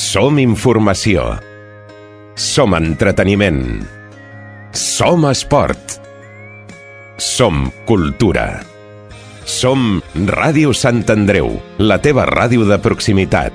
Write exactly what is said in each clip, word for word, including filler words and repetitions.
Som informació. Som entreteniment. Som esport. Som cultura. Som Ràdio Sant Andreu, la teva ràdio de proximitat.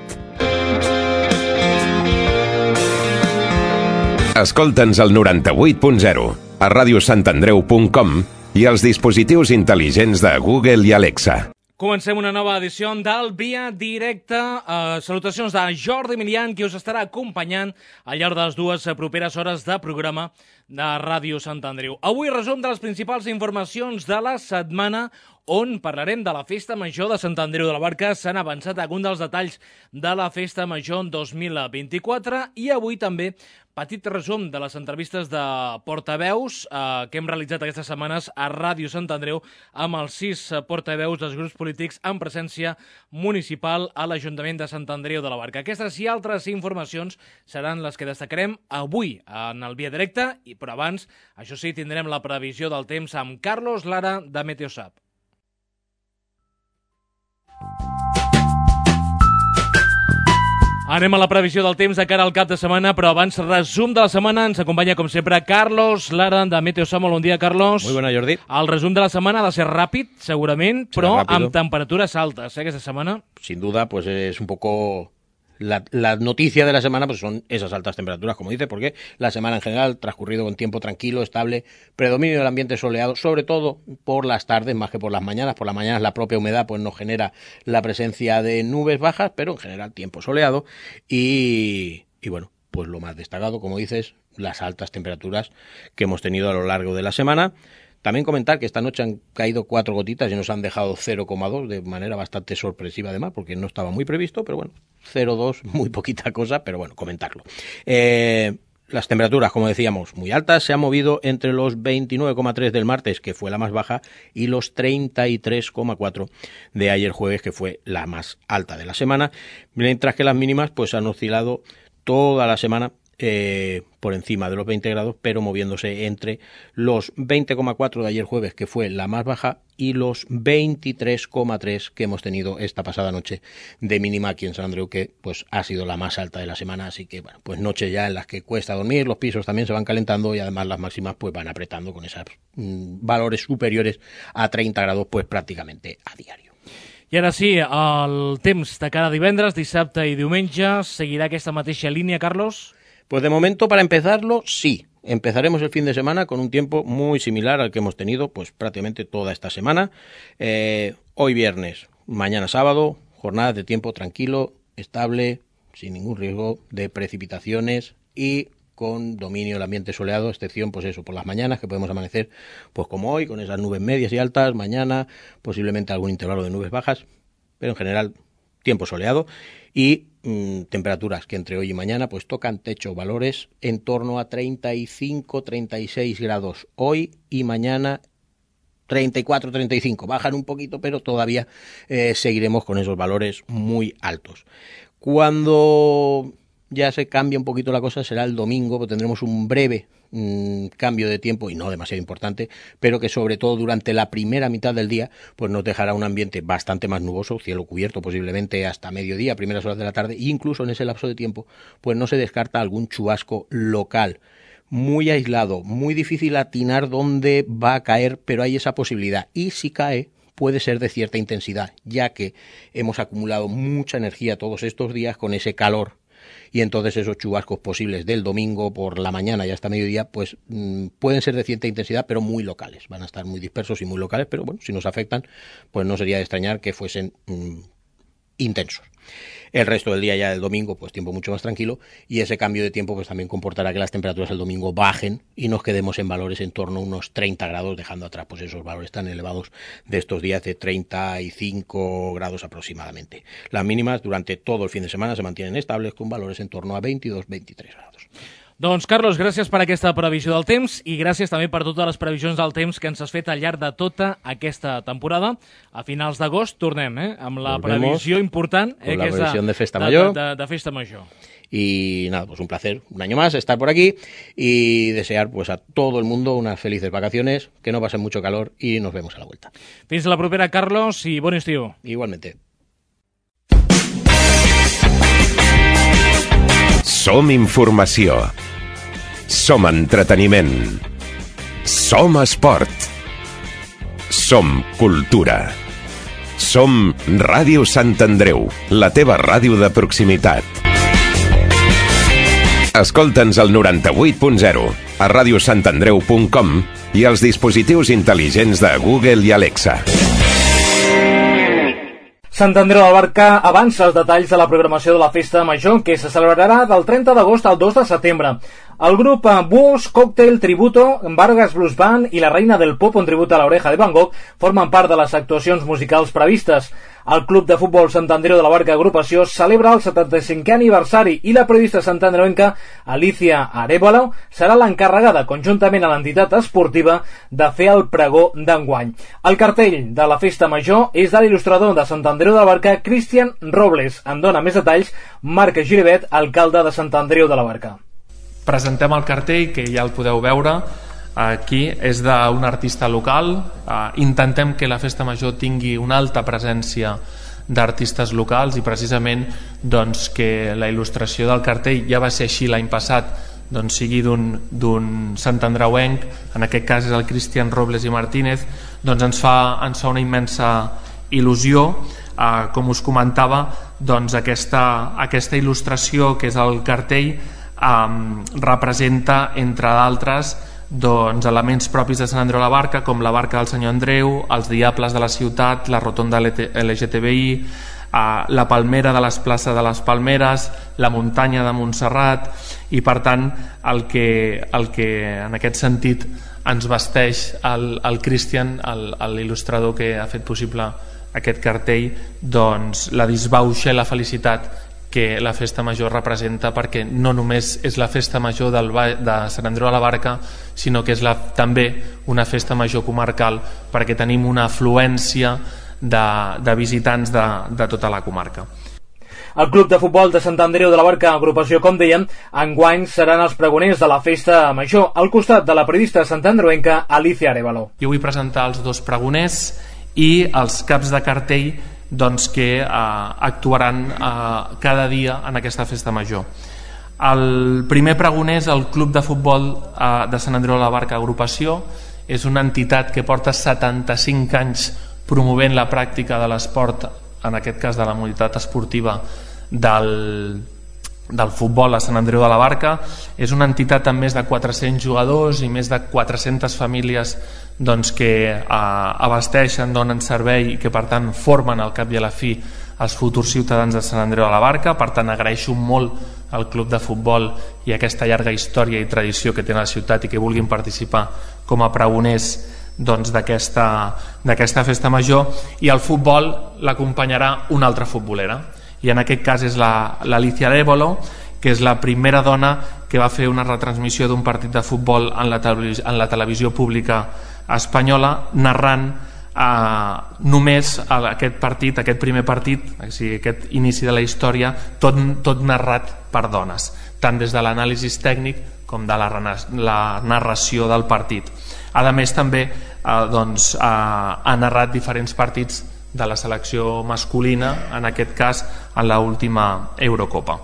Escolta'ns al noranta-vuit punt zero, a radiosantandreu punt com i als dispositius intel·ligents de Google i Alexa. Comencem una nova edició del Via Directe. Uh, salutacions de Jordi Milian, qui us estarà acompanyant al llarg de les dues properes hores de programa de Ràdio Sant Andreu. Avui resum de les principals informacions de la setmana, on parlarem de la Festa Major de Sant Andreu de la Barca. S'han avançat alguns dels detalls de la Festa Major dos mil vint-i-quatre i avui també petit resum de les entrevistes de portaveus eh, que hem realitzat aquestes setmanes a Ràdio Sant Andreu amb els sis portaveus dels grups polítics en presència municipal a l'Ajuntament de Sant Andreu de la Barca. Aquestes i altres informacions seran les que destacarem avui en el Via Directe, i però abans, això sí, tindrem la previsió del temps amb Carlos Lara de Meteosat. Anem a la previsió del temps de cara al cap de setmana, però abans, resum de la setmana. Ens acompanya, com sempre, Carlos Lara, de Meteosat. Molt bon dia, Carlos. Muy buena, Jordi. El resum de la setmana ha de ser ràpid, segurament, però amb temperatures altes, eh, aquesta setmana. Sin duda, pues es un poco... La, la noticia de la semana pues son esas altas temperaturas, como dice, porque la semana en general transcurrido con tiempo tranquilo, estable, predominio del ambiente soleado, sobre todo por las tardes más que por las mañanas. Por las mañanas la propia humedad pues nos genera la presencia de nubes bajas, pero en general tiempo soleado y, y bueno, pues lo más destacado, como dices, las altas temperaturas que hemos tenido a lo largo de la semana. También comentar que esta noche han caído cuatro gotitas y nos han dejado cero coma dos de manera bastante sorpresiva además, porque no estaba muy previsto, pero bueno, cero coma dos, muy poquita cosa, pero bueno, comentarlo. Eh, las temperaturas, como decíamos, muy altas, se han movido entre los veintinueve coma tres del martes, que fue la más baja, y los treinta y tres coma cuatro de ayer jueves, que fue la más alta de la semana, mientras que las mínimas pues han oscilado toda la semana Eh, por encima de los veinte grados, pero moviéndose entre los veinte coma cuatro de ayer jueves, que fue la más baja, y los veintitrés coma tres que hemos tenido esta pasada noche de mínima aquí en San Andreu, que pues ha sido la más alta de la semana. Así que bueno, pues noches ya en las que cuesta dormir, los pisos también se van calentando y además las máximas pues van apretando con esos mmm, valores superiores a treinta grados pues prácticamente a diario. I ara sí, el temps de cada divendres, dissabte i diumenge seguirà aquesta mateixa línia, Carlos? Pues de momento, para empezarlo, sí. Empezaremos el fin de semana con un tiempo muy similar al que hemos tenido pues prácticamente toda esta semana. Eh, hoy viernes, mañana sábado, jornadas de tiempo tranquilo, estable, sin ningún riesgo de precipitaciones y con dominio del ambiente soleado, excepción pues eso, por las mañanas, que podemos amanecer pues como hoy, con esas nubes medias y altas, mañana posiblemente algún intervalo de nubes bajas, pero en general tiempo soleado y mmm, temperaturas que entre hoy y mañana pues tocan techo, valores en torno a treinta y cinco, treinta y seis grados hoy y mañana treinta y cuatro, treinta y cinco, bajan un poquito, pero todavía eh, seguiremos con esos valores muy altos. Cuando ya se cambia un poquito la cosa será el domingo, pues tendremos un breve mmm, cambio de tiempo y no demasiado importante, pero que sobre todo durante la primera mitad del día pues nos dejará un ambiente bastante más nuboso, cielo cubierto posiblemente hasta mediodía, primeras horas de la tarde, e incluso en ese lapso de tiempo pues no se descarta algún chubasco local, muy aislado, muy difícil atinar dónde va a caer, pero hay esa posibilidad, y si cae puede ser de cierta intensidad, ya que hemos acumulado mucha energía todos estos días con ese calor. Y entonces esos chubascos posibles del domingo por la mañana y hasta mediodía pues mmm, pueden ser de cierta intensidad, pero muy locales. Van a estar muy dispersos y muy locales, pero bueno, si nos afectan, pues no sería de extrañar que fuesen mmm, intensos. El resto del día ya del domingo, pues tiempo mucho más tranquilo, y ese cambio de tiempo pues también comportará que las temperaturas el domingo bajen y nos quedemos en valores en torno a unos treinta grados, dejando atrás pues esos valores tan elevados de estos días de treinta y cinco grados aproximadamente. Las mínimas durante todo el fin de semana se mantienen estables con valores en torno a veintidós, veintitrés grados. Doncs, Carlos, gràcies per aquesta previsió del temps i gràcies també per totes les previsions del temps que ens has fet al llarg de tota aquesta temporada. A finals d'agost tornem eh, amb la Volvemos previsió important, eh, la que és previsión de Festa de, Mayor. De, de, de Festa Major. Y nada, pues un placer, un año más estar por aquí y desear pues a todo el mundo unas felices vacaciones, que no pasen mucho calor y nos vemos a la vuelta. Fins la propera, Carlos, i bon estiu. Igualmente. Som informació. Som entreteniment. Som esport. Som cultura. Som Ràdio Sant Andreu, la teva ràdio de proximitat. Escolta'ns al noranta-vuit punt zero, a ràdio sant andreu punt com i als dispositius intel·ligents de Google i Alexa. Sant Andreu de la Barca avança els detalls de la programació de la Festa Major, que se celebrarà del trenta d'agost al dos de setembre. El grup Búhos, Cocktail, Tributo, Vargas Blues Band i la Reina del Pop, un tribut a l'Oreja de Van Gogh, formen part de les actuacions musicals previstes. El Club de Futbol Sant Andreu de la Barca Agrupació celebra el setanta-cinquè aniversari i la periodista santandreuenca Alicia Arevalo serà l'encarregada, conjuntament a l'entitat esportiva, de fer el pregó d'enguany. El cartell de la Festa Major és de l'il·lustrador de Sant Andreu de la Barca, Cristian Robles. En dona més detalls Marc Giribet, alcalde de Sant Andreu de la Barca. Presentem el cartell, que ja el podeu veure aquí, és d'un artista local. Intentem que la Festa Major tingui una alta presència d'artistes locals i precisament doncs, que la il·lustració del cartell, ja va ser així l'any passat, doncs, sigui d'un santandreuenc, en aquest cas és el Cristian Robles i Martínez, doncs ens fa, ens fa una immensa il·lusió. Eh, com us comentava, doncs, aquesta, aquesta il·lustració que és el cartell Um, representa, entre d'altres, doncs, elements propis de Sant Andreu de la Barca, com la barca del Senyor Andreu, els diables de la ciutat, la rotonda L G T B I, uh, la palmera de les places de les Palmeres, la muntanya de Montserrat, i per tant el que, el que en aquest sentit ens vesteix el, el Cristian, l'il·lustrador que ha fet possible aquest cartell, doncs la disbauxa i la felicitat que la Festa Major representa, perquè no només és la Festa Major del, de Sant Andreu de la Barca, sinó que és la, també una Festa Major comarcal, perquè tenim una afluència de, de visitants de, de tota la comarca. El Club de Futbol de Sant Andreu de la Barca, agrupació, com dèiem, enguany seran els pregoners de la Festa Major, al costat de la periodista santandreuenca Alicia Arevalo. Jo vull presentar els dos pregoners i els caps de cartell, doncs, que eh, actuaran eh, cada dia en aquesta Festa Major. El primer pregoner és el Club de Futbol eh, de Sant Andreu de la Barca Agrupació. És una entitat que porta setanta-cinc anys promovent la pràctica de l'esport, en aquest cas de la modalitat esportiva del, del futbol a Sant Andreu de la Barca. És una entitat amb més de quatre-cents jugadors i més de quatre-centes famílies, doncs, que eh, abasteixen, donen servei i que per tant formen al cap i a la fi els futurs ciutadans de Sant Andreu de la Barca. Per tant, agraeixo molt al Club de Futbol i aquesta llarga història i tradició que té la ciutat i que vulguin participar com a pregoners, doncs, d'aquesta d'aquesta Festa Major. I el futbol l'acompanyarà una altra futbolera, i en aquest cas és l'Alicia Arevalo, que és la primera dona que va fer una retransmissió d'un partit de futbol en la televisió, en la televisió pública espanyola, narrant eh, només aquest partit, aquest primer partit, o sigui, aquest inici de la història, tot, tot narrat per dones, tant des de l'anàlisi tècnic com de la, la narració del partit. A més, també eh, doncs, eh, ha narrat diferents partits de la selecció masculina, en aquest cas en l'última Eurocopa.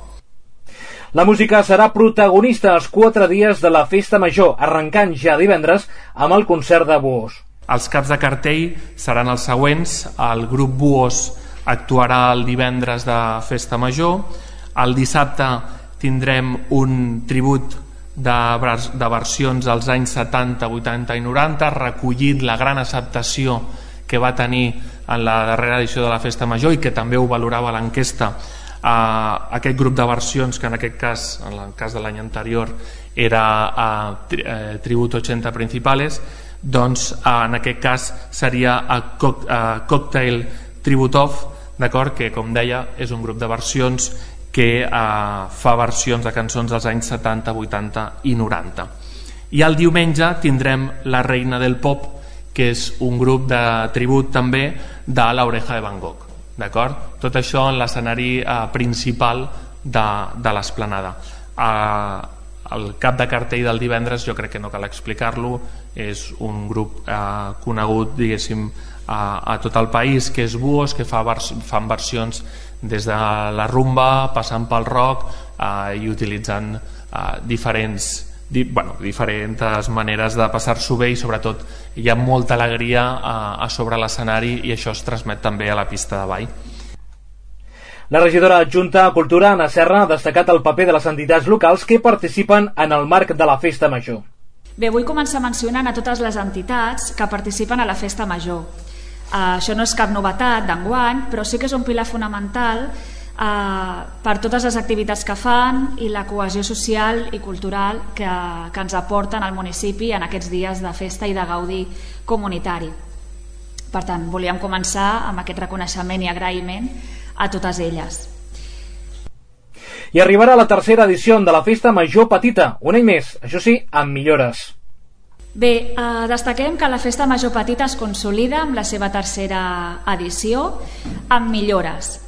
La música serà protagonista els quatre dies de la Festa Major, arrencant ja divendres amb el concert de Búhos. Els caps de cartell seran els següents. El grup Búhos actuarà el divendres de Festa Major. El dissabte tindrem un tribut de, de versions als anys setanta, vuitanta i noranta, recollint la gran acceptació que va tenir en la darrera edició de la Festa Major i que també ho valorava l'enquesta. Uh, aquest grup de versions, que en aquest cas, en el cas de l'any anterior, era uh, tri, uh, Tributo ochenta Principales, doncs uh, en aquest cas seria uh, coc, uh, Cocktail Tributov, d'acord, que com deia és un grup de versions que uh, fa versions de cançons dels anys setanta, vuitanta i noranta. I el diumenge tindrem la Reina del Pop, que és un grup de tribut també de l'Oreja de Van Gogh. D'acord? Tot això en l'escenari eh, principal de, de l'esplanada. Eh, el cap de cartell del divendres, jo crec que no cal explicar-lo, és un grup eh, conegut, diguéssim, a, a tot el país, que és Buos, que fa vers, fan versions des de la rumba, passant pel rock eh, i utilitzant eh, diferents, di, bueno, diferents maneres de passar-s'ho bé, i sobretot hi ha molta alegria a, a sobre l'escenari, i això es transmet també a la pista de ball. La regidora adjunta a Cultura, Anna Serra, ha destacat el paper de les entitats locals que participen en el marc de la Festa Major. Bé, vull començar mencionant a totes les entitats que participen a la Festa Major. Uh, això no és cap novetat d'enguany, però sí que és un pilar fonamental uh, per totes les activitats que fan i la cohesió social i cultural que, que ens aporten al municipi en aquests dies de festa i de gaudi comunitari. Per tant, volíem començar amb aquest reconeixement i agraïment a totes elles. I arribarà la tercera edició de la Festa Major Petita, un any més, això sí, amb millores. Bé, eh, destaquem que la Festa Major Petita es consolida amb la seva tercera edició amb millores.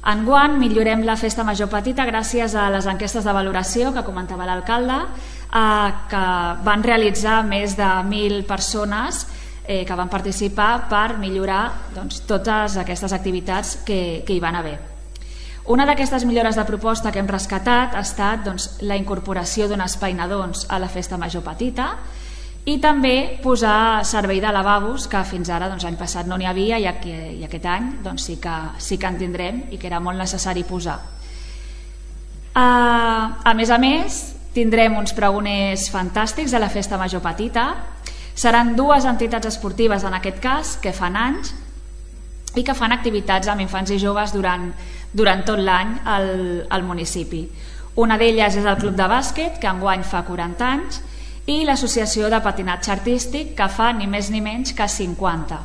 Enguany millorem la Festa Major Petita gràcies a les enquestes de valoració que comentava l'alcalde, eh, que van realitzar més de mil persones eh, que van participar per millorar doncs, totes aquestes activitats que, que hi van haver. Una d'aquestes millores de proposta que hem rescatat ha estat doncs, la incorporació d'un espai nadons a la Festa Major Petita i també posar servei de lavabos, que fins ara doncs, l'any passat no n'hi havia, i, aquí, i aquest any doncs, sí, que, sí que en tindrem i que era molt necessari posar. Uh, a més a més, tindrem uns pregoners fantàstics a la Festa Major Petita. Seran dues entitats esportives, en aquest cas, que fan anys i que fan activitats amb infants i joves durant, durant tot l'any al, al municipi. Una d'elles és el Club de Bàsquet, que enguany fa quaranta anys, i l'Associació de Patinatge Artístic, que fa ni més ni menys que cinquanta.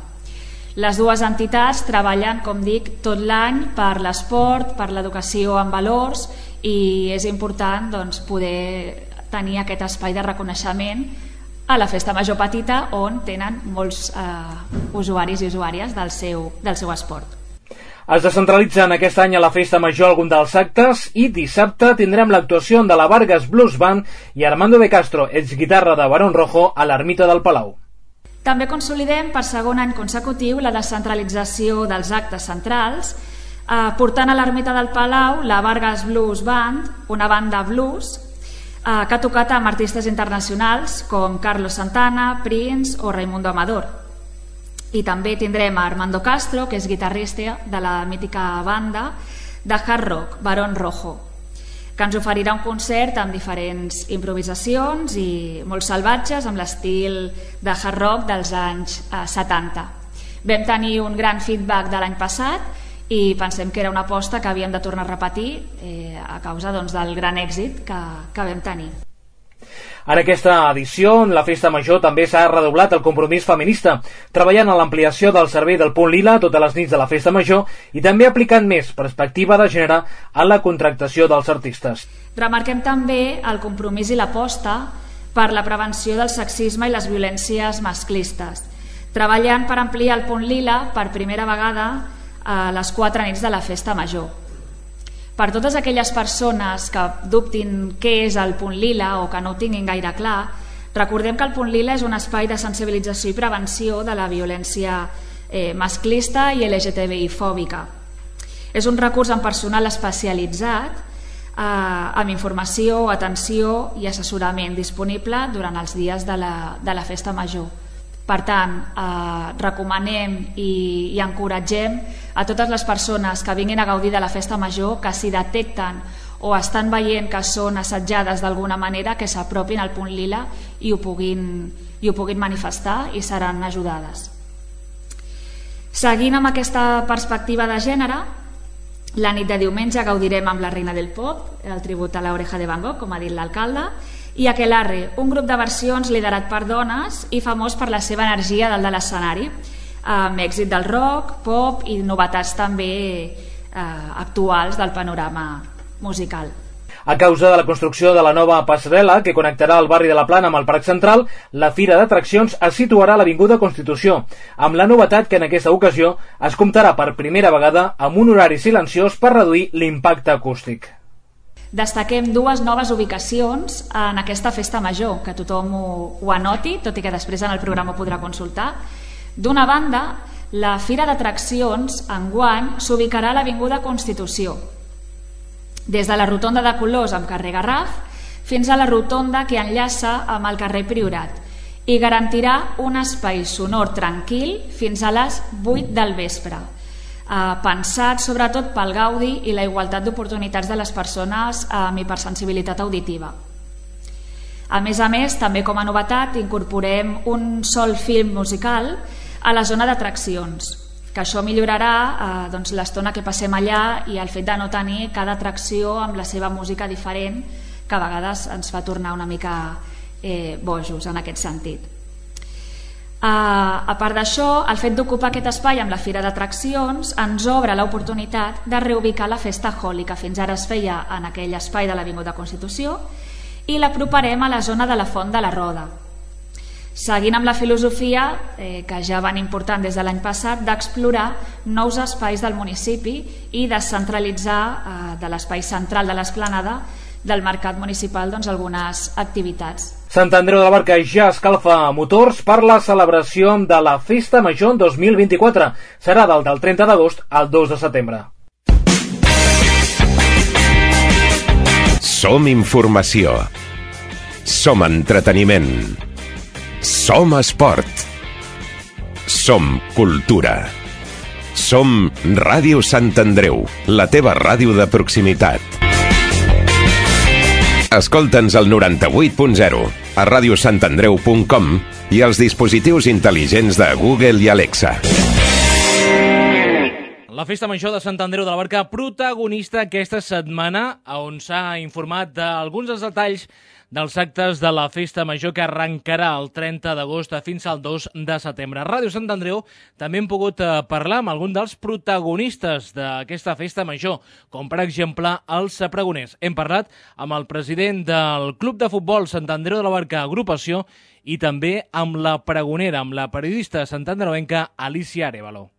Les dues entitats treballen, com dic, tot l'any per l'esport, per l'educació en valors, i és important doncs, poder tenir aquest espai de reconeixement a la Festa Major Petita, on tenen molts eh, usuaris i usuàries del seu, del seu esport. Es descentralitzen aquest any a la Festa Major algun dels actes i dissabte tindrem l'actuació de la Vargas Blues Band i Armando de Castro, exguitarra de Barón Rojo, a l'Ermita del Palau. També consolidem per segon any consecutiu la descentralització dels actes centrals, eh, portant a l'Ermita del Palau la Vargas Blues Band, una banda blues, eh, que ha tocat amb artistes internacionals com Carlos Santana, Prince o Raimundo Amador. I també tindrem a Armando Castro, que és guitarrista de la mítica banda de hard rock, Barón Rojo, que ens oferirà un concert amb diferents improvisacions i molt salvatges amb l'estil de hard rock dels anys eh, setanta. Vam tenir un gran feedback de l'any passat i pensem que era una aposta que havíem de tornar a repetir eh, a causa doncs, del gran èxit que, que vam tenir. En aquesta edició, en la Festa Major, també s'ha redoblat el compromís feminista, treballant en l'ampliació del servei del Punt Lila totes les nits de la Festa Major i també aplicant més perspectiva de gènere en la contractació dels artistes. Remarquem també el compromís i l'aposta per la prevenció del sexisme i les violències masclistes, treballant per ampliar el Punt Lila per primera vegada a les quatre nits de la Festa Major. Per totes aquelles persones que dubtin què és el Punt Lila o que no ho tinguin gaire clar, recordem que el Punt Lila és un espai de sensibilització i prevenció de la violència eh, masclista i L G T B I fòbica. És un recurs amb personal especialitzat, eh, amb informació, atenció i assessorament disponible durant els dies de la, de la Festa Major. Per tant, eh, recomanem i, i encoratgem a totes les persones que vinguin a gaudir de la Festa Major que si detecten o estan veient que són assetjades d'alguna manera, que s'apropin al Punt Lila i ho puguin, i ho puguin manifestar i seran ajudades. Seguint amb aquesta perspectiva de gènere, la nit de diumenge gaudirem amb la Reina del Pop, el tribut a l'Oreja de Van Gogh, com ha dit l'alcalde, i Aquelarre, un grup de versions liderat per dones i famós per la seva energia dalt de l'escenari, amb èxit del rock, pop i novetats també eh, actuals del panorama musical. A causa de la construcció de la nova passarel·la que connectarà el barri de la Plana amb el Parc Central, la Fira d'Atraccions es situarà a l'Avinguda Constitució, amb la novetat que en aquesta ocasió es comptarà per primera vegada amb un horari silenciós per reduir l'impacte acústic. Destaquem dues noves ubicacions en aquesta Festa Major, que tothom ho, ho anoti, tot i que després en el programa ho podrà consultar. D'una banda, La Fira d'Atraccions, enguany, s'ubicarà a l'Avinguda Constitució, des de la rotonda de Colors amb carrer Garraf fins a la rotonda que enllaça amb el carrer Priorat, i garantirà un espai sonor tranquil fins a les vuit del vespre, eh, pensat sobretot pel gaudi i la igualtat d'oportunitats de les persones amb hipersensibilitat auditiva. A més a més, també com a novetat, incorporem un sol film musical a la zona d'atraccions, que això millorarà eh, doncs, l'estona que passem allà i el fet de no tenir cada atracció amb la seva música diferent, que a vegades ens fa tornar una mica eh, bojos en aquest sentit. Uh, a part d'això, el fet d'ocupar aquest espai amb la Fira d'Atraccions ens obre l'oportunitat de reubicar la Festa Holi, que fins ara es feia en aquell espai de l'Avinguda Constitució, i l'aproparem a la zona de la Font de la Roda, seguint amb la filosofia eh, que ja van important des de l'any passat d'explorar nous espais del municipi i descentralitzar eh, de l'espai central de l'esplanada del mercat municipal doncs, algunes activitats. Sant Andreu de la Barca ja escalfa motors per la celebració de la Festa Major dos mil vint-i-quatre. Serà del, del trenta d'agost al dos de setembre. Som informació. Som entreteniment. Som esport. Som cultura. Som Ràdio Sant Andreu, la teva ràdio de proximitat. Escolta'ns al noranta-vuit punt zero, a ràdio sant andreu punt com i als dispositius intel·ligents de Google i Alexa. La Festa Major de Sant Andreu de la Barca, protagonista aquesta setmana, on s'ha informat d'alguns dels detalls dels actes de la Festa Major que arrencarà el trenta d'agost fins al dos de setembre. A Ràdio Sant Andreu també hem pogut parlar amb algun dels protagonistes d'aquesta Festa Major, com per exemple els pregoners. Hem parlat amb el president del Club de Futbol Sant Andreu de la Barca Agrupació i també amb la pregonera, amb la periodista santandreuenca Alicia Arévalo.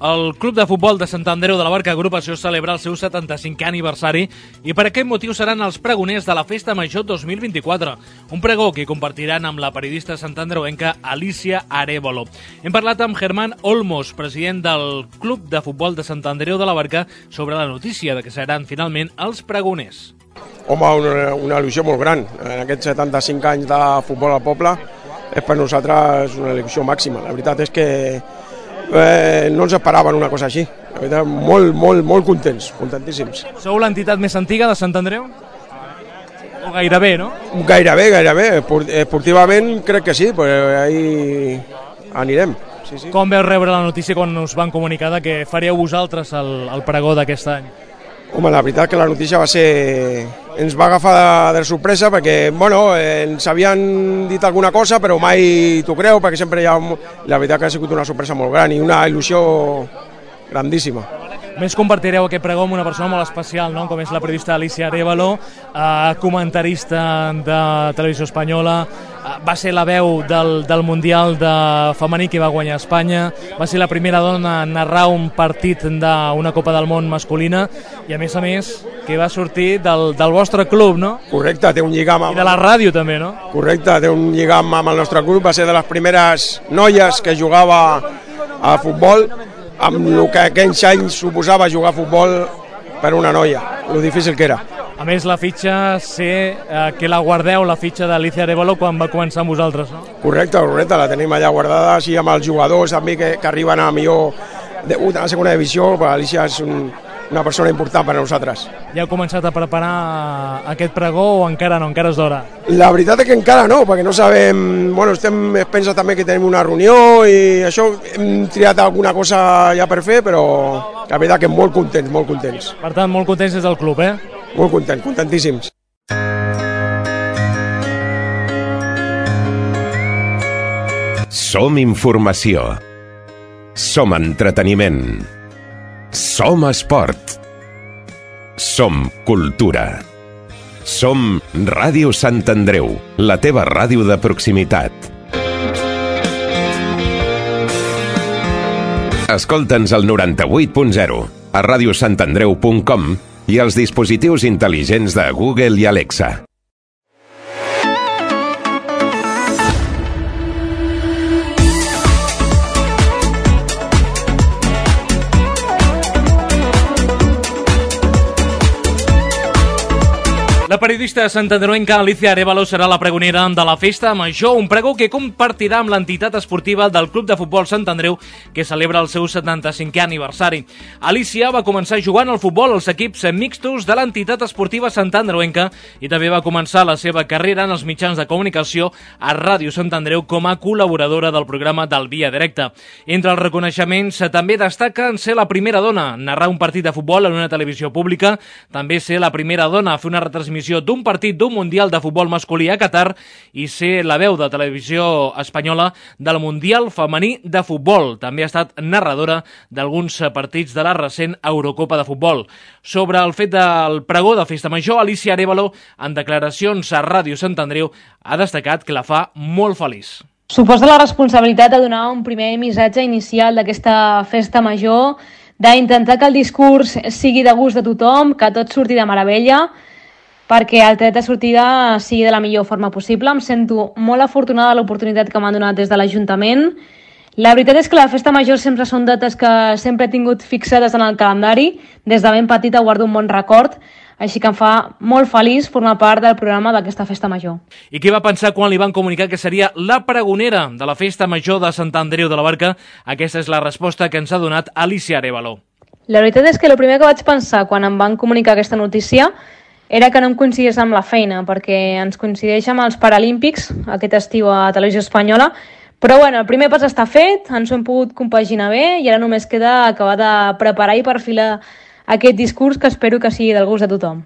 El Club de Futbol de Sant Andreu de la Barca Agrupació celebra el seu setanta-cinquè aniversari i per aquest motiu seran els pregoners de la Festa Major dos mil vint-i-quatre, un pregó que compartiran amb la periodista santandreuenca Alicia Arévalo. Hem parlat amb Germán Olmos, president del Club de Futbol de Sant Andreu de la Barca, sobre la notícia de que seran finalment els pregoners. Home, una, una il·lusió molt gran. En aquests setanta-cinc anys de futbol al poble és per nosaltres una il·lusió màxima. La veritat és que Eh, no ens esperaven una cosa així. La veritat, molt, molt, molt contents, contentíssims. Sou l'entitat més antiga de Sant Andreu? O gairebé, no? Gairebé, gairebé. Esportivament crec que sí, però ahí anirem. Sí, sí. Com veu rebre la notícia quan us van comunicar que faríeu vosaltres el, el pregó d'aquest any? Home, la veritat que la notícia va ser... Ens va agafar de, de sorpresa perquè, bueno, eh, ens havien dit alguna cosa, però mai t'ho creu, perquè sempre hi ha... La veritat que ha sigut una sorpresa molt gran i una il·lusió grandíssima. Més compartireu aquest pregó amb una persona molt especial, no? Com és la periodista Alicia Arévalo, eh, comentarista de Televisió Espanyola, eh, va ser la veu del, del Mundial de femení que va guanyar Espanya, va ser la primera dona a narrar un partit d'una Copa del Món masculina i, a més a més, que va sortir del, del vostre club, no? Correcte, té un lligam amb... I de la ràdio, també, no? Correcte, té un lligam amb el nostre club, va ser de les primeres noies que jugava a futbol, amb el que aquells anys suposava jugar a futbol per una noia, lo difícil que era. A més, la fitxa, sé eh, que la guardeu, la fitxa d'Alicia Arévalo, quan va començar amb vosaltres, no? Correcte, correcte, la tenim allà guardada, així amb els jugadors també que, que arriben a millor de, a la segona divisió, però Alicia és un, una persona important per a nosaltres. Ja heu començat a preparar aquest pregó o encara no, encara és d'hora? La veritat és que encara no, perquè no sabem... Bueno, estem, es pensa també que tenim una reunió i això, hem triat alguna cosa ja per fer, però la veritat que molt contents, molt contents. Per tant, molt contents des del club, eh? Molt contents, contentíssims. Som informació. Som entreteniment. Som esport. Som cultura. Som Ràdio Sant Andreu, la teva ràdio de proximitat. Escolta'ns al noranta-vuit punt zero, a radiosantandreu punt com i als dispositius intel·ligents de Google i Alexa. La periodista santandreuenca Alicia Arévalo serà la pregonera de la Festa Major, un pregó que compartirà amb l'entitat esportiva del Club de Futbol Sant Andreu, que celebra el seu setanta-cinquè aniversari. Alicia va començar jugant al futbol als equips mixtos de l'entitat esportiva santandreuenca i també va començar la seva carrera en els mitjans de comunicació a Ràdio Sant Andreu com a col·laboradora del programa del Via Directa. Entre els reconeixements també destaca en ser la primera dona, narrar un partit de futbol en una televisió pública, també ser la primera dona a fer una retransmissió d'un partit d'un Mundial de Futbol masculí a Qatar i ser la veu de televisió espanyola del Mundial femení de futbol. També ha estat narradora d'alguns partits de la recent Eurocopa de futbol. Sobre el fet del pregó de Festa Major, Alicia Arévalo, en declaracions a Ràdio Sant Andreu, ha destacat que la fa molt feliç. Suposa la responsabilitat de donar un primer missatge inicial d'aquesta Festa Major, d'intentar que el discurs sigui de gust de tothom, que tot surti de meravella, perquè el tret de sortida sigui de la millor forma possible. Em sento molt afortunada de l'oportunitat que m'han donat des de l'Ajuntament. La veritat és que la Festa Major sempre són dates que sempre he tingut fixades en el calendari. Des de ben petita guardo un bon record, així que em fa molt feliç formar part del programa d'aquesta Festa Major. I què va pensar quan li van comunicar que seria la pregonera de la Festa Major de Sant Andreu de la Barca? Aquesta és la resposta que ens ha donat Alicia Arévalo. La veritat és que el primer que vaig pensar quan em van comunicar aquesta notícia era que no em coincidís amb la feina, perquè ens coincideix amb els Paralímpics aquest estiu a Televisió Espanyola. Però bueno, el primer pas està fet, ens ho hem pogut compaginar bé i ara només queda acabar de preparar i perfilar aquest discurs que espero que sigui del gust de tothom.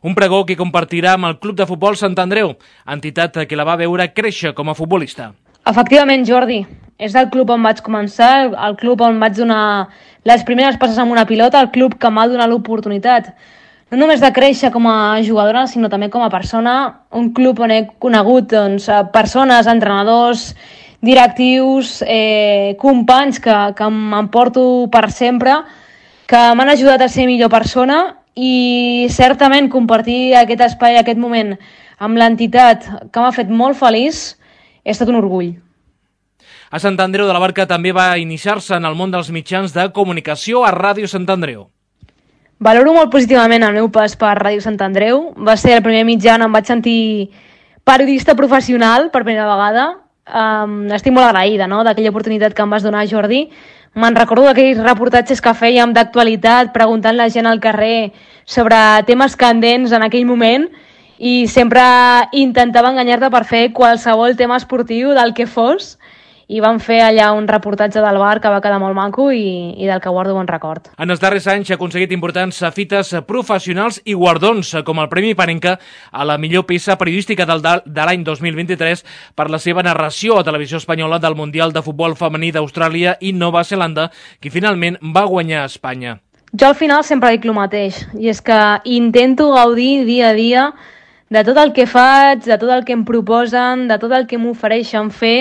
Un pregó que compartirà amb el Club de Futbol Sant Andreu, entitat que la va veure créixer com a futbolista. Efectivament, Jordi, és el club on vaig començar, el club on vaig donar les primeres passes amb una pilota, el club que m'ha donat l'oportunitat no només de créixer com a jugadora, sinó també com a persona, un club on he conegut doncs, persones, entrenadors, directius, eh, companys que, que m'emporto per sempre, que m'han ajudat a ser millor persona i certament compartir aquest espai, aquest moment amb l'entitat que m'ha fet molt feliç, ha estat un orgull. A Sant Andreu de la Barca també va iniciar-se en el món dels mitjans de comunicació a Ràdio Sant Andreu. Valoro molt positivament el meu pas per Ràdio Sant Andreu. Va ser el primer mitjà on em vaig sentir periodista professional per primera vegada. Um, estic molt agraïda, no?, d'aquella oportunitat que em vas donar, Jordi. Me'n recordo d'aquells reportatges que fèiem d'actualitat, preguntant la gent al carrer sobre temes candents en aquell moment i sempre intentava enganyar-te per fer qualsevol tema esportiu del que fos. I van fer allà un reportatge del bar que va quedar molt maco i, i del que guardo bon record. En els darrers anys ha aconseguit importants fites professionals i guardons, com el Premi Panenka a la millor peça periodística del, de l'any dos mil vint-i-tres per la seva narració a Televisió Espanyola del Mundial de Futbol Femení d'Austràlia i Nova Zelanda, que finalment va guanyar a Espanya. Jo al final sempre dic el mateix, i és que intento gaudir dia a dia de tot el que faig, de tot el que em proposen, de tot el que m'ofereixen fer,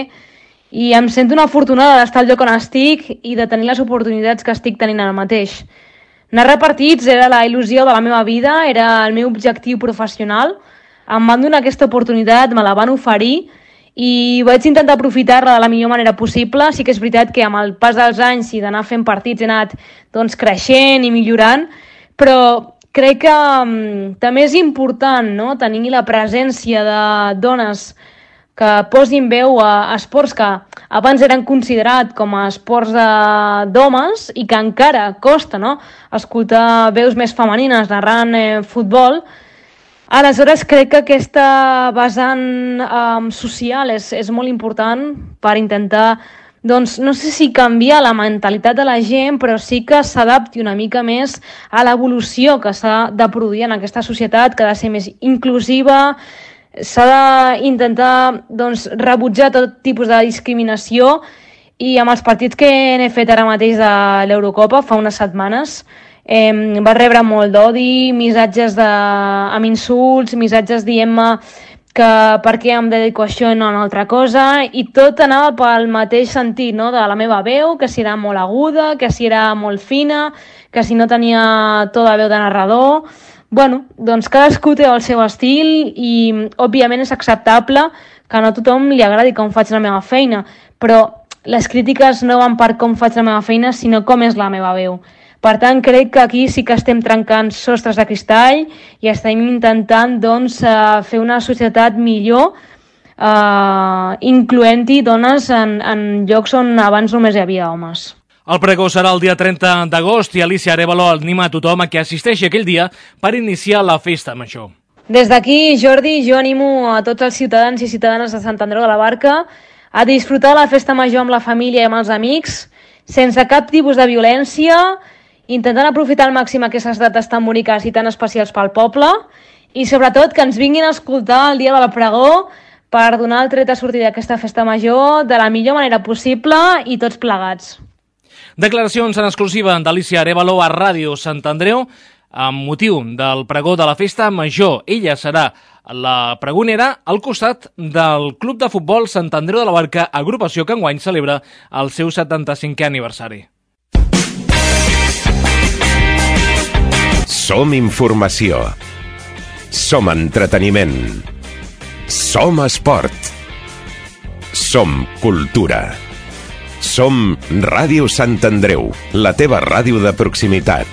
i em sento una afortunada d'estar al lloc on estic i de tenir les oportunitats que estic tenint ara mateix. Narrar partits era la il·lusió de la meva vida, era el meu objectiu professional. Em van donar aquesta oportunitat, me la van oferir i vaig intentar aprofitar-la de la millor manera possible. Sí que és veritat que amb el pas dels anys i d'anar fent partits he anat doncs, creixent i millorant, però crec que um, també és important, no?, tenir la presència de dones que posin veu a esports que abans eren considerats com a esports d'homes i que encara costa, no?, escoltar veus més femenines narrant eh, futbol. Aleshores, crec que aquesta vessant eh, social és, és molt important per intentar, doncs, no sé si canviar la mentalitat de la gent, però sí que s'adapti una mica més a l'evolució que s'ha de produir en aquesta societat, que ha de ser més inclusiva. S'ha d'intentar doncs, rebutjar tot tipus de discriminació i amb els partits que n'he fet ara mateix de l'Eurocopa fa unes setmanes eh, va rebre molt d'odi, missatges de, amb insults, missatges dient-me que per què em dedico a això i no a una altra cosa, i tot anava pel mateix sentit, no? De la meva veu, que si era molt aguda, que si era molt fina, que si no tenia tota veu de narrador. Bueno, doncs cadascú té el seu estil i òbviament és acceptable que no a tothom li agradi com faig la meva feina, però les crítiques no van per com faig la meva feina, sinó com és la meva veu. Per tant, crec que aquí sí que estem trencant sostres de cristall i estem intentant doncs, fer una societat millor, eh, incloent-hi dones en, en llocs on abans només hi havia homes. El pregó serà el dia trenta d'agost i Alicia Arévalo anima a tothom a que assisteixi aquell dia per iniciar la festa major. Des d'aquí, Jordi, jo animo a tots els ciutadans i ciutadanes de Sant Andreu de la Barca a disfrutar la festa major amb la família i amb els amics, sense cap tipus de violència, intentant aprofitar al màxim aquestes dates tan boniques i tan especials pel poble i sobretot que ens vinguin a escoltar el dia del pregó per donar el tret de sortida d'aquesta festa major de la millor manera possible i tots plegats. Declaracions en exclusiva d'Alicia Arévalo a Ràdio Sant Andreu amb motiu del pregó de la festa major. Ella serà la pregonera al costat del Club de Futbol Sant Andreu de la Barca, agrupació que enguany celebra el seu setanta-cinquè aniversari. Som informació. Som entreteniment. Som esport. Som cultura. Som Ràdio Sant Andreu, la teva ràdio de proximitat.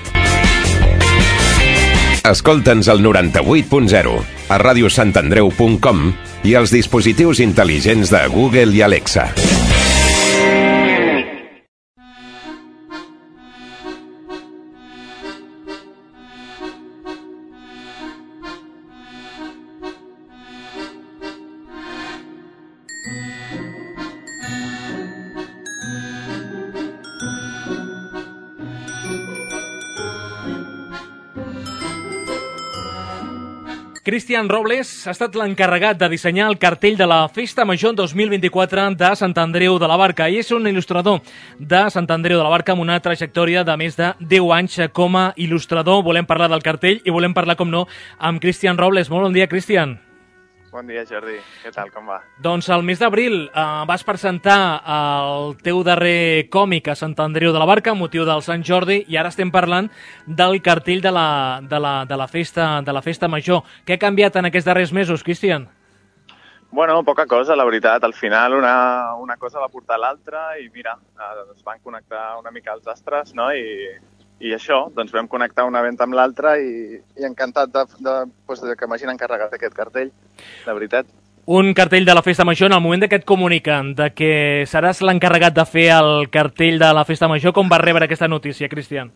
Escolta'ns al noranta-vuit punt zero, a ràdio sant andreu punt com i als dispositius intel·ligents de Google i Alexa. Cristian Robles ha estat l'encarregat de dissenyar el cartell de la Festa Major dos mil vint-i-quatre de Sant Andreu de la Barca i és un il·lustrador de Sant Andreu de la Barca amb una trajectòria de més de deu anys com a il·lustrador. Volem parlar del cartell i volem parlar, com no, amb Cristian Robles. Molt bon dia, Cristian. Bon dia, Jordi. Què tal, com va? Doncs el mes d'abril eh, vas presentar el teu darrer còmic a Sant Andreu de la Barca amb motiu del Sant Jordi i ara estem parlant del cartell de la, de la, de la, festa, de la festa major. Què ha canviat en aquests darrers mesos, Cristian? Bueno, poca cosa, la veritat. Al final una, una cosa va portar l'altra i mira, es van connectar una mica els astres, no? I, i això, doncs vam connectar una venda amb l'altra i, i encantat de, de, doncs, de que m'hagin encarregat aquest cartell, la veritat. Un cartell de la Festa Major, en el moment que et comuniquen de que seràs l'encarregat de fer el cartell de la Festa Major, com vas rebre aquesta notícia, Cristian?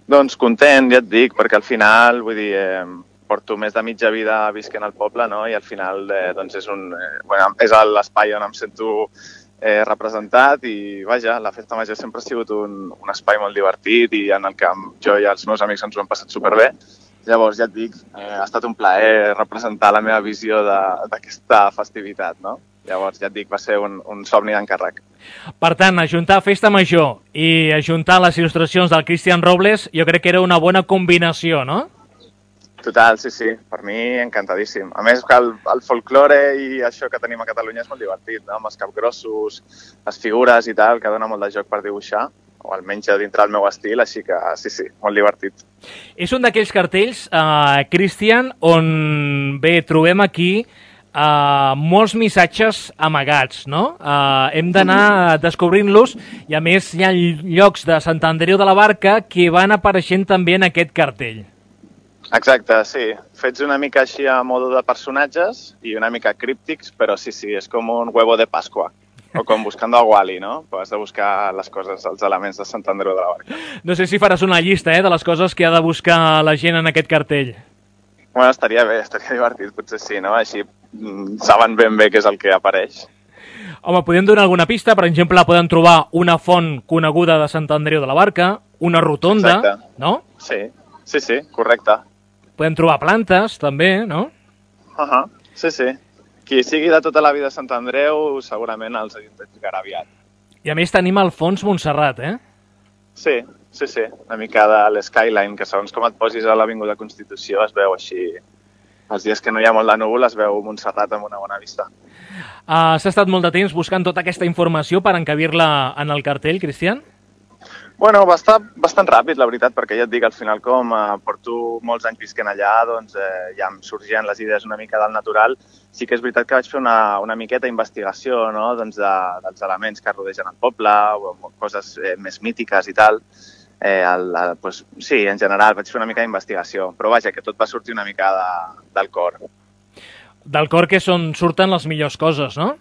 Doncs content, ja et dic, perquè al final, vull dir, eh, porto més de mitja vida visquent al poble, no? I al final eh, doncs és, un, eh, bueno, és l'espai on em sento eh, representat i, vaja, la Festa Major sempre ha sigut un, un espai molt divertit i en el que jo i els meus amics ens ho hem passat superbé. Llavors, ja et dic, eh, ha estat un plaer representar la meva visió d'aquesta festivitat, no? Llavors, ja et dic, va ser un, un somni d'encàrrec. Per tant, ajuntar Festa Major i ajuntar les il·lustracions del Cristian Robles, jo crec que era una bona combinació, no? Total, sí, sí, per mi encantadíssim. A més, que el, el folklore i això que tenim a Catalunya és molt divertit, no? Amb els capgrossos, les figures i tal, que dona molt de joc per dibuixar, o almenys dintre del meu estil, així que sí, sí, molt divertit. És un d'aquells cartells, eh, Cristian, on bé, trobem aquí eh, molts missatges amagats, no? Eh, hem d'anar descobrint-los i a més hi ha llocs de Sant Andreu de la Barca que van apareixent també en aquest cartell. Exacte, sí. Fets una mica així a modo de personatges i una mica críptics, però sí, sí, és com un huevo de Pasqua. O com buscando a Wally, no? Pues has de buscar les coses, els elements de Sant Andreu de la Barca. No sé si faràs una llista eh, de les coses que ha de buscar la gent en aquest cartell. Bueno, estaria bé, estaria divertit, potser sí, no? Així mm, saben ben bé què és el que apareix. Home, podem donar alguna pista? Per exemple, poden trobar una font coneguda de Sant Andreu de la Barca, una rotonda, exacte, no? Sí, sí, sí, correcte. Podem trobar plantes, també, no? Uh -huh. Sí, sí. Qui sigui de tota la vida a Sant Andreu segurament els identificarà aviat. I a més tenim al fons Montserrat, eh? Sí, sí, sí. Una mica de l'skyline, que segons com et posis a l'Avinguda Constitució es veu així els dies que no hi ha molt de núvol es veu Montserrat amb una bona vista. Uh, S'ha estat molt de temps buscant tota aquesta informació per encabir-la en el cartell, Cristian? Bueno, va estar bastant ràpid, la veritat, perquè ja et dic, al final, com eh, porto molts anys visquent allà, doncs eh, ja em sorgien les idees una mica del natural. Sí que és veritat que vaig fer una, una miqueta d'investigació, no?, doncs de, dels elements que rodegen el poble, o coses eh, més mítiques i tal. Eh, el, el, pues, sí, en general vaig fer una mica d'investigació, però vaja, que tot va sortir una mica de, del cor. Del cor, que són, surten les millors coses, no?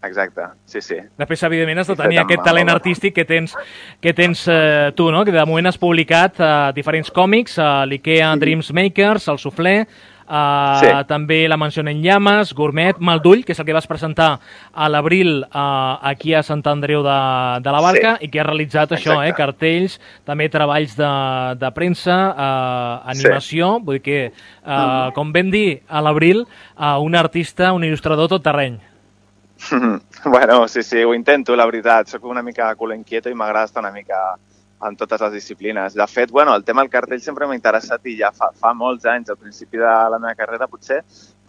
Exacte, sí, sí. Després, evidentment, has de tenir aquest talent artístic que tens, que tens eh, tu, no? Que de moment has publicat eh, diferents còmics, eh, l'IKEA Dreams Makers, el Suflé, Uh, sí. També la Mansió en Llames, Gourmet, Maldull, que és el que vas presentar a l'abril uh, aquí a Sant Andreu de, de la Barca, sí. I que ha realitzat això, eh, cartells, també treballs de, de premsa, uh, animació, sí. Vull dir que, uh, mm. com vam dir a l'abril, uh, un artista, un il·lustrador tot terreny. Bueno, sí, sí, ho intento, la veritat. Soc una mica culo inquieto i m'agrada estar una mica en totes les disciplines. De fet, bueno, el tema del cartell sempre m'ha interessat i ja fa, fa molts anys, al principi de la meva carrera, potser,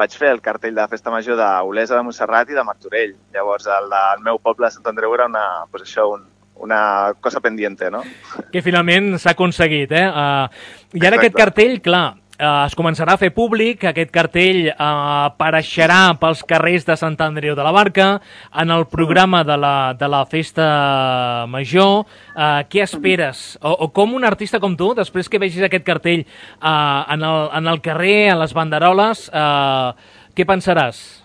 vaig fer el cartell de Festa Major d'Olesa de Montserrat i de Martorell. Llavors, el del meu poble de Sant Andreu era una, pues això, un, una cosa pendiente, no? Que finalment s'ha aconseguit, eh? Uh, I ara Exacte. Aquest cartell, clar, Uh, es començarà a fer públic, aquest cartell uh, apareixerà pels carrers de Sant Andreu de la Barca, en el programa de la, de la Festa Major. Uh, què esperes? O, o com un artista com tu, després que vegis aquest cartell uh, en, el, en el carrer, a les banderoles, uh, què pensaràs?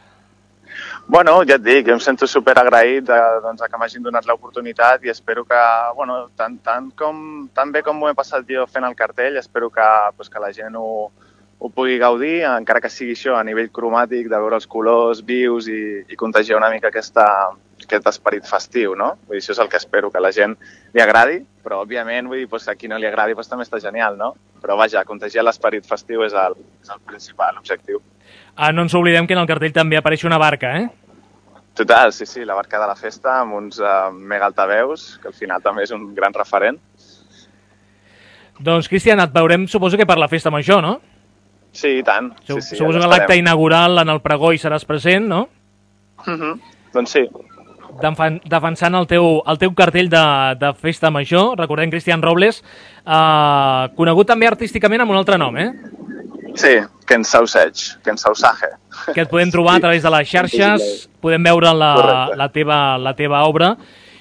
Bueno, ja et dic, jo em sento superagraït de, doncs, que m'hagin donat l'oportunitat i espero que, bueno, tant, tant, com, tan bé com m'ho he passat jo fent el cartell, espero que, pues, que la gent ho, ho pugui gaudir, encara que sigui això a nivell cromàtic, de veure els colors vius i, i contagiar una mica aquesta, aquest esperit festiu, no? Vull dir, això és el que espero, que la gent li agradi, però, òbviament, vull dir, pues, a qui no li agradi pues, també està genial, no? Però, vaja, contagiar l'esperit festiu és el, és el principal objectiu. Ah, no ens oblidem que en el cartell també apareix una barca, eh? Total, sí, sí, la barca de la festa amb uns uh, mega altaveus, que al final també és un gran referent. Doncs, Cristian, et veurem, suposo que per la Festa Major, no? Sí, i tant. Sí, sí, suposo ja que l'acte inaugural en el pregó hi seràs present, no? Uh -huh. Doncs sí. Defensant el teu, el teu cartell de, de Festa Major, recordem Cristian Robles, uh, conegut també artísticament amb un altre nom, eh? Sí, Ken Sausage, Ken Sausage. Que et podem trobar a través de les xarxes, podem veure la, la, teva, la teva obra,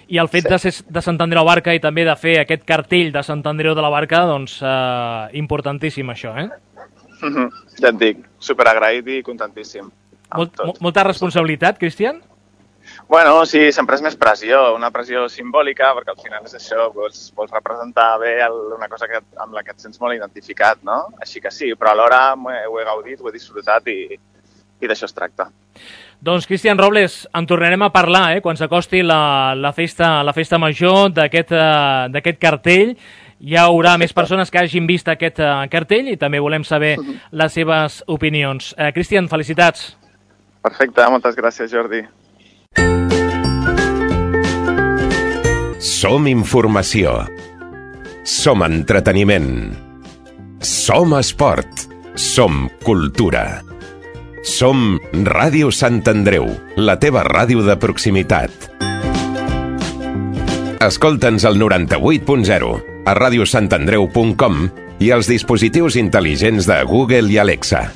i el fet sí. de ser de Sant Andreu de la Barca i també de fer aquest cartell de Sant Andreu de la Barca, doncs, eh, importantíssim això, eh? Uh -huh. Ja et dic, superagraït i contentíssim. Molt, molta responsabilitat, Cristian? Bueno, sí, sempre és més pressió, una pressió simbòlica, perquè al final és això, vols, vols representar bé el, una cosa que, amb la que et sents molt identificat, no? Així que sí, però alhora ho he gaudit, ho he disfrutat i, i d'això es tracta. Doncs, Cristian Robles, en tornarem a parlar, eh, quan s'acosti la, la, festa, la festa major d'aquest uh, d'aquest cartell. Hi haurà Perfecte. Més persones que hagin vist aquest uh, cartell i també volem saber uh -huh. les seves opinions. Uh, Cristian, felicitats. Perfecte, moltes gràcies, Jordi. Som informació. Som entreteniment. Som esport. Som cultura. Som Ràdio Sant Andreu, la teva ràdio de proximitat. Escolta'ns al noranta-vuit punt zero, a ràdio sant andreu punt com i als dispositius intel·ligents de Google i Alexa.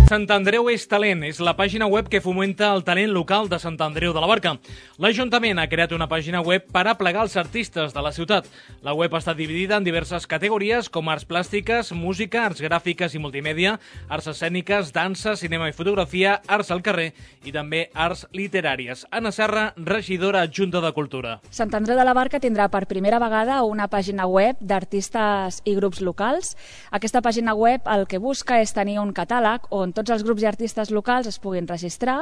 Sant Andreu és talent, és la pàgina web que fomenta el talent local de Sant Andreu de la Barca. L'Ajuntament ha creat una pàgina web per aplegar els artistes de la ciutat. La web està dividida en diverses categories com arts plàstiques, música, arts gràfiques i multimèdia, arts escèniques, dansa, cinema i fotografia, arts al carrer i també arts literàries. Anna Serra, regidora adjunta de Cultura. Sant Andreu de la Barca tindrà per primera vegada una pàgina web d'artistes i grups locals. Aquesta pàgina web el que busca és tenir un catàleg on tots els grups i artistes locals es puguin registrar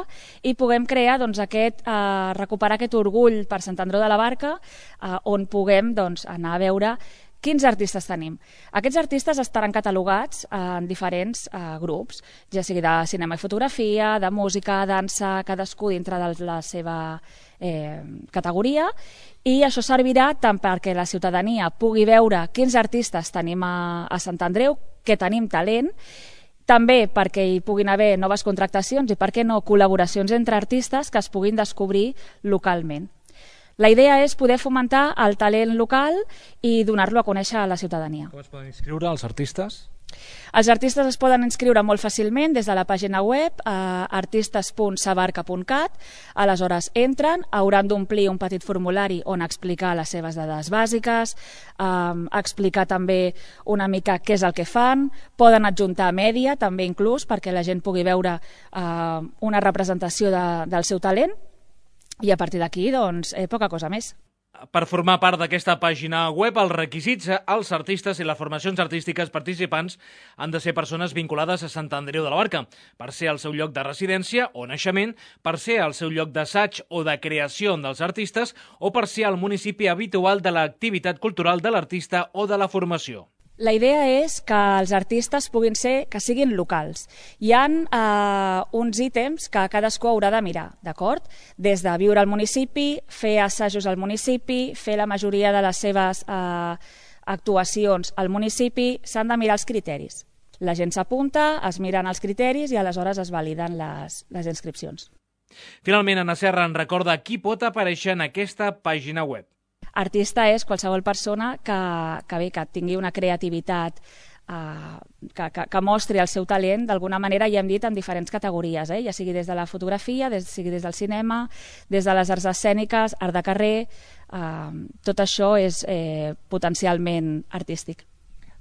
i puguem crear doncs, aquest, eh, recuperar aquest orgull per Sant Andreu de la Barca, eh, on puguem doncs, anar a veure quins artistes tenim. Aquests artistes estaran catalogats en diferents eh, grups, ja sigui de cinema i fotografia, de música, dansa, cadascú dintre de la seva eh, categoria, i això servirà tant perquè la ciutadania pugui veure quins artistes tenim a, a Sant Andreu, que tenim talent, també perquè hi puguin haver noves contractacions i, per què no, col·laboracions entre artistes que es puguin descobrir localment. La idea és poder fomentar el talent local i donar-lo a conèixer a la ciutadania. Com es poden inscriure els artistes? Els artistes es poden inscriure molt fàcilment des de la pàgina web a artistes punt sabarca punt cat. Aleshores entren, hauran d'omplir un petit formulari on explicar les seves dades bàsiques, eh, explicar també una mica què és el que fan, poden adjuntar mèdia també inclús perquè la gent pugui veure eh, una representació de, del seu talent, i a partir d'aquí, doncs, eh, poca cosa més. Per formar part d'aquesta pàgina web, els requisits als artistes i les formacions artístiques participants han de ser persones vinculades a Sant Andreu de la Barca, per ser el seu lloc de residència o naixement, per ser el seu lloc d'assaig o de creació dels artistes o per ser el municipi habitual de l'activitat cultural de l'artista o de la formació. La idea és que els artistes puguin ser, que siguin locals. Hi ha eh, uns ítems que cadascú haurà de mirar, d'acord? Des de viure al municipi, fer assajos al municipi, fer la majoria de les seves eh, actuacions al municipi, s'han de mirar els criteris. La gent s'apunta, es miren els criteris i aleshores es validen les, les inscripcions. Finalment, Anna Serra en recorda qui pot aparèixer en aquesta pàgina web. Artista és qualsevol persona que, que, bé, que tingui una creativitat, eh, que, que, que mostri el seu talent, d'alguna manera, ja hem dit, en diferents categories, eh? Ja sigui des de la fotografia, des, sigui des del cinema, des de les arts escèniques, art de carrer, eh, tot això és eh, potencialment artístic.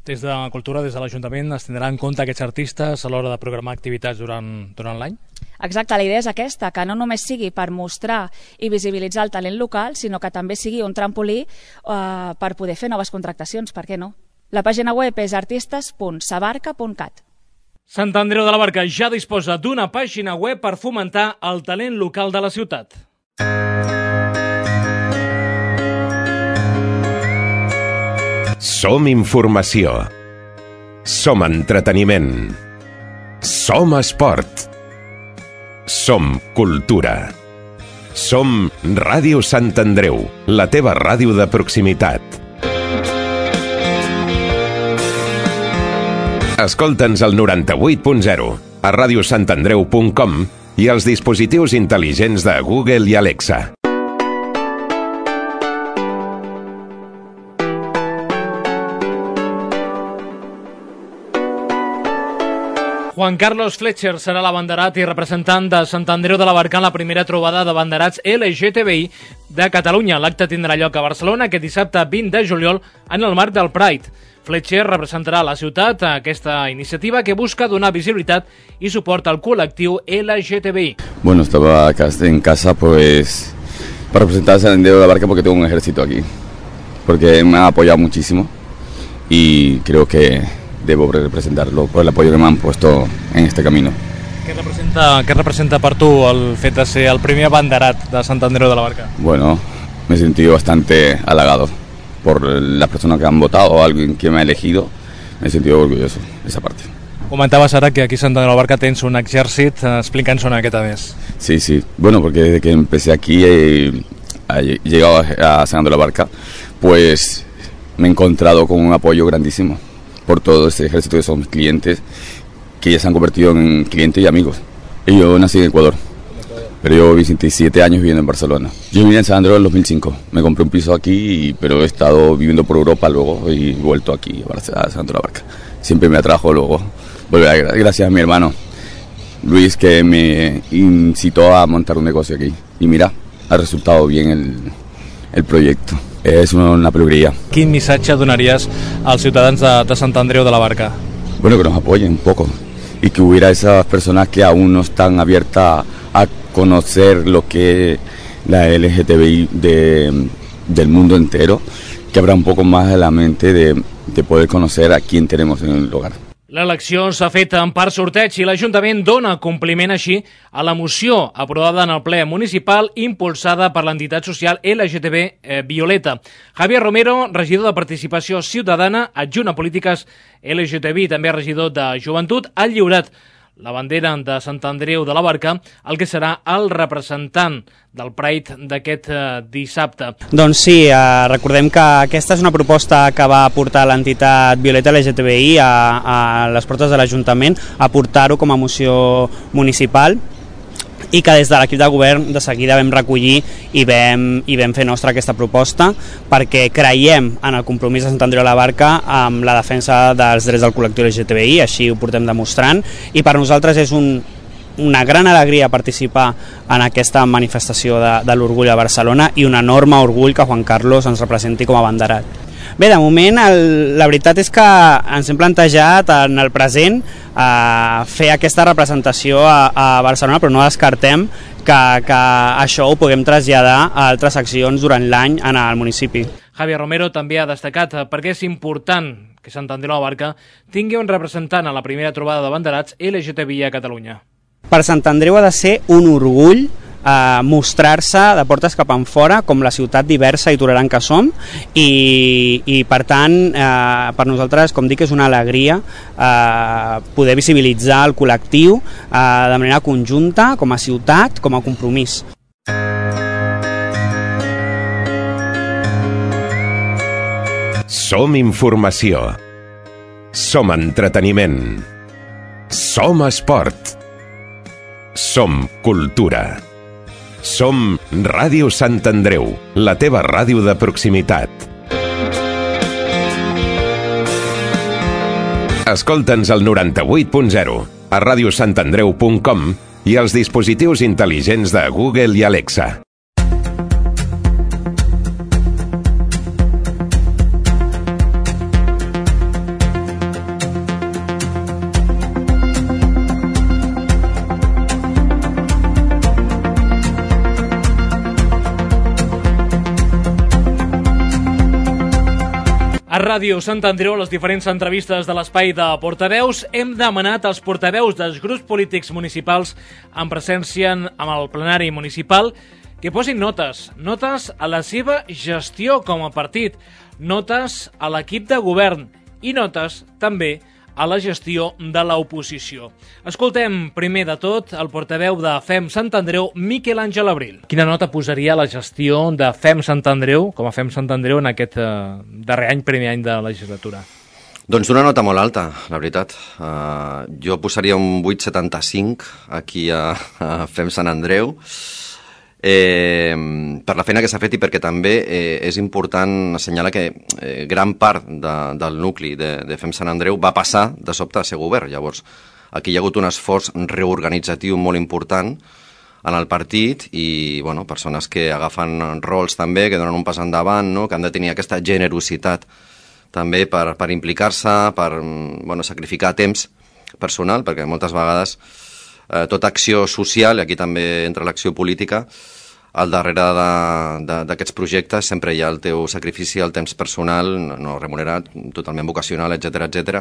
Des de Cultura, des de l'Ajuntament, es tindran en compte aquests artistes a l'hora de programar activitats durant, durant l'any? Exacte, la idea és aquesta, que no només sigui per mostrar i visibilitzar el talent local, sinó que també sigui un trampolí eh, per poder fer noves contractacions, per què no? La pàgina web és artistes punt sabarca punt cat. Sant Andreu de la Barca ja disposa d'una pàgina web per fomentar el talent local de la ciutat. Som informació. Som entreteniment. Som esport. Som cultura. Som Ràdio Sant Andreu, la teva ràdio de proximitat. Escolta'ns al noranta-vuit punt zero, a ràdio sant andreu punt com i als dispositius intel·ligents de Google i Alexa. Juan Carlos Fletcher serà l'abanderat i representant de Sant Andreu de la Barca en la primera trobada de banderats L G T B I de Catalunya. L'acte tindrà lloc a Barcelona aquest dissabte vint de juliol en el marc del Pride. Fletcher representarà la ciutat a aquesta iniciativa que busca donar visibilitat y suport al col·lectiu L G T B I. Bueno, estaba acá en casa pues para representar a San Andreu de la Barca porque tengo un ejército aquí, porque me ha apoyado muchísimo y creo que debo representarlo por el apoyo que me han puesto en este camino. Què representa, què representa per tu el fet de ser el primer abanderat de Sant Andreu de la Barca? Bueno, me he sentido bastante halagado por las personas que han votado o alguien que me ha elegido. Me he sentido orgulloso de esa parte. Comentaves ara que aquí a Sant Andreu de la Barca tens un exèrcit. Explica'ns una miqueta més. Sí, sí. Bueno, porque desde que empecé aquí he, he llegado a San Andreu de la Barca, pues me he encontrado con un apoyo grandísimo por todo ese ejército que son clientes, que ya se han convertido en clientes y amigos. Y yo nací en Ecuador, pero yo veintisiete años viviendo en Barcelona. Yo vine en San Andreu en dos mil cinco, me compré un piso aquí, pero he estado viviendo por Europa luego y he vuelto aquí a San Andreu de la Barca. Siempre me atrajo luego volver, gracias a mi hermano, Luis, que me incitó a montar un negocio aquí. Y mira, ha resultado bien el, el proyecto. Es una alegría. Quin missatge donaries als ciutadans de, de Sant Andreu de la Barca? Bueno, que nos apoyen un poco y que hubiera esas personas que aún no están abiertas a conocer lo que la L G T B I de, del mundo entero, que habrá un poco más de la mente de, de poder conocer a quién tenemos en el hogar. L'elecció s'ha fet en part sorteig i l'Ajuntament dona compliment així a la moció aprovada en el ple municipal impulsada per l'entitat social L G T B eh, Violeta. Javier Romero, regidor de Participació Ciutadana, adjunt a Polítiques L G T B I, també regidor de Joventut, ha lliurat la bandera de Sant Andreu de la Barca, el que serà el representant del Pride d'aquest eh, dissabte. Doncs sí, eh, recordem que aquesta és una proposta que va portar l'entitat Violeta L G T B I a, a les portes de l'Ajuntament, a portar-ho com a moció municipal, i que des de l'equip de govern de seguida vam recollir i vam, i vam fer nostra aquesta proposta, perquè creiem en el compromís de Sant Andreu de la Barca amb la defensa dels drets del col·lectiu L G T B I, així ho portem demostrant, i per nosaltres és un, una gran alegria participar en aquesta manifestació de, de l'orgull a Barcelona i un enorme orgull que Juan Carlos ens representi com a abanderat. Bé, de moment el, la veritat és que ens hem plantejat en el present eh, fer aquesta representació a, a Barcelona, però no descartem que, que això ho puguem traslladar a altres accions durant l'any en el municipi. Javier Romero també ha destacat perquè és important que Sant Andreu de la Barca tingui un representant a la primera trobada de banderats L G T B I a Catalunya. Per Sant Andreu ha de ser un orgull Uh, mostrar-se de portes cap enfora com la ciutat diversa i tolerant que som, i, i per tant uh, per nosaltres, com dic, és una alegria uh, poder visibilitzar el col·lectiu uh, de manera conjunta, com a ciutat, com a compromís. Som informació. Som entreteniment. Som esport. Som cultura. Som Ràdio Sant Andreu, la teva ràdio de proximitat. Escolta'ns al noranta-vuit punt zero, a ràdio sant andreu punt com i als dispositius intel·ligents de Google i Alexa. A Ràdio Sant Andreu, les diferents entrevistes de l'espai de portaveus, hem demanat als portaveus dels grups polítics municipals en presència amb el plenari municipal que posin notes, notes a la seva gestió com a partit, notes a l'equip de govern i notes també a la gestió de l'oposició. Escoltem primer de tot el portaveu de Fem Sant Andreu, Miquel Àngel Abril. Quina nota posaria la gestió de Fem Sant Andreu, com a Fem Sant Andreu, en aquest eh, darrer any, primer any de legislatura? Doncs una nota molt alta, la veritat. Uh, jo posaria un vuit coma setanta-cinc aquí a, a Fem Sant Andreu, eh, per la feina que s'ha fet i perquè també eh, és important assenyalar que eh, gran part de, del nucli de, de Fem Sant Andreu va passar de sobte a ser govern. Llavors, aquí hi ha hagut un esforç reorganitzatiu molt important en el partit i bueno, persones que agafen rols també, que donen un pas endavant, no? Que han de tenir aquesta generositat també per, per implicar-se, per bueno, sacrificar temps personal, perquè moltes vegades eh, tota acció social, i aquí també entra l'acció política, al darrere d'aquests projectes sempre hi ha el teu sacrifici, el temps personal, no remunerat, totalment vocacional, etcètera, etcètera,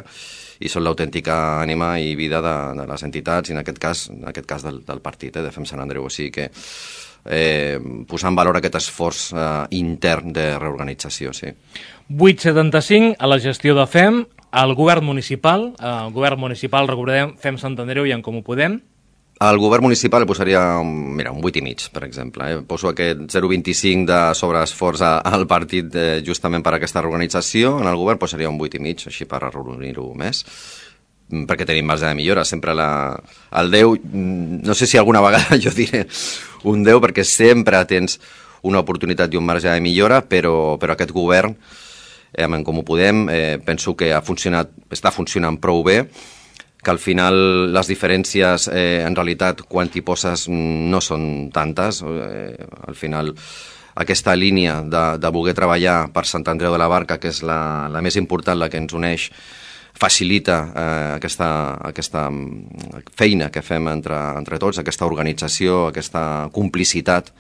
i són l'autèntica ànima i vida de, de les entitats, i en aquest cas, en aquest cas del, del partit, eh, de Fem Sant Andreu. O sigui que eh, posar en valor aquest esforç eh, intern de reorganització, sí. vuit coma setanta-cinc a la gestió de Fem, al govern municipal, al govern municipal, recordem, Fem Sant Andreu i en Comú Podem. Al govern municipal posaria mira, un vuit i mig, per exemple. Eh? Poso aquest zero coma vint-i-cinc de sobreesforç al partit eh, justament per a aquesta reorganització. En el govern posaria un vuit i mig, així per arrodonir-ho més, perquè tenim marge de millora. Sempre la, el deu, no sé si alguna vegada jo diré un deu, perquè sempre tens una oportunitat i un marge de millora, però, però aquest govern, eh, com ho podem, eh, penso que ha funcionat, està funcionant prou bé, que al final les diferències eh, en realitat quan t'hi poses no són tantes. Eh, al final aquesta línia de, de voler treballar per Sant Andreu de la Barca, que és la, la més important, la que ens uneix, facilita eh, aquesta, aquesta feina que fem entre, entre tots, aquesta organització, aquesta complicitat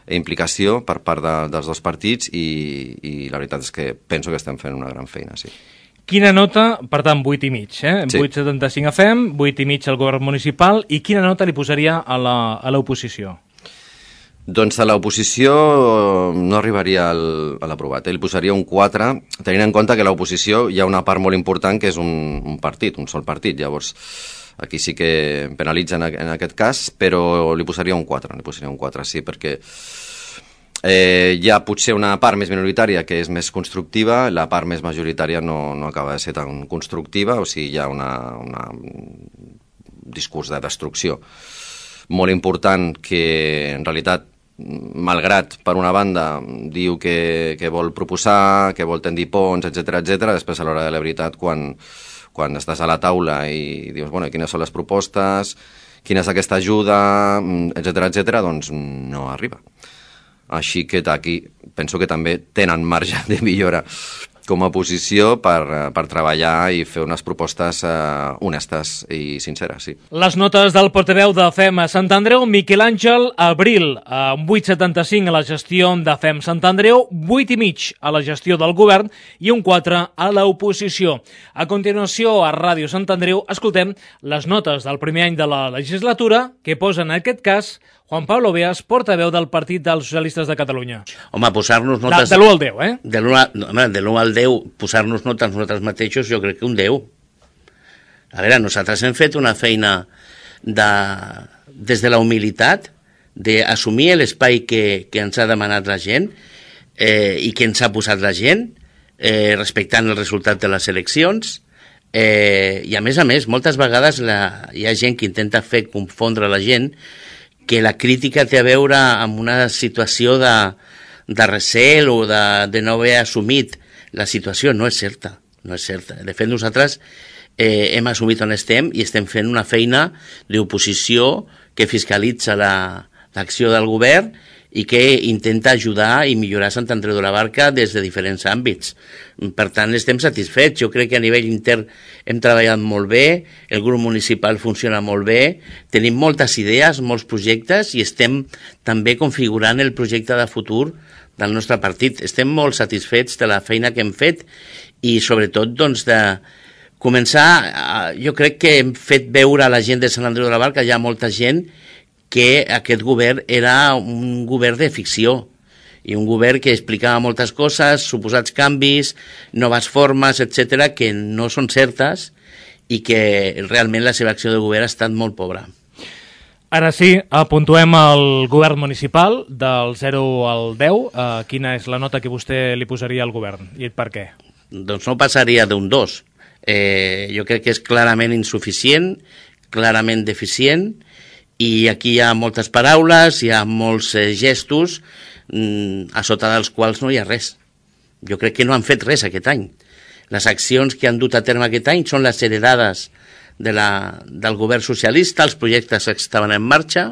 i implicació per part de, dels dos partits i, i la veritat és que penso que estem fent una gran feina, sí. Quina nota, per tant, vuit i mig, eh? Sí. vuit coma setanta-cinc a F E M, vuit i mig al govern municipal, i quina nota li posaria a l'oposició? Doncs a l'oposició no arribaria al, a l'aprovat, eh? Li posaria un quatre, tenint en compte que a l'oposició hi ha una part molt important que és un, un partit, un sol partit, llavors aquí sí que penalitza en, en aquest cas, però li posaria un quatre, li posaria un quatre, sí, perquè Eh, hi ha potser una part més minoritària que és més constructiva, la part més majoritària no, no acaba de ser tan constructiva, o sigui, hi ha una, una, un discurs de destrucció molt important que, en realitat, malgrat, per una banda, diu que, que vol proposar, que vol tendir ponts, etcètera, etcètera, després a l'hora de la veritat, quan, quan estàs a la taula i dius, bueno, quines són les propostes, quina és aquesta ajuda, etcètera, etcètera, doncs no arriba. Així que aquí penso que també tenen marge de millora com a oposició per, per treballar i fer unes propostes eh, honestes i sinceres, sí. Les notes del portaveu de F E M a Sant Andreu, Miquel Àngel Abril, amb vuit coma setanta-cinc a la gestió de F E M Sant Andreu, vuit i mig a la gestió del govern i un quatre a l'oposició. A continuació, a Ràdio Sant Andreu, escoltem les notes del primer any de la legislatura que posen en aquest cas Juan Pablo Beas, portaveu del Partit dels Socialistes de Catalunya. Home, posar-nos notes... De, de l'u al deu, eh? De l'u al deu, posar-nos notes nosaltres mateixos, jo crec que un deu. A veure, nosaltres hem fet una feina de, des de la humilitat, d'assumir l'espai que, que ens ha demanat la gent eh, i que ens ha posat la gent, eh, respectant el resultat de les eleccions, eh, i a més a més, moltes vegades la, hi ha gent que intenta fer confondre la gent que la crítica té a veure amb una situació de, de recel o de, de no haver assumit la situació. No és certa, no és certa. De fet, nosaltres eh, hem assumit on estem i estem fent una feina d'oposició que fiscalitza l'acció la, del govern i que intenta ajudar i millorar Sant Andreu de la Barca des de diferents àmbits. Per tant, estem satisfets. Jo crec que a nivell intern hem treballat molt bé, el grup municipal funciona molt bé, tenim moltes idees, molts projectes i estem també configurant el projecte de futur del nostre partit. Estem molt satisfets de la feina que hem fet i sobretot doncs, de començar, jo crec que hem fet veure a la gent de Sant Andreu de la Barca, hi ha molta gent que aquest govern era un govern de ficció i un govern que explicava moltes coses, suposats canvis, noves formes, etcètera, que no són certes i que realment la seva acció de govern ha estat molt pobra. Ara sí, apuntuem al govern municipal del zero al deu. Uh, quina és la nota que vostè li posaria al govern i per què? Doncs no passaria d'un dos. Eh, jo crec que és clarament insuficient, clarament deficient, i aquí hi ha moltes paraules, hi ha molts eh, gestos, mm, a sota dels quals no hi ha res. Jo crec que no han fet res aquest any. Les accions que han dut a terme aquest any són les heredades de la, del govern socialista, els projectes que estaven en marxa,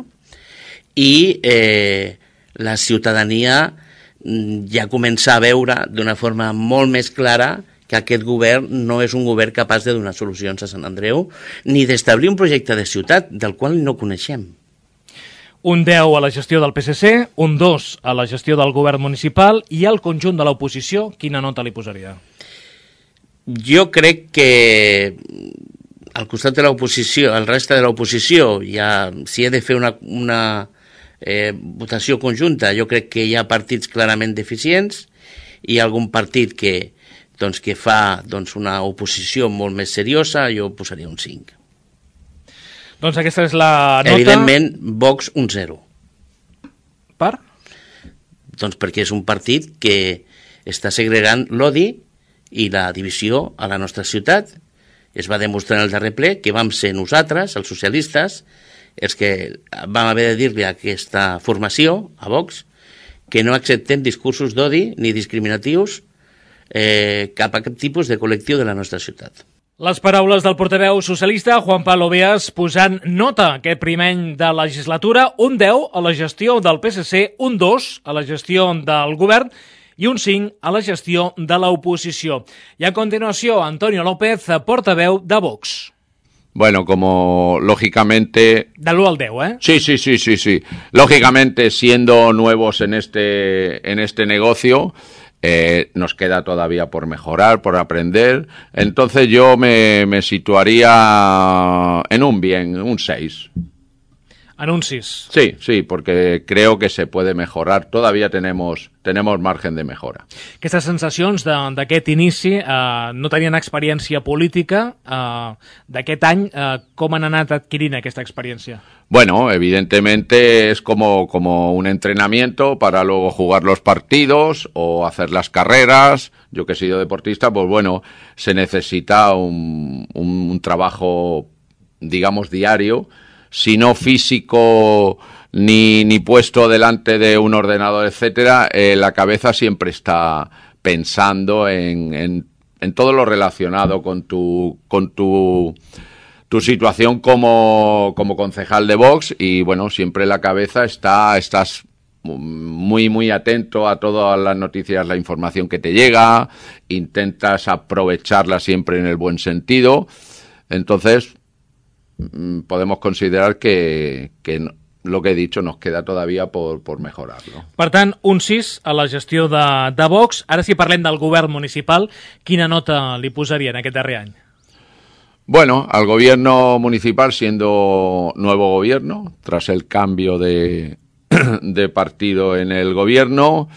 i eh, la ciutadania mm, ja comença a veure d'una forma molt més clara que aquest govern no és un govern capaç de donar solucions a Sant Andreu ni d'establir un projecte de ciutat del qual no coneixem. Un deu a la gestió del P S C, un dos a la gestió del govern municipal i al conjunt de l'oposició, quina nota li posaria? Jo crec que al costat de l'oposició, al reste de l'oposició, ja, si he de fer una, una eh, votació conjunta, jo crec que hi ha partits clarament deficients i algun partit que doncs que fa doncs, una oposició molt més seriosa, jo posaria un cinc. Doncs aquesta és la nota... Evidentment, Vox un zero. Per? Doncs perquè és un partit que està segregant l'odi i la divisió a la nostra ciutat. Es va demostrar en el darrer ple que vam ser nosaltres, els socialistes, els que vam haver de dir-li a aquesta formació, a Vox, que no acceptem discursos d'odi ni discriminatius Eh, cap a cap tipus de col·lectiu de la nostra ciutat. Les paraules del portaveu socialista Juan Pablo Beas posant nota aquest primer any de legislatura, un deu a la gestió del P S C, un dos a la gestió del govern i un cinc a la gestió de l'oposició. I a continuació, Antonio López, portaveu de Vox. Bueno, como lógicamente... De l'u al deu, ¿eh? Sí, sí, sí, sí, sí. Lógicamente, siendo nuevos en este, en este negocio, eh, nos queda todavía por mejorar, por aprender. Entonces yo me, me situaría en un bien, un seis. En un sis. Sí, sí, porque creo que se puede mejorar. Todavía tenemos, tenemos margen de mejora. Aquestes sensacions d'aquest inici, eh, no tenien experiència política, eh, d'aquest any, eh, com han anat adquirint aquesta experiència? Bueno, evidentemente es como, como un entrenamiento para luego jugar los partidos o hacer las carreras. Yo que he sido deportista, pues bueno, se necesita un, un, un trabajo, digamos, diario, si no físico ni, ni puesto delante de un ordenador, etcétera, eh, la cabeza siempre está pensando en, en, en todo lo relacionado con tu, con tu, tu situación como, como concejal de Vox y, bueno, siempre la cabeza está, estás muy, muy atento a todas las noticias, la información que te llega, intentas aprovecharla siempre en el buen sentido, entonces podemos considerar que, que lo que he dicho nos queda todavía por, por mejorarlo. Per tant, un sis a la gestió de, de Vox. Ara, si parlem del govern municipal, quina nota li posaria en aquest darrer any? Bueno, al gobierno municipal, siendo nuevo gobierno, tras el cambio de, de partido en el gobierno,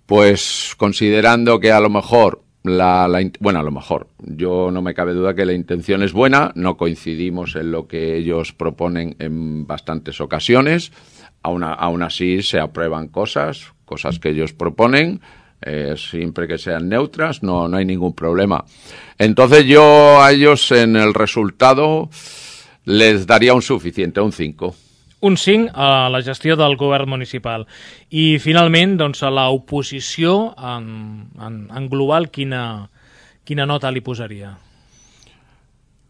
pues considerando que a lo mejor La, la, bueno, a lo mejor, yo no me cabe duda que la intención es buena, no coincidimos en lo que ellos proponen en bastantes ocasiones, aún, aún así se aprueban cosas, cosas que ellos proponen, eh, siempre que sean neutras, no, no hay ningún problema. Entonces yo a ellos en el resultado les daría un suficiente, un cinco. Un cinc a la gestió del govern municipal. I, finalment, doncs, a l'oposició, en, en, en global, quina, quina nota li posaria?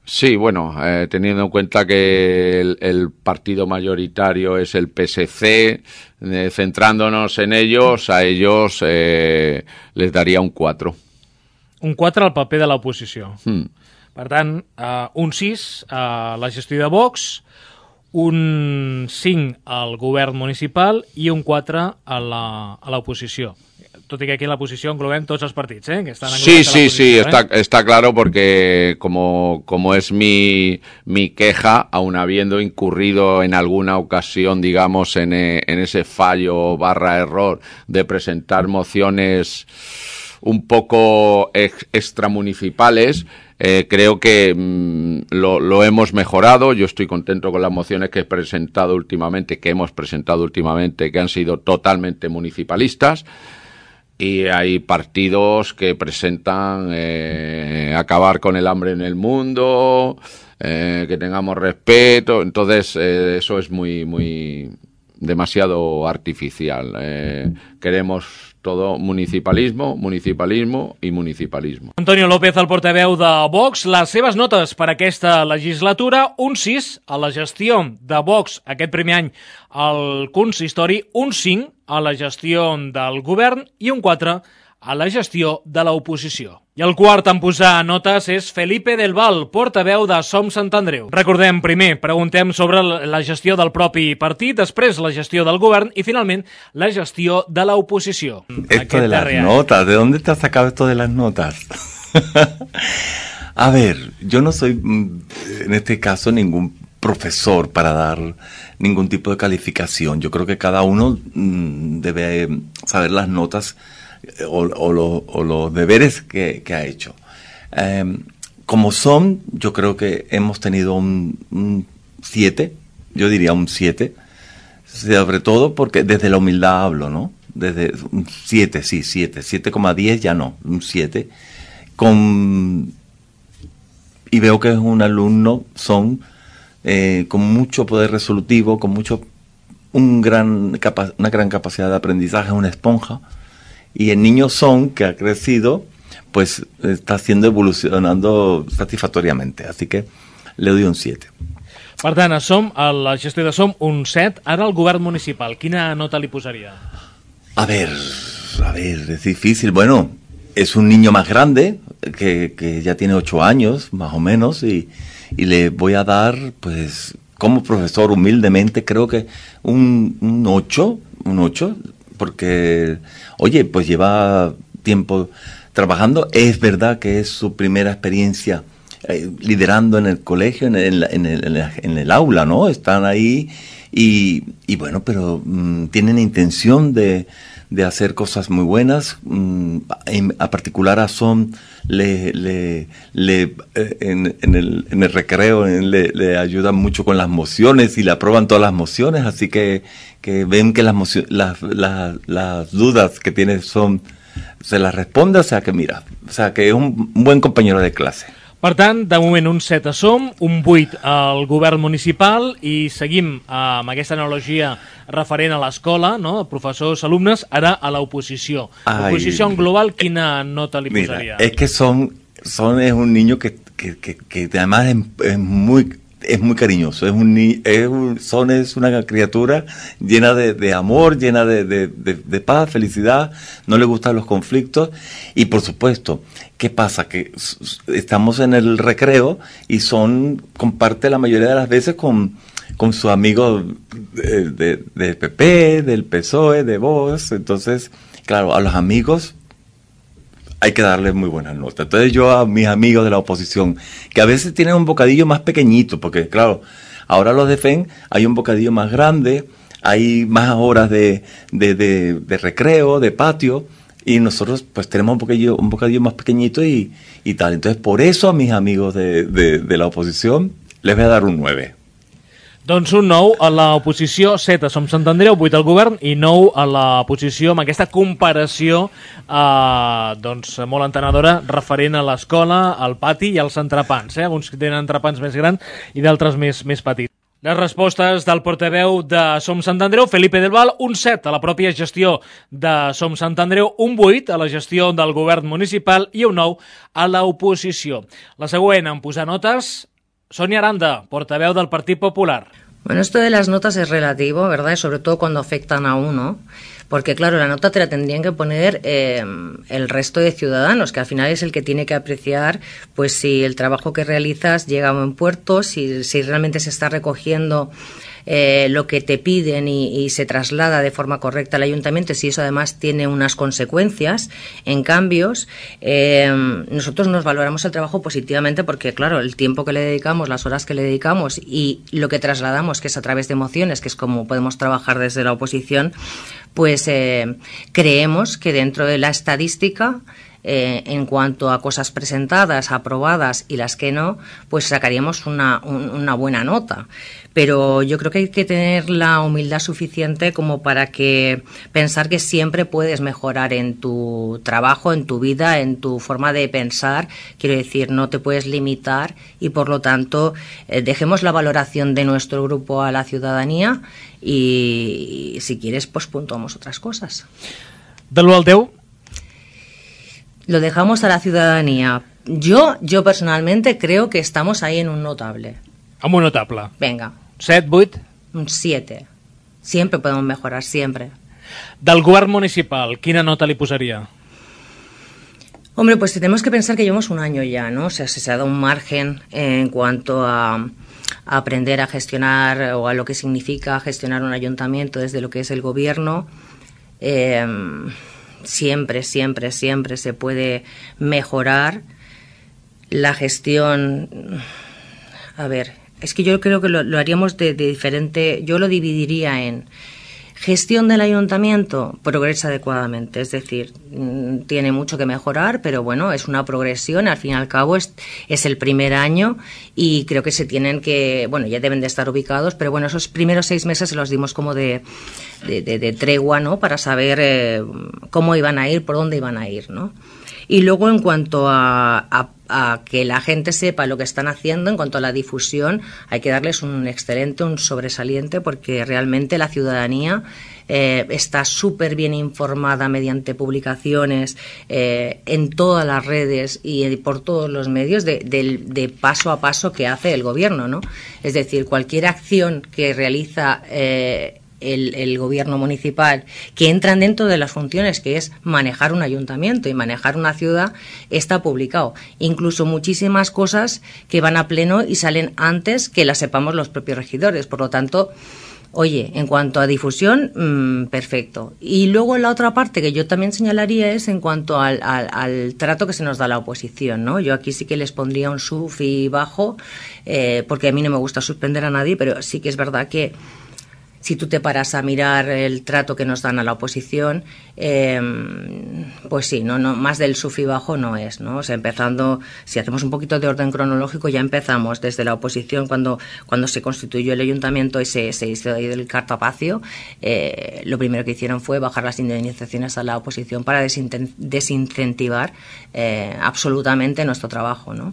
Sí, bueno, eh, teniendo en cuenta que el, el partido mayoritario es el P S C, eh, centrándonos en ellos, a ellos eh, les daría un cuatro. Un quatre al paper de l'oposició. Hmm. Per tant, eh, un sis a la gestió de Vox, un cinc al govern municipal i un quatre a l'oposició. Tot i que aquí en l'oposició englobem tots els partits, ¿eh? Que estan sí, sí, sí, ¿eh? está, está claro porque como, como es mi, mi queja, aun habiendo incurrido en alguna ocasión, digamos, en, en ese fallo barra error de presentar mociones un poco ex, extramunicipales, Eh, creo que mmm, lo, lo hemos mejorado. Yo estoy contento con las mociones que he presentado últimamente, que hemos presentado últimamente, que han sido totalmente municipalistas. Y hay partidos que presentan eh, acabar con el hambre en el mundo, eh, que tengamos respeto. Entonces, eh, eso es muy, muy demasiado artificial. Eh, queremos todo municipalismo, municipalismo i municipalismo. Antonio López, el portaveu de Vox, les seves notes per aquesta legislatura, un sis a la gestió de Vox aquest primer any al consistori, un cinc a la gestió del govern i un quatre a la gestió de l'oposició. I el quart en posar notes és Felipe del Val, portaveu de Som Sant Andreu. Recordem, primer, preguntem sobre la gestió del propi partit, després la gestió del govern i, finalment, la gestió de l'oposició. Esto de las notas, ¿de dónde te has sacado esto de las notas? A ver, yo no soy, en este caso, ningún profesor para dar ningún tipo de calificación. Yo creo que cada uno debe saber las notas O, o, lo, o los deberes que, que ha hecho. Eh, como son, yo creo que hemos tenido un siete, yo diría un siete, sobre todo porque desde la humildad hablo, ¿no? Desde un siete, sí, siete, siete coma diez ya no, un siete. Con, y veo que es un alumno, son, eh, con mucho poder resolutivo, con mucho, un gran capa, una gran capacidad de aprendizaje, una esponja. Y el niño Son, que ha crecido, pues está siendo evolucionando satisfactoriamente. Así que le doy un siete. Per tant, a Som, a la gestió de Som, un set. Ara el govern municipal, quina nota li posaria? A ver, a ver, es difícil. Bueno, es un niño más grande, que, que ya tiene ocho años, más o menos, y, y le voy a dar, pues, como profesor, humildemente, creo que un, un ocho, un ocho, porque, oye, pues lleva tiempo trabajando. Es verdad que es su primera experiencia eh, liderando en el colegio, en el, en, el, en, el, en el aula, ¿no? Están ahí y, y bueno, pero mmm, tienen intención de, de hacer cosas muy buenas. Mmm, en, a particular a Som le, le, le eh, en, en, el, en el recreo en, le, le ayudan mucho con las mociones y le aprueban todas las mociones, así que, que ven que las, mocio- las, las, las dudas que tiene Som se las responde, o sea que mira, o sea que es un, un buen compañero de clase. Per tant, de moment un set a Som, un vuit al govern municipal i seguim amb aquesta analogia referent a l'escola, no? Professors, alumnes, ara a l'oposició. L'oposició en global, quina nota li posaria? Mira, es que Son, Son es un niño que, que, que, que además es, es muy... es muy cariñoso, es un, es un Son es una criatura llena de, de amor, llena de, de, de, de paz, felicidad, no le gustan los conflictos y por supuesto, ¿qué pasa? Que estamos en el recreo y Son comparte la mayoría de las veces con, con sus amigos de, de, de P P, del P S O E, de Vox, entonces, claro, a los amigos hay que darle muy buenas notas. Entonces yo a mis amigos de la oposición, que a veces tienen un bocadillo más pequeñito, porque claro, ahora los de F E N hay un bocadillo más grande, hay más horas de, de, de, de recreo, de patio, y nosotros pues tenemos un bocadillo, un bocadillo más pequeñito y, y tal. Entonces por eso a mis amigos de, de, de la oposición les voy a dar un nueve. Doncs un nou a l'oposició, set a Som Sant Andreu, vuit al govern i nou a l'oposició amb aquesta comparació eh, doncs, molt entenedora referent a l'escola, al pati i als entrepans. Eh? Uns que tenen entrepans més grans i d'altres més, més petits. Les respostes del portaveu de Som Sant Andreu, Felipe del Val, un set a la pròpia gestió de Som Sant Andreu, un vuit a la gestió del govern municipal i un nou a l'oposició. La següent en posar notes, Sonia Aranda, portaveu del Partit Popular. Bueno, esto de las notas es relativo, ¿verdad? Y sobre todo cuando afectan a uno, porque claro, la nota te la tendrían que poner eh, el resto de ciudadanos, que al final es el que tiene que apreciar pues si el trabajo que realizas llega a buen puerto, si, si realmente se está recogiendo eh, lo que te piden y, y se traslada de forma correcta al ayuntamiento, si eso además tiene unas consecuencias en cambios. Eh, nosotros nos valoramos el trabajo positivamente porque, claro, el tiempo que le dedicamos, las horas que le dedicamos y lo que trasladamos, que es a través de emociones, que es como podemos trabajar desde la oposición, pues eh, creemos que dentro de la estadística, Eh, en cuanto a cosas presentadas, aprobadas y las que no, pues sacaríamos una, un, una buena nota. Pero yo creo que hay que tener la humildad suficiente como para que pensar que siempre puedes mejorar en tu trabajo, en tu vida, en tu forma de pensar. Quiero decir, no te puedes limitar y por lo tanto eh, dejemos la valoración de nuestro grupo a la ciudadanía y, y si quieres pues puntuamos otras cosas. De l'u al deu? Lo dejamos a la ciudadanía. Yo, yo personalmente creo que estamos ahí en un notable. Amb un notable. Venga. set, vuit? Un siete. Siempre podemos mejorar, siempre. Del govern municipal, quina nota li posaria? Hombre, pues tenemos que pensar que llevamos un año ya, ¿no? O sea, se ha dado un margen en cuanto a, a aprender a gestionar o a lo que significa gestionar un ayuntamiento desde lo que es el gobierno. Eh... Siempre, siempre, siempre se puede mejorar la gestión. A ver, es que yo creo que lo, lo haríamos de, de diferente. Yo lo dividiría en gestión del ayuntamiento, progresa adecuadamente. Es decir, tiene mucho que mejorar, pero bueno, es una progresión. Al fin y al cabo es, es el primer año y creo que se tienen que, bueno, ya deben de estar ubicados, pero bueno, esos primeros seis meses se los dimos como de, de, de, de tregua, ¿no? Para saber eh, cómo iban a ir, por dónde iban a ir, ¿no? Y luego, en cuanto a, a, a que la gente sepa lo que están haciendo, en cuanto a la difusión, hay que darles un excelente, un sobresaliente, porque realmente la ciudadanía eh, está súper bien informada mediante publicaciones eh, en todas las redes y eh, por todos los medios de, de, de paso a paso que hace el gobierno, ¿no? Es decir, cualquier acción que realiza eh, El, el gobierno municipal, que entran dentro de las funciones que es manejar un ayuntamiento y manejar una ciudad, está publicado. Incluso muchísimas cosas que van a pleno y salen antes que las sepamos los propios regidores. Por lo tanto, oye, en cuanto a difusión, mmm, perfecto. Y luego la otra parte que yo también señalaría es en cuanto al, al, al trato que se nos da a la oposición, ¿no? Yo aquí sí que les pondría un sufi bajo, eh, porque a mí no me gusta suspender a nadie, pero sí que es verdad que si tú te paras a mirar el trato que nos dan a la oposición, eh, pues sí, no, no, más del sub y bajo no es, ¿no? O sea, empezando, si hacemos un poquito de orden cronológico, ya empezamos desde la oposición cuando, cuando se constituyó el ayuntamiento y se, se hizo ahí el cartapacio, eh, lo primero que hicieron fue bajar las indemnizaciones a la oposición para desinten- desincentivar eh, absolutamente nuestro trabajo, ¿no?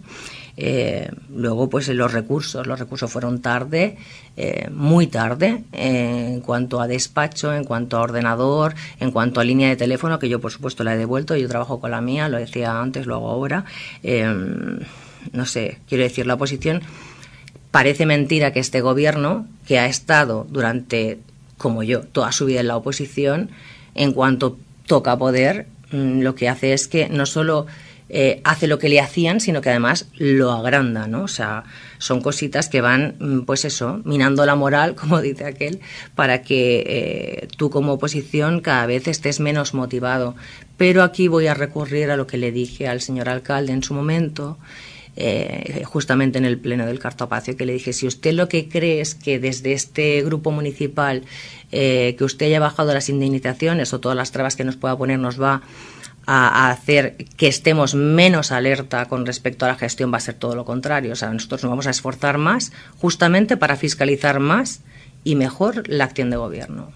Eh, luego, pues los recursos, los recursos fueron tarde, eh, muy tarde, eh, en cuanto a despacho, en cuanto a ordenador, en cuanto a línea de teléfono, que yo por supuesto la he devuelto, yo trabajo con la mía, lo decía antes, lo hago ahora. Eh, no sé, quiero decir, la oposición, parece mentira que este gobierno, que ha estado durante, como yo, toda su vida en la oposición, en cuanto toca poder, mmm, lo que hace es que no solo Eh, hace lo que le hacían, sino que además lo agranda, ¿no? O sea, son cositas que van, pues eso, minando la moral, como dice aquel, para que eh, tú como oposición cada vez estés menos motivado. Pero aquí voy a recurrir a lo que le dije al señor alcalde en su momento, eh, justamente en el pleno del cartapacio, que le dije, si usted lo que cree es que desde este grupo municipal eh, que usted haya bajado las indemnizaciones o todas las trabas que nos pueda poner nos va a hacer que estemos menos alerta con respecto a la gestión, va a ser todo lo contrario. O sea, nosotros nos vamos a esforzar más justamente para fiscalitzar más i mejor l'acció de gobierno.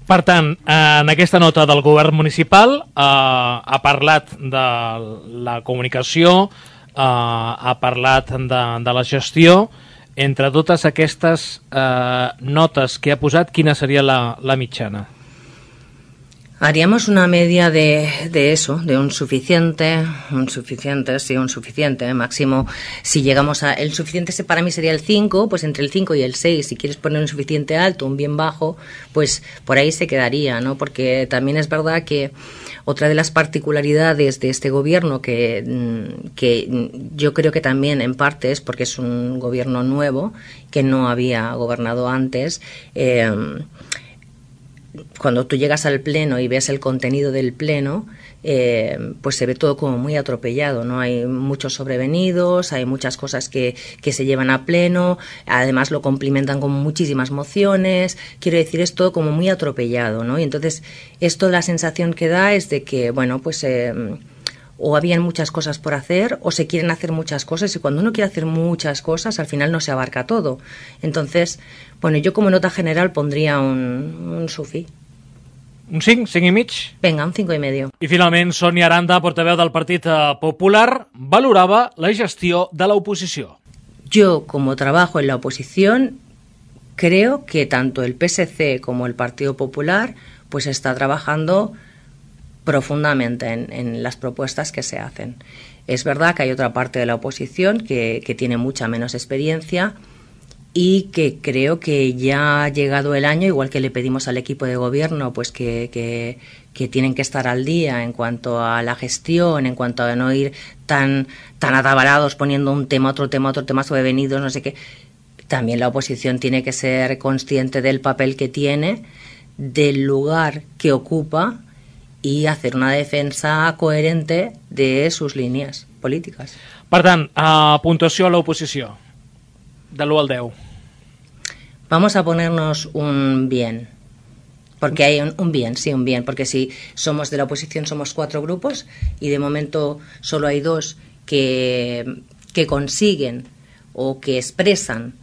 Per tant, en aquesta nota del govern municipal eh, ha parlat de la comunicació, eh, ha parlat de, de la gestió. Entre totes aquestes eh, notes que ha posat, quina seria la, la mitjana? Haríamos una media de, de eso, de un suficiente, un suficiente, sí, un suficiente, máximo, si llegamos a, el suficiente para mí sería el cinco, pues entre el cinco y el seis, si quieres poner un suficiente alto, un bien bajo, pues por ahí se quedaría, ¿no? Porque también es verdad que otra de las particularidades de este gobierno, que, que yo creo que también en parte es porque es un gobierno nuevo, que no había gobernado antes, eh, cuando tú llegas al pleno y ves el contenido del pleno, eh, pues se ve todo como muy atropellado, ¿no? Hay muchos sobrevenidos, hay muchas cosas que, que se llevan a pleno, además lo complementan con muchísimas mociones, quiero decir, es todo como muy atropellado, ¿no? Y entonces esto, la sensación que da es de que, bueno, pues eh, o habían muchas cosas por hacer o se quieren hacer muchas cosas, y cuando uno quiere hacer muchas cosas al final no se abarca todo. Entonces, bueno, yo como nota general pondría un, un sufi. Un cinc, cinc i mig? Venga, un cinco i medio. I finalment, Sònia Aranda, portaveu del Partit Popular, valorava la gestió de l'oposició. Yo, como trabajo en la oposición, creo que tanto el P S C como el Partido Popular pues está trabajando profundamente en, en las propuestas que se hacen. Es verdad que hay otra parte de la oposición que, que tiene mucha menos experiencia y que creo que ya ha llegado el año, igual que le pedimos al equipo de gobierno, pues que, que, que tienen que estar al día en cuanto a la gestión, en cuanto a no ir tan, tan atabalados poniendo un tema, otro tema, otro tema sobrevenidos, no sé qué. También la oposición tiene que ser consciente del papel que tiene, del lugar que ocupa, i hacer una defensa coherente de sus línies polítiques. Per tant, a puntuació a l'oposició, de l'u al deu. Vamos a ponernos un bien, porque hay un, un bien, sí, un bien, porque si somos de la oposición somos cuatro grupos y de momento solo hay dos que, que consiguen o que expresan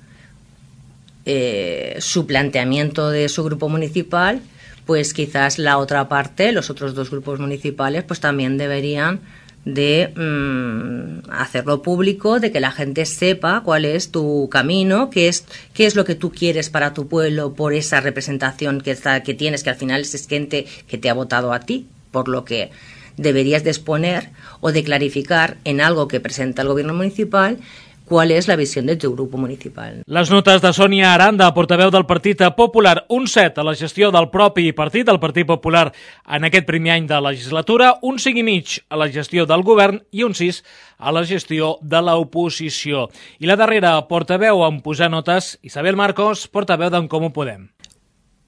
eh, su planteamiento de su grupo municipal, pues quizás la otra parte, los otros dos grupos municipales, pues también deberían de mmm, hacerlo público, de que la gente sepa cuál es tu camino, qué es, qué es lo que tú quieres para tu pueblo por esa representación que, está, que tienes, que al final es gente que te ha votado a ti, por lo que deberías de exponer o de clarificar en algo que presenta el gobierno municipal qual és la visió del teu grup municipal. Les notes de Sònia Aranda, portaveu del Partit Popular, un set a la gestió del propi partit, el Partit Popular, en aquest primer any de legislatura, un cinc i mig a la gestió del govern i un sis a la gestió de l'oposició. I la darrera portaveu en posar notes, Isabel Marcos, portaveu d'en Comú Podem.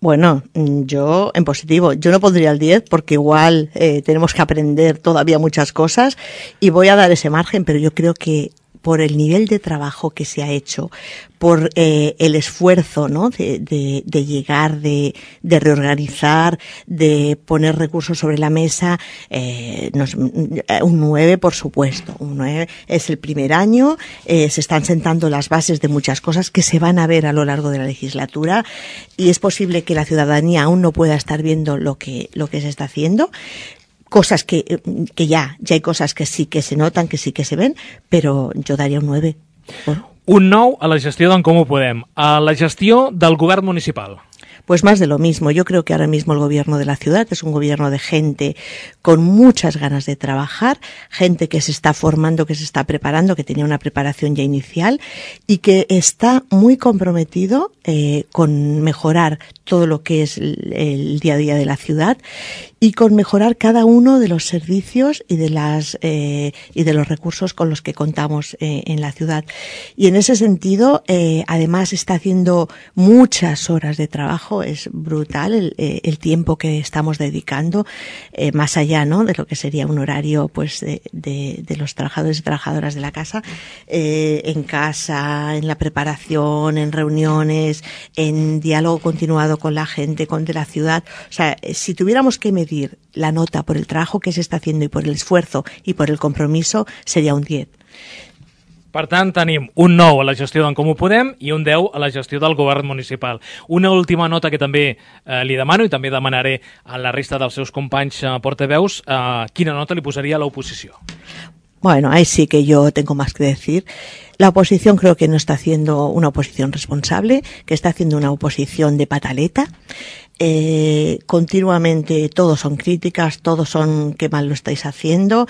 Bueno, yo en positivo, yo no pondría el diez porque igual eh, tenemos que aprender todavía muchas cosas y voy a dar ese margen, pero yo creo que por el nivel de trabajo que se ha hecho, por eh, el esfuerzo, ¿no?, de, de, de llegar, de, de reorganizar, de poner recursos sobre la mesa, eh, nos, un nueve, por supuesto. Un nueve es el primer año, eh, se están sentando las bases de muchas cosas que se van a ver a lo largo de la legislatura y es posible que la ciudadanía aún no pueda estar viendo lo que, lo que se está haciendo. Cosas que, que ya, ya hay cosas que sí que se notan, que sí que se ven, pero yo daría un nueve. Bueno. Un nou a la gestió d'en Comú Podem. A la gestió del govern municipal. Pues más de lo mismo. Yo creo que ahora mismo el gobierno de la ciudad es un gobierno de gente con muchas ganas de trabajar, gente que se está formando, que se está preparando, que tenía una preparación ya inicial y que está muy comprometido eh, con mejorar todo lo que es el, el día a día de la ciudad y con mejorar cada uno de los servicios y de las eh, y de los recursos con los que contamos eh, en la ciudad. Y en ese sentido, eh, además está haciendo muchas horas de trabajo. Es brutal el, eh, el tiempo que estamos dedicando, eh, más allá, ¿no?, de lo que sería un horario, pues, de, de, de los trabajadores y trabajadoras de la casa, eh, en casa, en la preparación, en reuniones, en diálogo continuado con la gente, con de la ciudad. O sea, si tuviéramos que medir la nota por el trabajo que se está haciendo y por el esfuerzo y por el compromiso, sería un diez. Per tant, tenim un nou a la gestió d'en Comú Podem i un deu a la gestió del govern municipal. Una última nota que també eh, li demano i també demanaré a la resta dels seus companys eh, portaveus, eh, quina nota li posaria a l'oposició? Bueno, ahí sí que yo tengo más que decir. La oposición creo que no está haciendo una oposición responsable, que está haciendo una oposición de pataleta. Eh, continuamente todos son críticas, todos son qué mal lo estáis haciendo.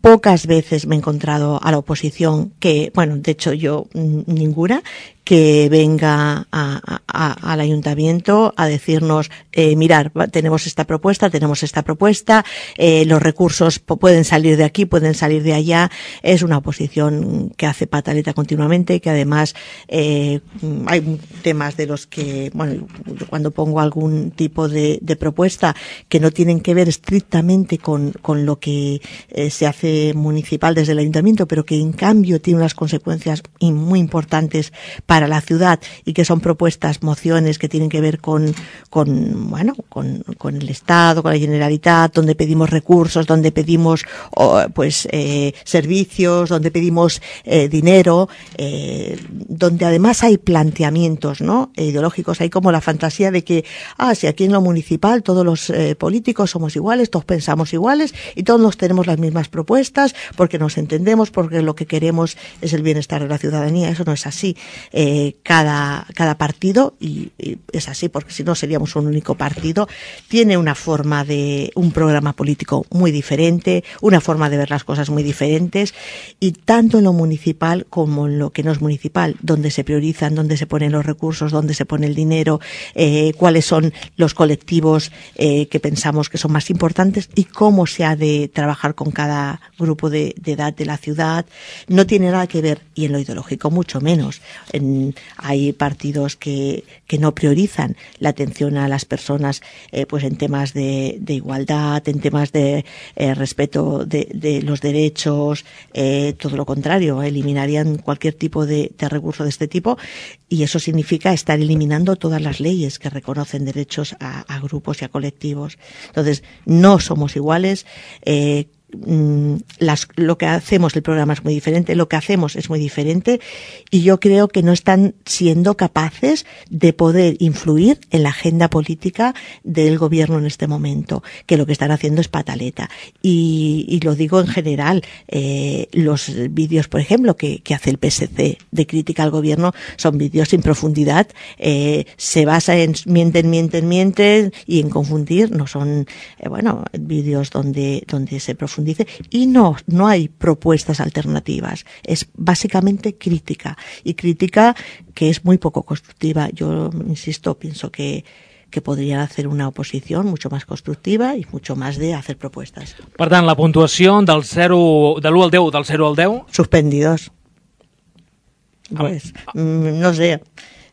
Pocas veces me he encontrado a la oposición que, bueno, de hecho yo ninguna, que venga a, a, al ayuntamiento a decirnos, eh, mirar, tenemos esta propuesta, tenemos esta propuesta, eh, los recursos pueden salir de aquí, pueden salir de allá. Es una oposición que hace pataleta continuamente, que además eh, hay temas de los que, bueno, cuando pongo algún tipo de, de propuesta que no tienen que ver estrictamente con, con lo que eh, se hace municipal desde el ayuntamiento, pero que en cambio tiene unas consecuencias muy importantes para la ciudad y que son propuestas, mociones que tienen que ver con, con bueno, con, con el Estado, con la Generalitat, donde pedimos recursos, donde pedimos oh, pues eh, servicios, donde pedimos eh, dinero, eh, donde además hay planteamientos, ¿no?, ideológicos. Hay como la fantasía de que, ah, si aquí en lo municipal todos los eh, políticos somos iguales, todos pensamos iguales y todos nos tenemos las mismas propuestas porque nos entendemos, porque lo que queremos es el bienestar de la ciudadanía. Eso no es así. Eh, cada, cada partido, y, y es así porque si no seríamos un único partido, tiene una forma de, un programa político muy diferente, una forma de ver las cosas muy diferentes, y tanto en lo municipal como en lo que no es municipal, donde se priorizan, donde se ponen los recursos, donde se pone el dinero, eh, cuáles son los colectivos eh, que pensamos que son más importantes y cómo se ha de trabajar con cada grupo de, de edad de la ciudad. No tiene nada que ver, y en lo ideológico mucho menos. En, hay partidos que, que no priorizan la atención a las personas eh, pues en temas de, de igualdad, en temas de eh, respeto de, de los derechos, eh, todo lo contrario, eliminarían cualquier tipo de, de recurso de este tipo, y eso significa estar eliminando todas las leyes que reconocen derechos a, a grupos y a colectivos. Entonces, no somos iguales. eh, Las, lo que hacemos, el programa es muy diferente, lo que hacemos es muy diferente y yo creo que no están siendo capaces de poder influir en la agenda política del gobierno en este momento, que lo que están haciendo es pataleta. Y, y lo digo en general, eh, los vídeos, por ejemplo, que, que hace el P S C de crítica al gobierno son vídeos sin profundidad, eh, se basa en mienten, mienten, mienten y en confundir, no son, eh, bueno, vídeos donde, donde se profundiza dice, y no, no hay propuestas alternativas, es básicamente crítica, y crítica que es muy poco constructiva. Yo, insisto, pienso que, que podrían hacer una oposición mucho más constructiva y mucho más de hacer propuestas. Per tant, la puntuació del zero, de l'u al deu, del zero al deu... Suspendidos. Pues, no sé,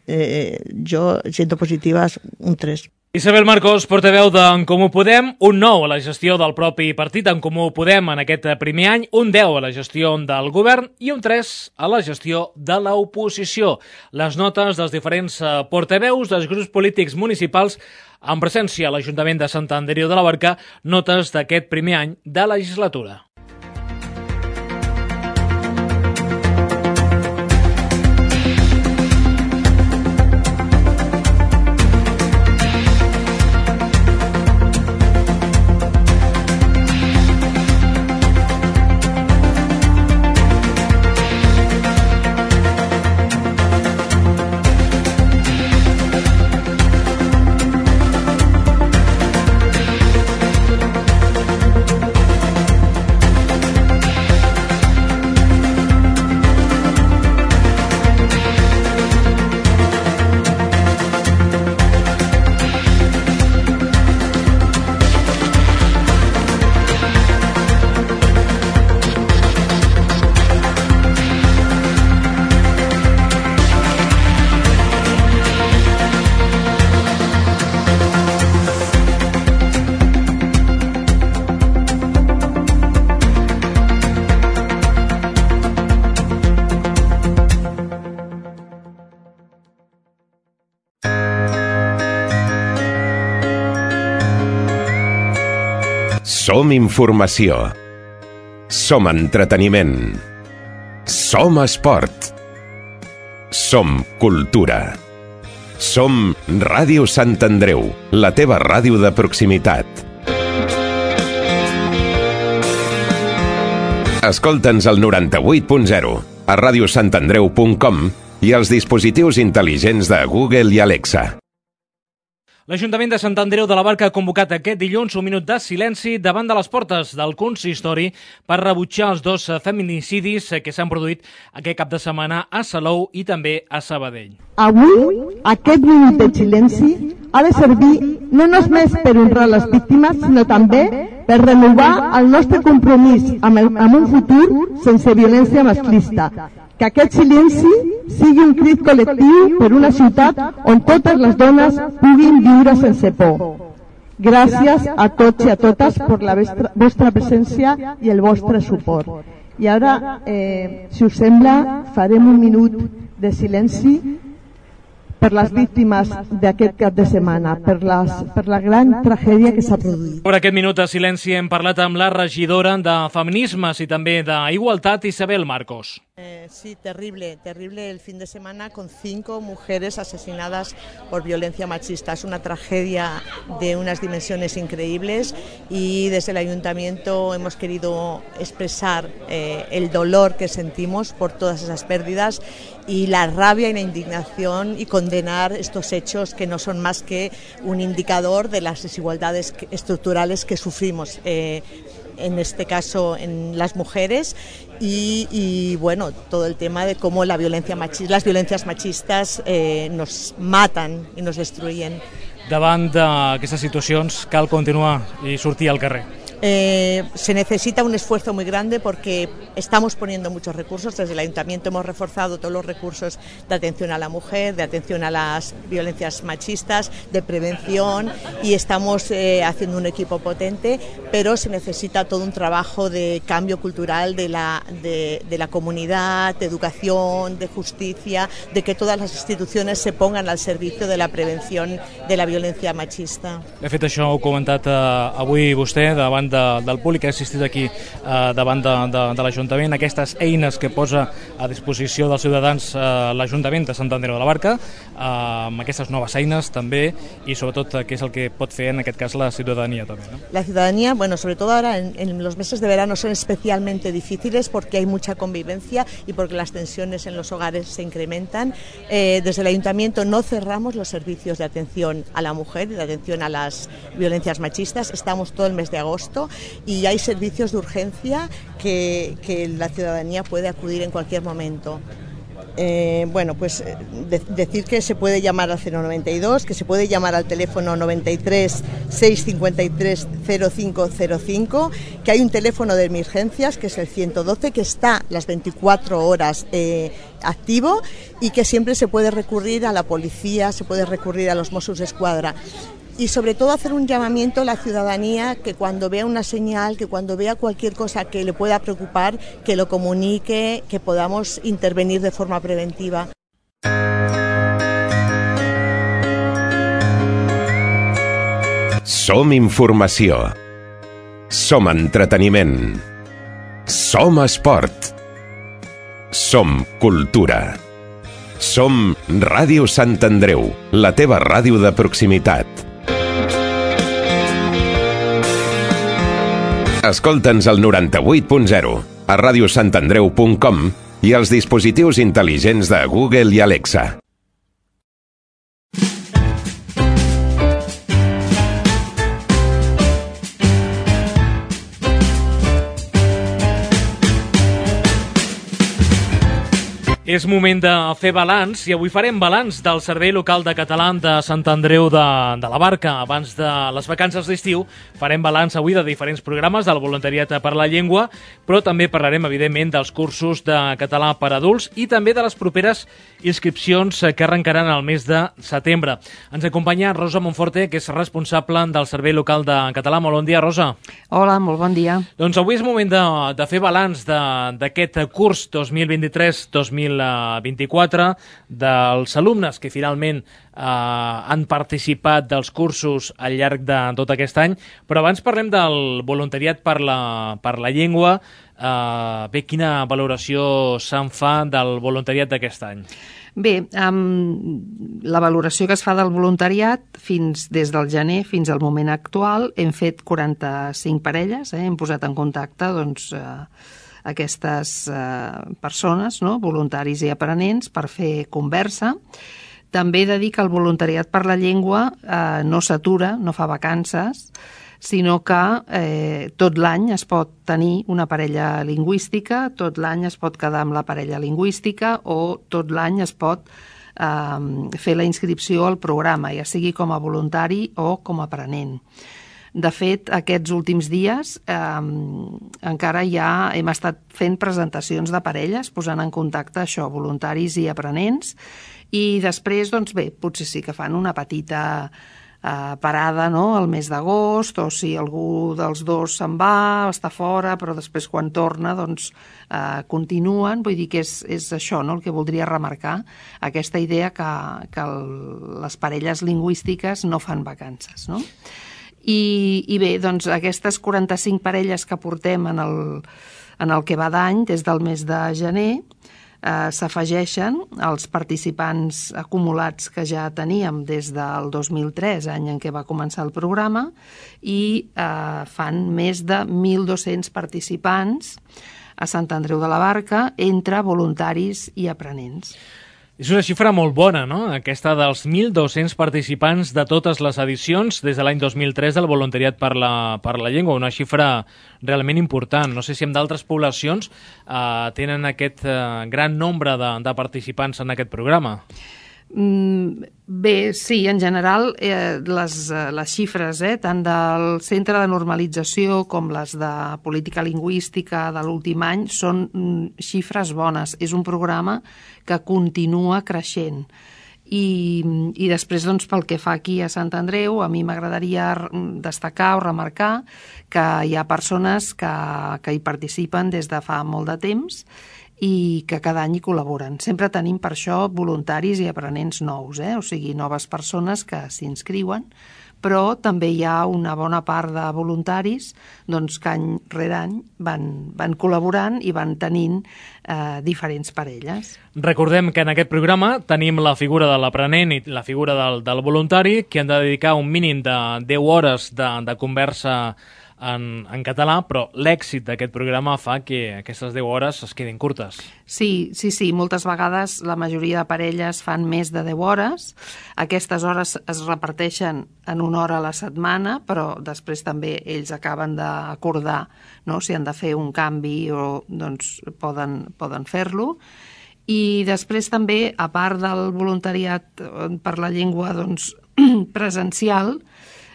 eh, yo siento positivas un tres. Isabel Marcos, portaveu d'En Comú Podem, un nou a la gestió del propi partit En Comú Podem en aquest primer any, un deu a la gestió del govern i un tres a la gestió de l'oposició. Les notes dels diferents portaveus dels grups polítics municipals en presència a l'Ajuntament de Sant Andreu de la Barca, notes d'aquest primer any de legislatura. Som informació. Som entreteniment. Som esport. Som cultura. Som Ràdio Sant Andreu, la teva ràdio de proximitat. Escolta'ns al noranta-vuit punt zero, a ràdio sant andreu punt com i als dispositius intel·ligents de Google i Alexa. L'Ajuntament de Sant Andreu de la Barca ha convocat aquest dilluns un minut de silenci davant de les portes del consistori per rebutjar els dos feminicidis que s'han produït aquest cap de setmana a Salou i també a Sabadell. Avui, aquest minut de silenci ha de servir no només per honrar les víctimes, sinó també per renovar el nostre compromís amb, el, amb un futur sense violència masclista. Que aquest silenci sigui un crit col·lectiu per una ciutat on totes les dones puguin viure sense por. Gràcies a tots i a totes per la vostra, vostra presència i el vostre suport. I ara, eh, si us sembla, farem un minut de silenci per les víctimes d'aquest cap de setmana, per, les, per la gran tragèdia que s'ha produït. Per aquest minut de silenci hem parlat amb la regidora de Feminismes i també d'Igualtat, Isabel Marcos. Eh, sí, terrible, terrible el fin de semana con cinco mujeres asesinadas por violencia machista. Es una tragedia de unas dimensiones increíbles y desde el Ayuntamiento hemos querido expresar eh, el dolor que sentimos por todas esas pérdidas y la rabia y la indignación y condenar estos hechos que no son más que un indicador de las desigualdades estructurales que sufrimos. Eh, en este caso en las mujeres y, y bueno, todo el tema de cómo la violencia machista, las violencias machistas eh, nos matan y nos destruyen. Davant d'aquestes situacions cal continuar i sortir al carrer. Eh, se necesita un esfuerzo muy grande porque estamos poniendo muchos recursos. Desde el Ayuntamiento hemos reforzado todos los recursos de atención a la mujer, de atención a las violencias machistas, de prevención y estamos eh, haciendo un equipo potente, pero se necesita todo un trabajo de cambio cultural de la, de, de la comunidad, de educación, de justicia, de que todas las instituciones se pongan al servicio de la prevención de la violencia machista. De fet, això ho ha comentat eh, avui vostè davant davant de, del públic que ha assistit aquí eh, davant de, de, de l'Ajuntament, aquestes eines que posa a disposició dels ciutadans eh, l'Ajuntament de Sant Andreu de la Barca, eh, amb aquestes noves eines també, i sobretot eh, què és el que pot fer en aquest cas la ciutadania també, ¿no? La ciudadanía, bueno, sobre todo ahora en, en los meses de verano son especialmente difíciles porque hay mucha convivencia y porque las tensiones en los hogares se incrementan. Eh, desde el Ayuntamiento no cerramos los servicios de atención a la mujer y de atención a las violencias machistas. Estamos todo el mes de agosto y hay servicios de urgencia que, que la ciudadanía puede acudir en cualquier momento. Eh, bueno, pues de, decir que se puede llamar al cero noventa y dos, que se puede llamar al teléfono noventa y tres, seiscientos cincuenta y tres, cero cinco cero cinco, que hay un teléfono de emergencias que es el ciento doce, que está las veinticuatro horas eh, activo y que siempre se puede recurrir a la policía, se puede recurrir a los Mossos d'Esquadra. Y sobre todo hacer un llamamiento a la ciudadanía que cuando vea una señal, que cuando vea cualquier cosa que le pueda preocupar, que lo comunique, que podamos intervenir de forma preventiva. Som informació. Som entreteniment. Som esport. Som cultura. Som Ràdio Sant Andreu, la teva ràdio de proximitat. Escolta'ns al noranta-vuit punt zero, a ràdio sant andreu punt com i als dispositius intel·ligents de Google i Alexa. És moment de fer balanç i avui farem balanç del Servei Local de Català de Sant Andreu de, de la Barca. Abans de les vacances d'estiu farem balanç avui de diferents programes del voluntariat per la llengua, però també parlarem evidentment dels cursos de català per adults i també de les properes inscripcions que arrencaran al mes de setembre. Ens acompanya Rosa Monforte, que és responsable del Servei Local de Català. Molt bon dia, Rosa. Hola, molt bon dia. Doncs avui és moment de, de fer balanç d'aquest curs dos mil vint-i-tres dos mil vint-i-quatre, dels alumnes que finalment eh, han participat dels cursos al llarg de tot aquest any. Però abans parlem del voluntariat per la, per la llengua. Eh, bé, quina valoració se'n fa del voluntariat d'aquest any? Bé, um, la valoració que es fa del voluntariat fins des del gener fins al moment actual, hem fet quaranta-cinc parelles, eh? Hem posat en contacte doncs, eh, aquestes eh, persones, no? Voluntaris i aprenents, per fer conversa. També he de dir que el voluntariat per la llengua eh, no s'atura, no fa vacances, sinó que eh, tot l'any es pot tenir una parella lingüística, tot l'any es pot quedar amb la parella lingüística o tot l'any es pot eh, fer la inscripció al programa, ja sigui com a voluntari o com a aprenent. De fet, aquests últims dies eh, encara ja hem estat fent presentacions de parelles, posant en contacte això, voluntaris i aprenents, i després, doncs bé, potser sí que fan una petita eh, parada, no?, al mes d'agost, o si algú dels dos se'n va, està fora, però després quan torna, doncs eh, continuen. Vull dir que és, és això, no?, el que voldria remarcar, aquesta idea que, que el, les parelles lingüístiques no fan vacances, no? I, i bé, doncs aquestes quaranta-cinc parelles que portem en el, en el que va d'any, des del mes de gener, eh, s'afegeixen als participants acumulats que ja teníem des del dos mil tres, any en què va començar el programa, i eh, fan més de mil dos-cents participants a Sant Andreu de la Barca entre voluntaris i aprenents. És una xifra molt bona, no?, aquesta dels mil dos-cents participants de totes les edicions des de l'any dos mil tres del voluntariat per la, per la llengua, una xifra realment important. No sé si en d'altres poblacions eh, tenen aquest eh, gran nombre de, de participants en aquest programa. Mm, bé, sí, en general eh, les, les xifres eh, tant del Centre de Normalització com les de Política Lingüística de l'últim any són mm, xifres bones. És un programa que continua creixent. I, i després, doncs, pel que fa aquí a Sant Andreu, a mi m'agradaria destacar o remarcar que hi ha persones que, que hi participen des de fa molt de temps i que cada any hi col·laboren. Sempre tenim per això voluntaris i aprenents nous, eh? O sigui, noves persones que s'inscriuen, però també hi ha una bona part de voluntaris doncs, que any rere any van, van col·laborant i van tenint eh, diferents parelles. Recordem que en aquest programa tenim la figura de l'aprenent i la figura del, del voluntari, que han de dedicar un mínim de deu hores de, de conversa En, en català, però l'èxit d'aquest programa fa que aquestes deu hores es quedin curtes. Sí, sí, sí, moltes vegades la majoria de parelles fan més de deu hores. Aquestes hores es reparteixen en una hora a la setmana, però després també ells acaben d'acordar, no?, si han de fer un canvi o doncs poden, poden fer-lo. I després també, a part del voluntariat per la llengua doncs, presencial,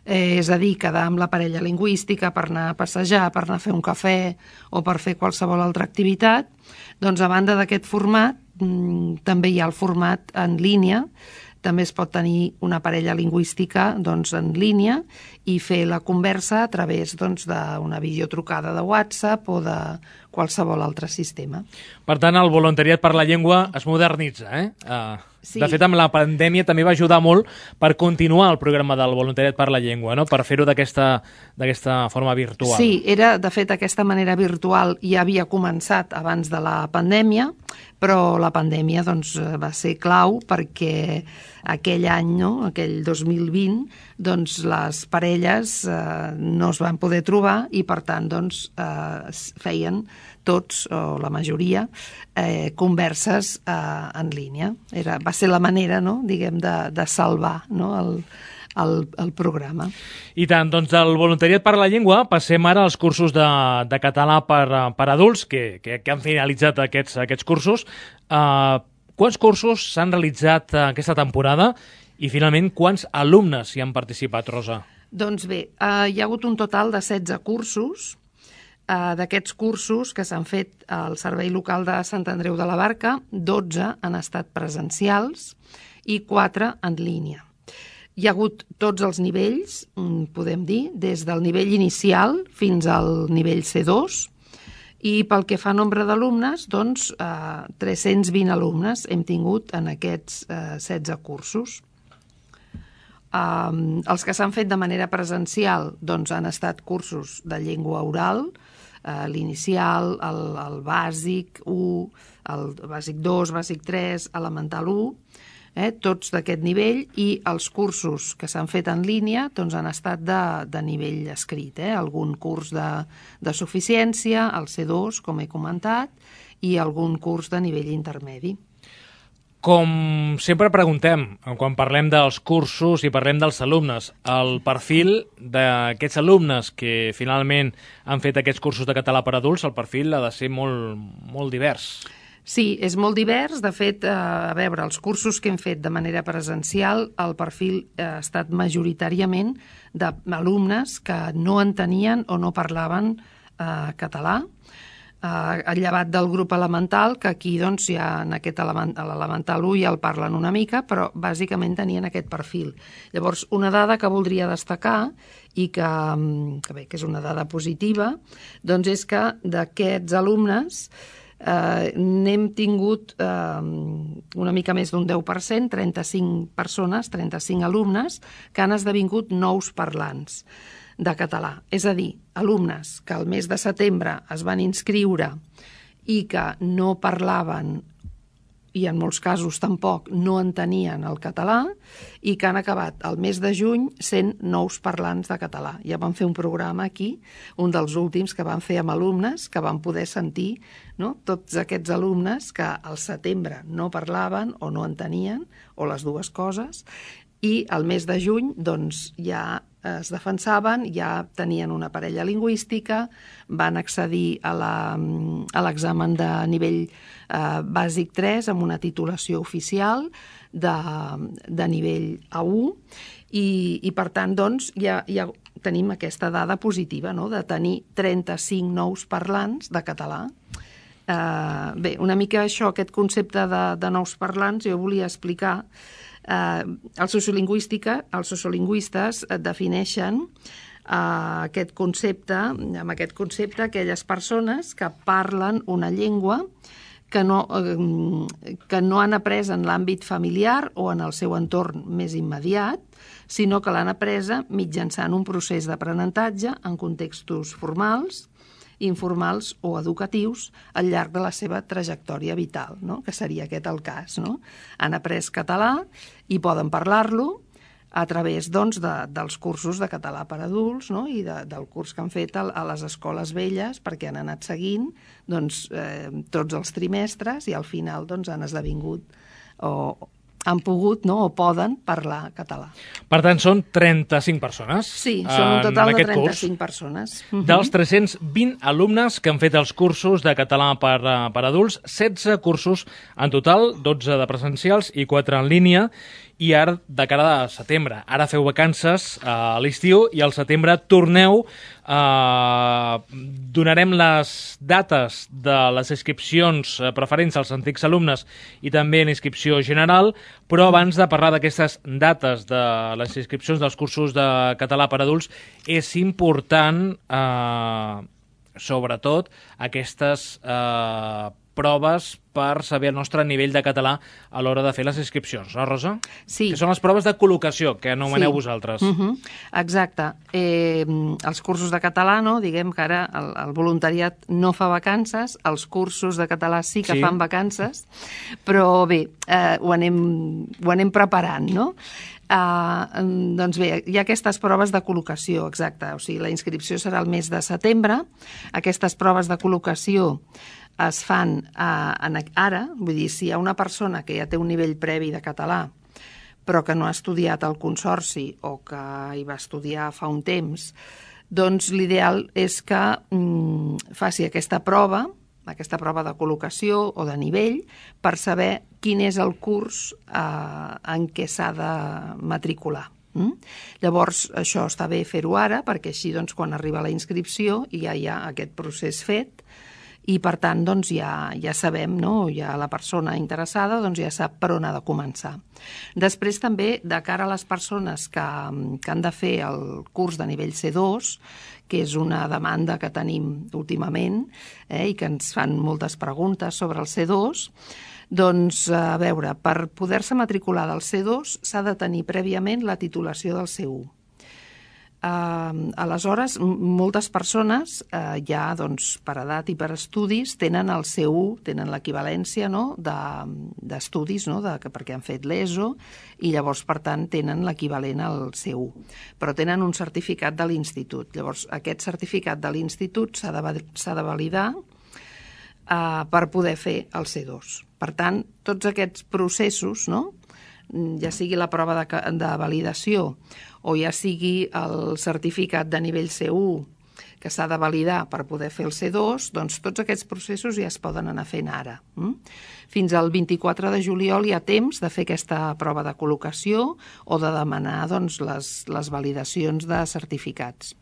Eh, és a dir, quedar amb la parella lingüística per anar a passejar, per anar a fer un cafè o per fer qualsevol altra activitat, doncs a banda d'aquest format mmm, també hi ha el format en línia. També es pot tenir una parella lingüística doncs, en línia i fer la conversa a través doncs, d'una videotrucada de WhatsApp o de qualsevol altre sistema. Per tant, el voluntariat per la llengua es modernitza, eh? Uh... Sí. De fet, amb la pandèmia també va ajudar molt per continuar el programa del voluntariat per la llengua, no? Per fer-ho d'aquesta d'aquesta forma virtual. Sí, era, de fet, aquesta manera virtual ja havia començat abans de la pandèmia, però la pandèmia doncs, va ser clau perquè aquell any, no? Aquell dos mil vint, doncs, les parelles eh, no es van poder trobar i, per tant, doncs, eh, feien tots, o la majoria, eh, converses eh, en línia. Era, va ser la manera, no?, diguem, de, de salvar, no?, el, el, el programa. I tant, doncs del voluntariat per la llengua passem ara als cursos de, de català per, per adults, que, que, que han finalitzat aquests, aquests cursos. Uh, quants cursos s'han realitzat aquesta temporada i, finalment, quants alumnes hi han participat, Rosa? Doncs bé, uh, hi ha hagut un total de setze cursos. Uh, d'aquests cursos que s'han fet al Servei Local de Sant Andreu de la Barca, dotze han estat presencials i quatre en línia. Hi ha hagut tots els nivells, podem dir, des del nivell inicial fins al nivell C dos, i pel que fa a nombre d'alumnes, doncs, uh, tres-cents vint alumnes hem tingut en aquests uh, setze cursos. Um, els que s'han fet de manera presencial doncs, han estat cursos de llengua oral, uh, l'inicial, el, el bàsic u, el bàsic dos, bàsic tres, elemental u, eh, tots d'aquest nivell, i els cursos que s'han fet en línia doncs, han estat de, de nivell escrit, eh, algun curs de, de suficiència, el C dos, com he comentat, i algun curs de nivell intermedi. Com sempre preguntem, quan parlem dels cursos i parlem dels alumnes, el perfil d'aquests alumnes que finalment han fet aquests cursos de català per adults, el perfil ha de ser molt, molt divers. Sí, és molt divers. De fet, a veure, els cursos que hem fet de manera presencial, el perfil ha estat majoritàriament d'alumnes que no entenien o no parlaven eh, català, Uh, llevat del grup elemental, que aquí doncs, ja en aquest element, l'elemental u ja el parlen una mica, però bàsicament tenien aquest perfil. Llavors, una dada que voldria destacar i que, que, bé, que és una dada positiva, doncs és que d'aquests alumnes eh, n'hem tingut eh, una mica més d'un deu per cent, trenta-cinc persones, trenta-cinc alumnes, que han esdevingut nous parlants de català. És a dir, alumnes que al mes de setembre es van inscriure i que no parlaven i en molts casos tampoc no entenien el català i que han acabat el mes de juny sent nous parlants de català. Ja vam fer un programa aquí, un dels últims que vam fer amb alumnes, que van poder sentir, no?, tots aquests alumnes que al setembre no parlaven o no entenien, o les dues coses, i al mes de juny doncs, ja es defensaven, ja tenien una parella lingüística, van accedir a l'examen de nivell eh, bàsic tres amb una titulació oficial de, de nivell A u i, i per tant doncs, ja, ja tenim aquesta dada positiva, no?, de tenir trenta-cinc nous parlants de català. Eh, bé, una mica això, aquest concepte de, de nous parlants, jo volia explicar. Uh, el sociolingüística, els sociolingüistes defineixen uh, aquest concepte, amb aquest concepte aquelles persones que parlen una llengua que no, eh, que no han après en l'àmbit familiar o en el seu entorn més immediat, sinó que l'han apresa mitjançant un procés d'aprenentatge en contextos formals, informals o educatius al llarg de la seva trajectòria vital, no? Que seria aquest el cas. No? Han après català i poden parlar-lo a través doncs, de, dels cursos de català per adults, no? I de, del curs que han fet a, a les escoles velles, perquè han anat seguint doncs, eh, tots els trimestres i al final doncs, han esdevingut o han pogut no? o poden parlar català. Per tant, són trenta-cinc persones. Sí, són un total de trenta-cinc persones. Dels tres-cents vint alumnes que han fet els cursos de català per, per adults, setze cursos en total, dotze de presencials i quatre en línia, i ara de cara a setembre. Ara feu vacances a l'estiu i al setembre torneu. Eh, donarem les dates de les inscripcions preferents als antics alumnes i també en inscripció general, però abans de parlar d'aquestes dates de les inscripcions dels cursos de català per adults, és important, eh, sobretot, aquestes eh, proves per saber el nostre nivell de català a l'hora de fer les inscripcions, no, Rosa? Sí. Que són les proves de col·locació, que anomeneu sí. vosaltres. Uh -huh. Exacte. Eh, els cursos de català, no? Diguem que ara el, el voluntariat no fa vacances, els cursos de català sí que Sí. fan vacances, però bé, eh, ho, anem, ho anem preparant, no? Uh, doncs bé, hi ha aquestes proves de col·locació, exacte, o sigui, la inscripció serà el mes de setembre, aquestes proves de col·locació es fan uh, en, ara, vull dir, si hi ha una persona que ja té un nivell previ de català, però que no ha estudiat al Consorci o que hi va estudiar fa un temps, doncs l'ideal és que mm, faci aquesta prova, aquesta prova de col·locació o de nivell, per saber quin és el curs eh, en què s'ha de matricular. Mm? Llavors, això està bé fer-ho ara, perquè així doncs, quan arriba la inscripció ja hi ha aquest procés fet, i per tant doncs, ja, ja sabem, no? Ja la persona interessada doncs, ja sap per on ha de començar. Després també, de cara a les persones que, que han de fer el curs de nivell C dos, que és una demanda que tenim últimament eh, i que ens fan moltes preguntes sobre el C dos, doncs, a veure, per poder-se matricular del C dos s'ha de tenir prèviament la titulació del C u. Uh, aleshores, moltes persones uh, ja doncs, per edat i per estudis tenen el C u, tenen l'equivalència no? d'estudis, no? de, perquè han fet l'ESO i llavors, per tant, tenen l'equivalent al C u. Però tenen un certificat de l'institut. Llavors, aquest certificat de l'institut s'ha de, s'ha de validar uh, per poder fer el C dos. Per tant, tots aquests processos, no? Ja sigui la prova de, de validació o ja sigui el certificat de nivell C u que s'ha de validar per poder fer el C dos, doncs tots aquests processos ja es poden anar fent ara. Fins al vint-i-quatre de juliol hi ha temps de fer aquesta prova de col·locació o de demanar doncs, les, les validacions de certificats.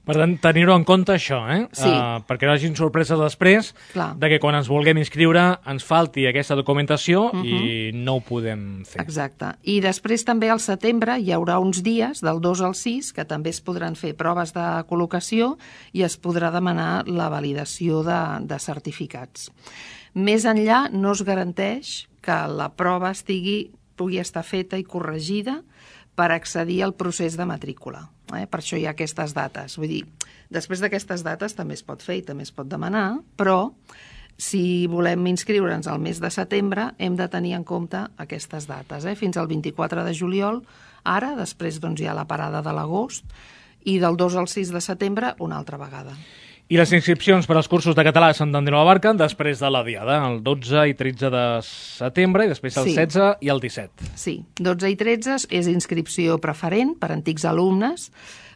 Per tant, tenir-ho en compte això, eh? Sí. Uh, perquè no hagin sorpreses després Clar. de que quan ens vulguem inscriure ens falti aquesta documentació Uh-huh. i no ho podem fer. Exacte. I després també al setembre hi haurà uns dies, del dos al sis, que també es podran fer proves de col·locació i es podrà demanar la validació de, de certificats. Més enllà no es garanteix que la prova estigui, pugui estar feta i corregida per accedir al procés de matrícula. Eh? Per això hi ha aquestes dates. Vull dir, després d'aquestes dates també es pot fer i també es pot demanar, però si volem inscriure'ns al mes de setembre hem de tenir en compte aquestes dates. Eh? Fins al vint-i-quatre de juliol, ara, després doncs, hi ha la parada de l'agost, i del dos al sis de setembre una altra vegada. I les inscripcions per als cursos de català a Sant Andreu de la Barca després de la diada, el dotze i tretze de setembre i després el Sí. setze i el disset. Sí, dotze i tretze és inscripció preferent per antics alumnes,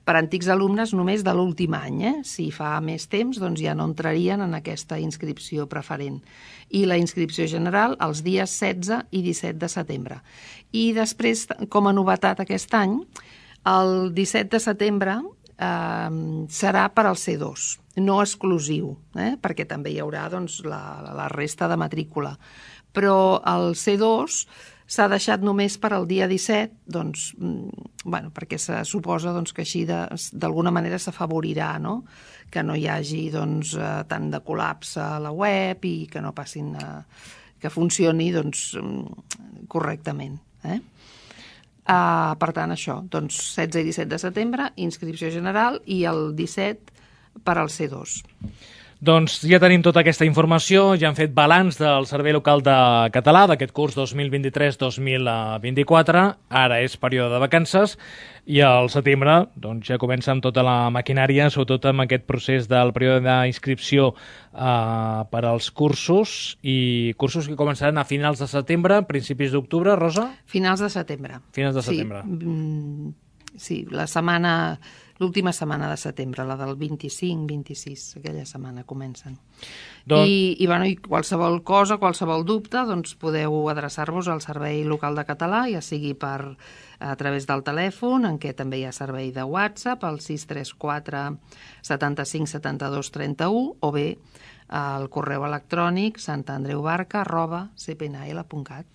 per antics alumnes només de l'últim any. Eh? Si fa més temps, doncs ja no entrarien en aquesta inscripció preferent. I la inscripció general els dies setze i disset de setembre. I després, com a novetat aquest any, el disset de setembre eh, serà per al C dos, no exclusiu, eh? perquè també hi haurà doncs, la, la resta de matrícula. Però el C dos s'ha deixat només per al dia disset, doncs, bueno, perquè se suposa doncs, que així d'alguna manera s'afavorirà, no? que no hi hagi doncs, eh, tant de col·lapse a la web i que no passin a, que funcioni doncs, correctament. Eh? Uh, per tant, això, doncs, setze i disset de setembre, inscripció general, i el disset per al C dos. Doncs ja tenim tota aquesta informació, ja han fet balanç del Servei Local de Català d'aquest curs dos mil vint-i-tres dos mil vint-i-quatre, ara és període de vacances, i al setembre doncs, ja comença amb tota la maquinària, sobretot amb aquest procés del període d'inscripció eh, per als cursos, i cursos que començaran a finals de setembre, principis d'octubre, Rosa? Finals de setembre. Finals de setembre. Sí, sí la setmana... L'última setmana de setembre, la del vint-i-cinc vint-i-sis, aquella setmana comencen. Don... I, i, bueno, I qualsevol cosa, qualsevol dubte, doncs podeu adreçar-vos al Servei Local de Català, ja sigui per, a través del telèfon, en què també hi ha servei de WhatsApp, al sis tres quatre setanta-cinc setanta-dos trenta-u, o bé al correu electrònic santandreubarca arroba c p n l punt cat.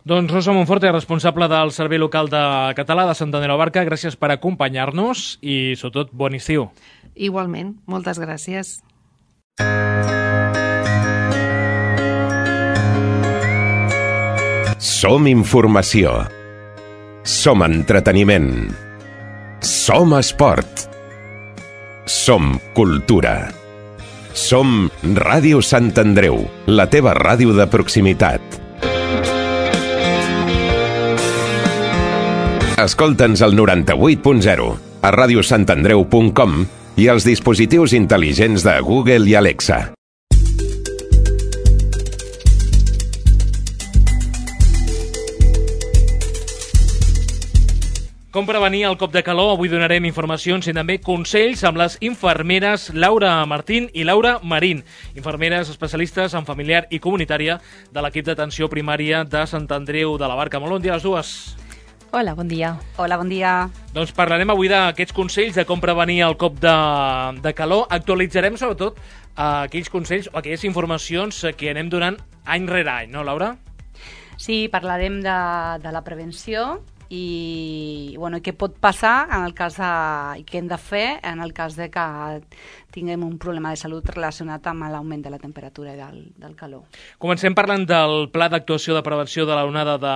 Doncs Rosa Monforte, responsable del Servei Local de Català de Sant Andreu Barca, gràcies per acompanyar-nos i, sobretot, bon estiu. Igualment, moltes gràcies. Som informació. Som entreteniment. Som esport. Som cultura. Som Ràdio Sant Andreu, la teva ràdio de proximitat. Escolta'ns al noranta-vuit punt zero, a ràdio sant andreu punt com i als dispositius intel·ligents de Google i Alexa. Com prevenir el cop de calor? Avui donarem informacions i també consells amb les infermeres Laura Martín i Laura Marín, infermeres especialistes en familiar i comunitària de l'equip d'atenció primària de Sant Andreu de la Barca. Molt bon dia a les dues. Hola, bon dia. Hola, bon dia. Doncs parlarem avui d'aquests consells de com prevenir el cop de, de calor. Actualitzarem sobretot eh, aquells consells o aquelles informacions que anem donant any rere any, no, Laura? Sí, parlarem de, de la prevenció i bueno, què pot passar en el cas de, i què hem de fer en el cas de que tinguem un problema de salut relacionat amb l'augment de la temperatura i del, del calor. Comencem parlant del pla d'actuació de prevenció de l'onada de,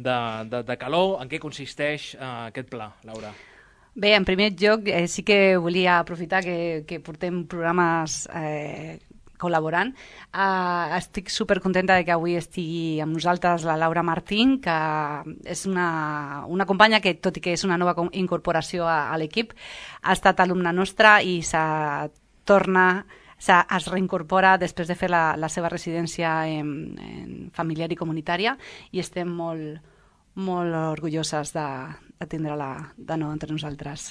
de, de, de calor. En què consisteix eh, aquest pla, Laura? Bé, en primer lloc, eh, sí que volia aprofitar que, que portem programes eh, col·laborant. Uh, estic supercontenta de que avui estigui amb nosaltres la Laura Martín, que és una, una companya que, tot i que és una nova incorporació a, a l'equip, ha estat alumna nostra i s'ha torna es reincorpora després de fer la, la seva residència en, en familiar i comunitària i estem molt, molt orgulloses de, de tindre-la de nou entre nosaltres.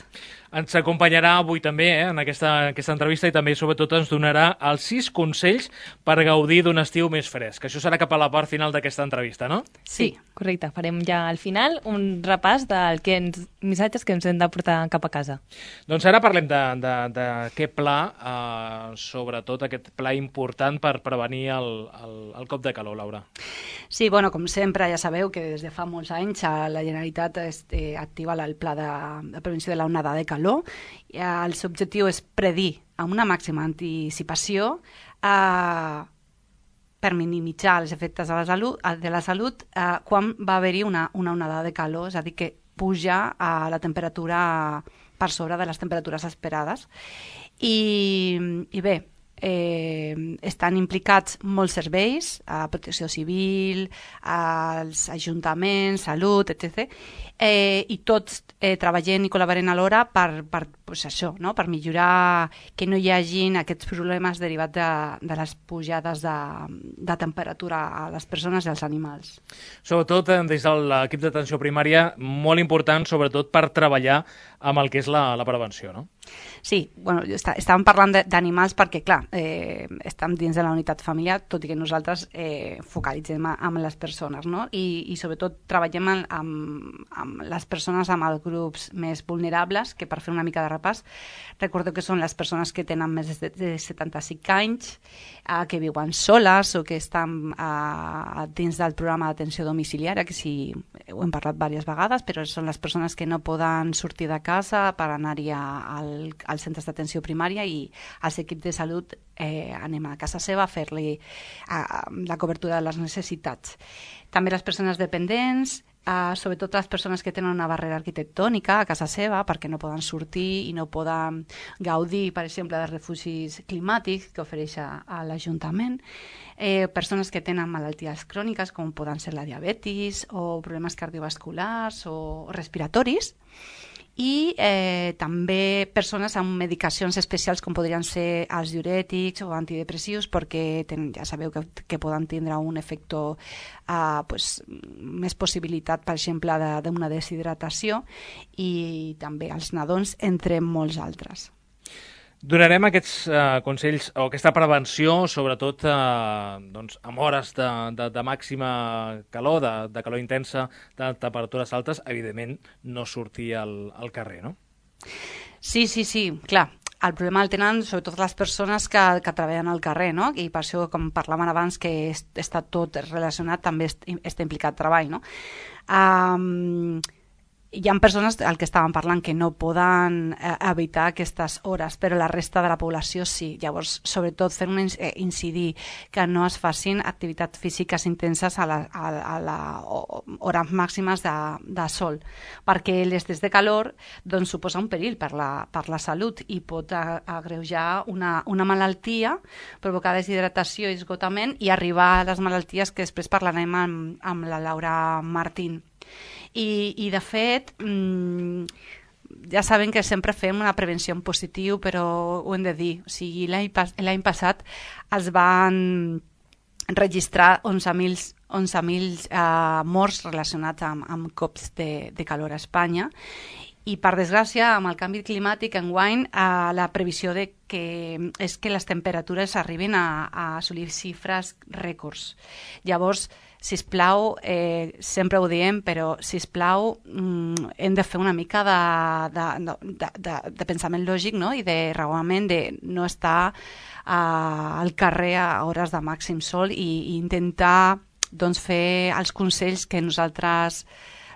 Ens acompanyarà avui també eh, en aquesta, aquesta entrevista i també sobretot ens donarà els sis consells per gaudir d'un estiu més fresc. Això serà cap a la part final d'aquesta entrevista, no? Sí, correcte. Farem ja al final un repàs del que ens, missatges que ens hem de portar cap a casa. Doncs ara parlem d'aquest pla, eh, sobretot aquest pla important per prevenir el, el, el cop de calor, Laura. Sí, bueno, com sempre ja sabeu que des de fa molts anys la Generalitat eh, activa el pla de, de prevenció de l'onada de calor. El seu objectiu és predir amb una màxima anticipació eh, per minimitzar els efectes de la salut, de la salut eh, quan va haver-hi una, una onada de calor, és a dir, que puja a la temperatura per sobre de les temperatures esperades. I, i bé, Eh, estan implicats molts serveis, a protecció civil, als ajuntaments, salut, etcètera. Eh, I tots eh, treballem i col·laborem alhora per, per, pues això, no? Per millorar que no hi hagin aquests problemes derivats de, de les pujades de, de temperatura a les persones i als animals. Sobretot eh, des de l'equip d'atenció primària, molt important, sobretot per treballar amb el que és la, la prevenció, no? Sí, bueno, està, estàvem parlant d'animals perquè, clar, eh, estem dins de la unitat familiar, tot i que nosaltres eh, focalitzem amb les persones, no? I, i sobretot treballem amb, amb, amb les persones amb els grups més vulnerables, que per fer una mica de repàs, recordo que són les persones que tenen més de, de setanta-cinc anys, eh, que viuen soles o que estan eh, dins del programa d'atenció domiciliària, que sí, ho hem parlat diverses vegades, però són les persones que no poden sortir de casa per anar-hi al al, als centres d'atenció primària i als equips de salut eh, anem a casa seva a fer-li la cobertura de les necessitats. També les persones dependents, Uh, sobretot les persones que tenen una barrera arquitectònica a casa seva perquè no poden sortir i no poden gaudir, per exemple, de refugis climàtics que ofereix a, a l'Ajuntament, eh, persones que tenen malalties cròniques com poden ser la diabetis o problemes cardiovasculars o respiratoris, i eh, també persones amb medicacions especials com podrien ser els diurètics o antidepressius perquè ten, ja sabeu que, que poden tindre un efecte uh, pues, més possibilitat, per exemple, d'una de, deshidratació, i també els nadons, entre molts altres. Donarem aquests uh, consells o aquesta prevenció, sobretot uh, doncs, amb hores de, de, de màxima calor, de, de calor intensa, de temperatures altes, evidentment no sortir al, al carrer, no? Sí, sí, sí, clar. El problema el tenen sobretot les persones que, que treballen al carrer, no? I per això, com parlaven abans, que està tot relacionat, també està implicat treball, no? Um, Hi ha persones, el que estàvem parlant, que no poden eh, evitar aquestes hores, però la resta de la població sí. Llavors, sobretot, fer un eh, incidir que no es facin activitats físiques intenses a les hores màximes de, de sol, perquè l'excés de calor doncs, suposa un perill per la, per la salut i pot agreujar una, una malaltia, provocar deshidratació i esgotament i arribar a les malalties que després parlarem amb, amb la Laura Martín. I, i de fet, mmm, ja saben que sempre fem una prevenció en positiu, però ho hem de dir. O sigui, l'any pas, l'any passat es van registrar onze mil uh, morts relacionats amb, amb cops de, de calor a Espanya. I, per desgràcia, amb el canvi climàtic enguany, eh, la previsió de que és que les temperatures arribin a, a assolir xifres rècords. Llavors, sisplau, eh, sempre ho diem, però sisplau, mm, hem de fer una mica de, de, de, de, de pensament lògic, no? I de raonament de no estar eh, al carrer a hores de màxim sol i, i intentar doncs, fer els consells que nosaltres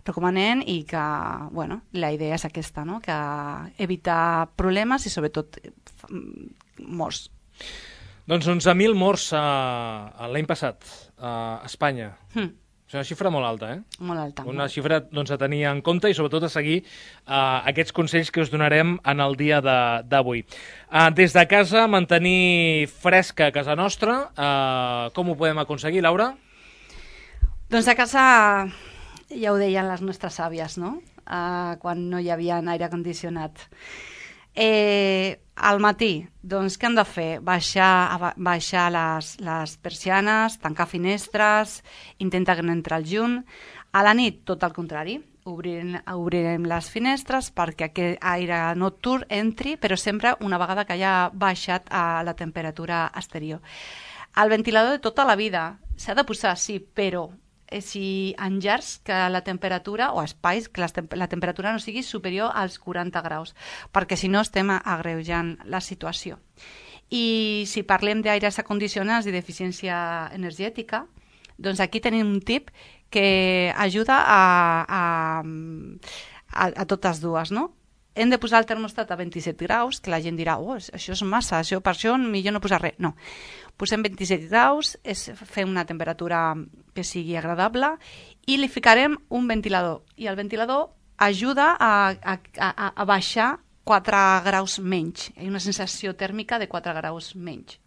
recomanem i que, bueno, la idea és aquesta, no? Que evitar problemes i sobretot morts. Doncs onze mil morts uh, l'any passat uh, a Espanya. Mm. És una xifra molt alta, eh? Molt alta. Una xifra doncs, a tenir en compte i sobretot a seguir uh, aquests consells que us donarem en el dia d'avui. Uh, des de casa, mantenir fresca a casa nostra. Uh, com ho podem aconseguir, Laura? Doncs a casa, ja ho deien les nostres àvies, no? Uh, quan no hi havia aire condicionat. Eh, al matí, doncs què hem de fer? Baixar, baixar les, les persianes, tancar finestres, intentar que no entri el llum. A la nit, tot el contrari, obrirem, obrirem les finestres perquè aquest aire nocturn entri, però sempre una vegada que hagi baixat a la temperatura exterior. El ventilador de tota la vida s'ha de posar, sí, però si en llars que la temperatura, o espais, que la temperatura no sigui superior als quaranta graus, perquè si no estem agreujant la situació. I si parlem d'aires acondicionats i d'eficiència energètica, doncs aquí tenim un tip que ajuda a, a, a, a totes dues, no? Hem de posar el termostat a vint-i-set graus, que la gent dirà, oh, això és massa, això, per això millor no posar res. No, posem vint-i-set graus, és fer una temperatura que sigui agradable i li ficarem un ventilador. I el ventilador ajuda a, a, a, a baixar quatre graus menys. Hi ha una sensació tèrmica de quatre graus menys.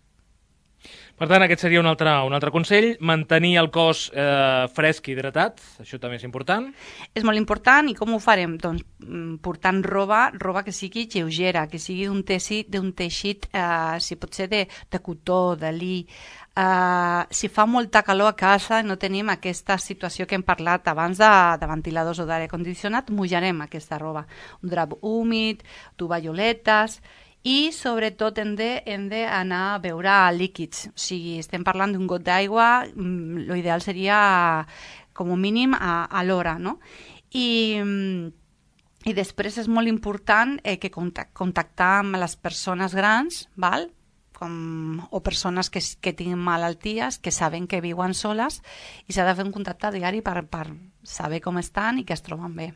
Per tant, aquest seria un altre, un altre consell, mantenir el cos eh, fresc i hidratat, això també és important. És molt important, i com ho farem? Doncs portant roba, roba que sigui lleugera, que sigui d'un teixit, d'un teixit eh, si pot ser de, de cotó, de lli. Eh, si fa molta calor a casa i no tenim aquesta situació que hem parlat abans de, de ventiladors o d'aire condicionat, mullarem aquesta roba. Un drap húmid, tovalloletes. I, sobretot, hem d'anar a beure líquids. O sigui, estem parlant d'un got d'aigua, l'ideal seria, com a mínim, a, a l'hora, no? I, i després és molt important eh, que contact, contactar amb les persones grans, val? com, o persones que, que tinguin malalties, que saben que viuen soles i s'ha de fer un contacte diari per, per saber com estan i que es troben bé.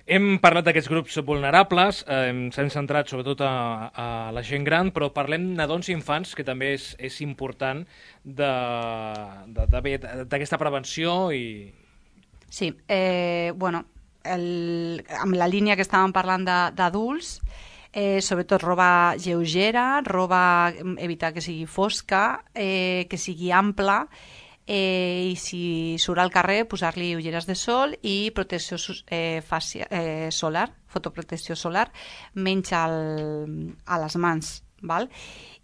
Hem parlat d'aquests grups vulnerables, eh, s'hem centrat sobretot a, a la gent gran, però parlem nadons i infants, que també és, és important d'aquesta prevenció i... Sí, eh, bueno, el, amb la línia que estàvem parlant d'adults, eh, sobretot roba lleugera, roba evitar que sigui fosca, eh, que sigui ampla, eh, i si surt al carrer posar-li ulleres de sol i protecció eh, facia, eh, solar, fotoprotecció solar, menys al, a les mans, val?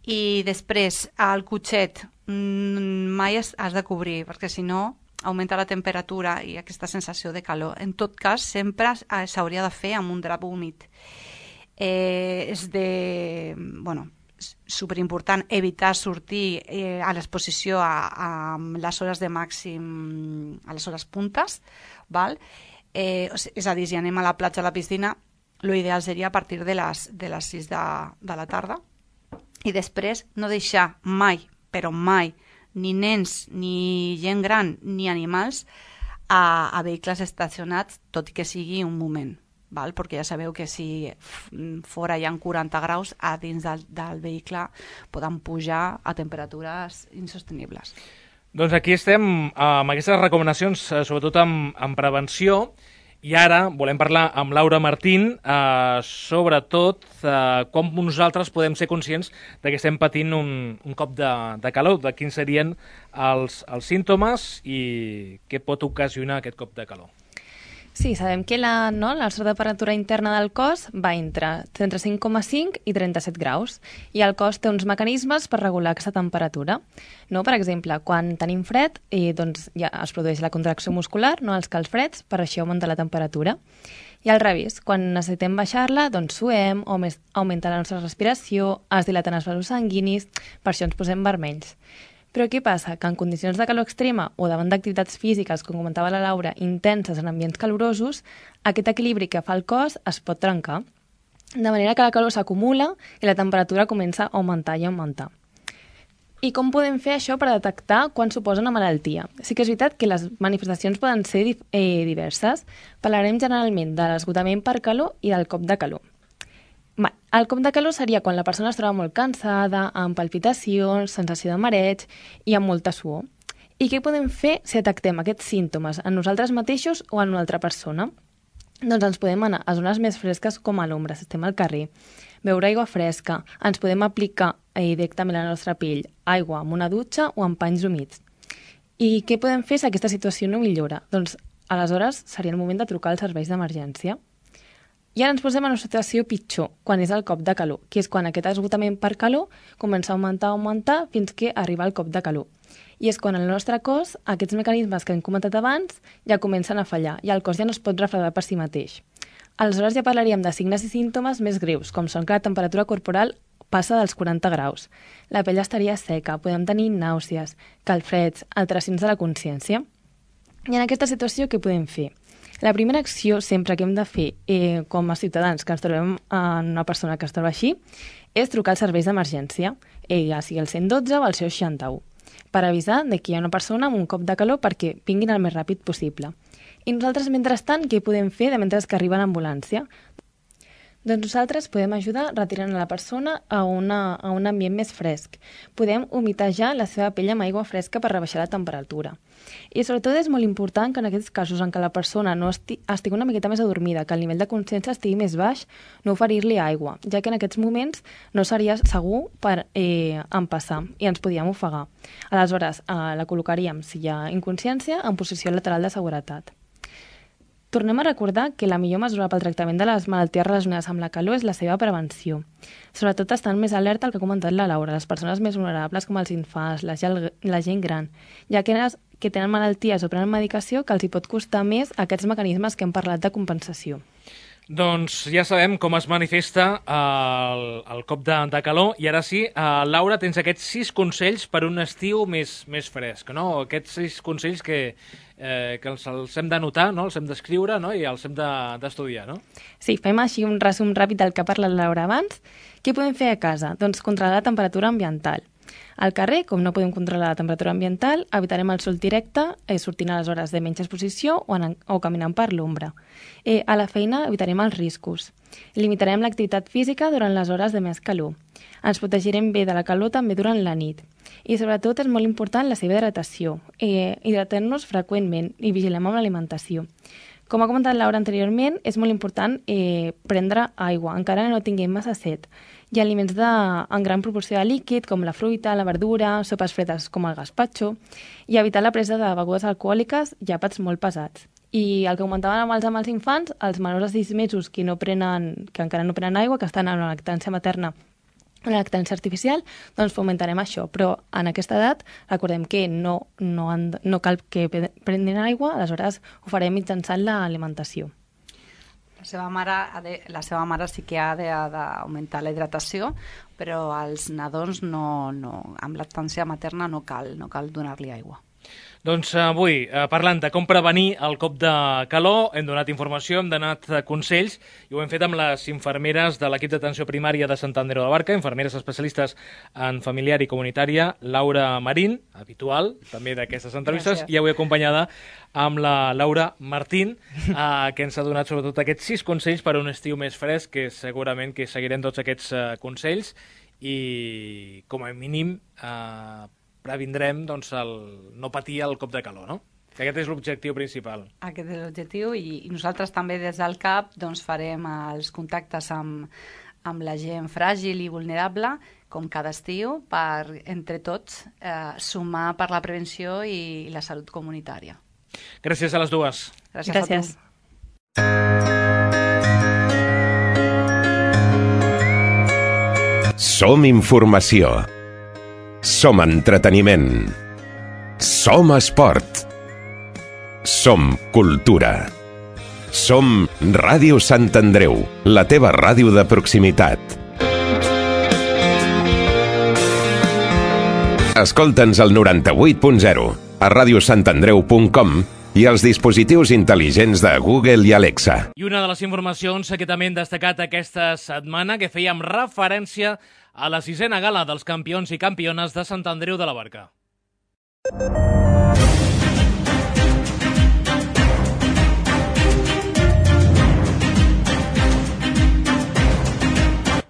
I després el cotxet mai has, has de cobrir, perquè si no augmenta la temperatura i aquesta sensació de calor. En tot cas, sempre s'hauria de fer amb un drap húmid. Eh, és de... bueno, superimportant evitar sortir eh, a l'exposició a, a les hores de màxim, a les hores puntes, val? Eh, és a dir, si anem a la platja o a la piscina, l'ideal seria a partir de les, de les sis de, de la tarda. I després no deixar mai, però mai, ni nens, ni gent gran, ni animals a, a vehicles estacionats, tot i que sigui un moment. Val? Perquè ja sabeu que si fora hi ha quaranta graus, a dins del, del vehicle poden pujar a temperatures insostenibles. Doncs aquí estem amb aquestes recomanacions, sobretot amb, amb prevenció, i ara volem parlar amb Laura Martín, eh, sobretot eh, com nosaltres podem ser conscients de que estem patint un, un cop de, de calor, de quins serien els, els símptomes i què pot ocasionar aquest cop de calor. Sí, sabem que la, no, la nostra temperatura interna del cos va entre trenta-cinc coma cinc i trenta-set graus i el cos té uns mecanismes per regular aquesta temperatura. No? Per exemple, quan tenim fred eh, doncs ja es produeix la contracció muscular, no, els calfreds, per això augmenta la temperatura. I al revés, quan necessitem baixar-la, doncs suem, augmenta la nostra respiració, es dilaten els vasos sanguinis, per això ens posem vermells. Però què passa? Que en condicions de calor extrema o davant d'activitats físiques, com comentava la Laura, intenses en ambients calorosos, aquest equilibri que fa el cos es pot trencar, de manera que la calor s'acumula i la temperatura comença a augmentar i augmentar. I com podem fer això per detectar quan suposa una malaltia? Sí que és veritat que les manifestacions poden ser eh, diverses. Parlarem generalment de l'esgotament per calor i del cop de calor. El cop de calor seria quan la persona es troba molt cansada, amb palpitacions, sensació de mareig i amb molta suor. I què podem fer si detectem aquests símptomes en nosaltres mateixos o en una altra persona? Doncs ens podem anar a zones més fresques com a l'ombra, si estem al carrer, beure aigua fresca, ens podem aplicar eh, directament a la nostra pell aigua amb una dutxa o amb panys humits. I què podem fer si aquesta situació no millora? Doncs aleshores seria el moment de trucar als serveis d'emergència. I ara ens posem en una situació pitjor, quan és el cop de calor, que és quan aquest esgotament per calor comença a augmentar, augmentar, fins que arriba el cop de calor. I és quan el nostre cos, aquests mecanismes que hem comentat abans, ja comencen a fallar, i el cos ja no es pot refredar per si mateix. Aleshores ja parlaríem de signes i símptomes més greus, com són que la temperatura corporal passa dels quaranta graus, la pell estaria seca, podem tenir nàusees, calfreds, alteracions de la consciència. I en aquesta situació què podem fer? La primera acció sempre que hem de fer eh, com a ciutadans que ens trobem en una persona que es troba així és trucar als serveis d'emergència, eh, ja sigui el cent dotze o el seixanta-u, per avisar de que hi ha una persona amb un cop de calor perquè vinguin el més ràpid possible. I nosaltres, mentrestant, què podem fer de mentre que arriba l'ambulància? Doncs nosaltres podem ajudar retirant a la persona a, una, a un ambient més fresc. Podem humitejar la seva pell amb aigua fresca per rebaixar la temperatura. I sobretot és molt important que en aquests casos en què la persona no esti, estigui una miqueta més adormida, que el nivell de consciència estigui més baix, no oferir-li aigua, ja que en aquests moments no seria segur per eh, empassar i ens podíem ofegar. Aleshores, eh, la col·locaríem, si hi ha inconsciència, en posició lateral de seguretat. Tornem a recordar que la millor mesura pel tractament de les malalties relacionades amb la calor és la seva prevenció. Sobretot estan més alerta al que ha comentat la Laura, les persones més vulnerables com els infants, la, la gent gran, ja que, que tenen malalties o prenen medicació que els hi pot costar més aquests mecanismes que hem parlat de compensació. Doncs ja sabem com es manifesta el, el cop de, de calor i ara sí, uh, Laura, tens aquests sis consells per un estiu més, més fresc, no? Aquests sis consells que, eh, que els, els hem d'anotar, no? Els hem d'escriure, no? I els hem d'estudiar, de, no? Sí, fem així un resum ràpid del que ha parlat Laura abans. Què podem fer a casa? Doncs controlar la temperatura ambiental. Al carrer, com no podem controlar la temperatura ambiental, evitarem el sol directe, eh, sortint a les hores de menys exposició o, en, o caminant per l'ombra. Eh, a la feina evitarem els riscos. Limitarem l'activitat física durant les hores de més calor. Ens protegirem bé de la calor també durant la nit. I sobretot és molt important la seva hidratació. Eh, hidratem-nos freqüentment i vigilem amb l'alimentació. Com ha comentat Laura anteriorment, és molt important eh, prendre aigua, encara no tinguem massa set. Hi ha aliments de, en gran proporció de líquid, com la fruita, la verdura, sopes fredes com el gazpacho, i evitar la presa de begudes alcohòliques i àpats molt pesats. I el que comentaven amb els, amb els infants, els menors de sis mesos que, no prenen, que encara no prenen aigua, que estan en una lactància materna, una lactància artificial, doncs fomentarem això. Però en aquesta edat, recordem que no, no, han, no cal que prenguin aigua, aleshores ho farem mitjançant l'alimentació. La seva mare, ha de, la seva mare sí que ha d'augmentar la hidratació, però als nadons no, no, amb lactància materna no cal, no cal donar-li aigua. Doncs avui, eh, parlant de com prevenir el cop de calor, hem donat informació, hem donat consells i ho hem fet amb les infermeres de l'equip d'atenció primària de Sant Andreu de la Barca, infermeres especialistes en familiar i comunitària, Laura Marín, habitual també d'aquestes entrevistes, Gràcies. I avui acompanyada amb la Laura Martín, eh, que ens ha donat sobretot aquests sis consells per a un estiu més fresc, que segurament que seguirem tots aquests eh, consells i com a mínim eh, previndrem doncs, el no patir el cop de calor, no? Que aquest és l'objectiu principal. Aquest és l'objectiu i, i nosaltres també des del C A P doncs, farem els contactes amb, amb la gent fràgil i vulnerable com cada estiu per, entre tots, eh, sumar per la prevenció i la salut comunitària. Gràcies a les dues. Gràcies, Gràcies. a tu. Som informació. Som entreteniment. Som esport. Som cultura. Som Ràdio Sant Andreu, la teva ràdio de proximitat. Escolta'ns al noranta-vuit punt zero, a ràdio sant andreu punt com i als dispositius intel·ligents de Google i Alexa. I una de les informacions que també hem destacat aquesta setmana, que fèiem referència a la sisena gala dels campions i campiones de Sant Andreu de la Barca.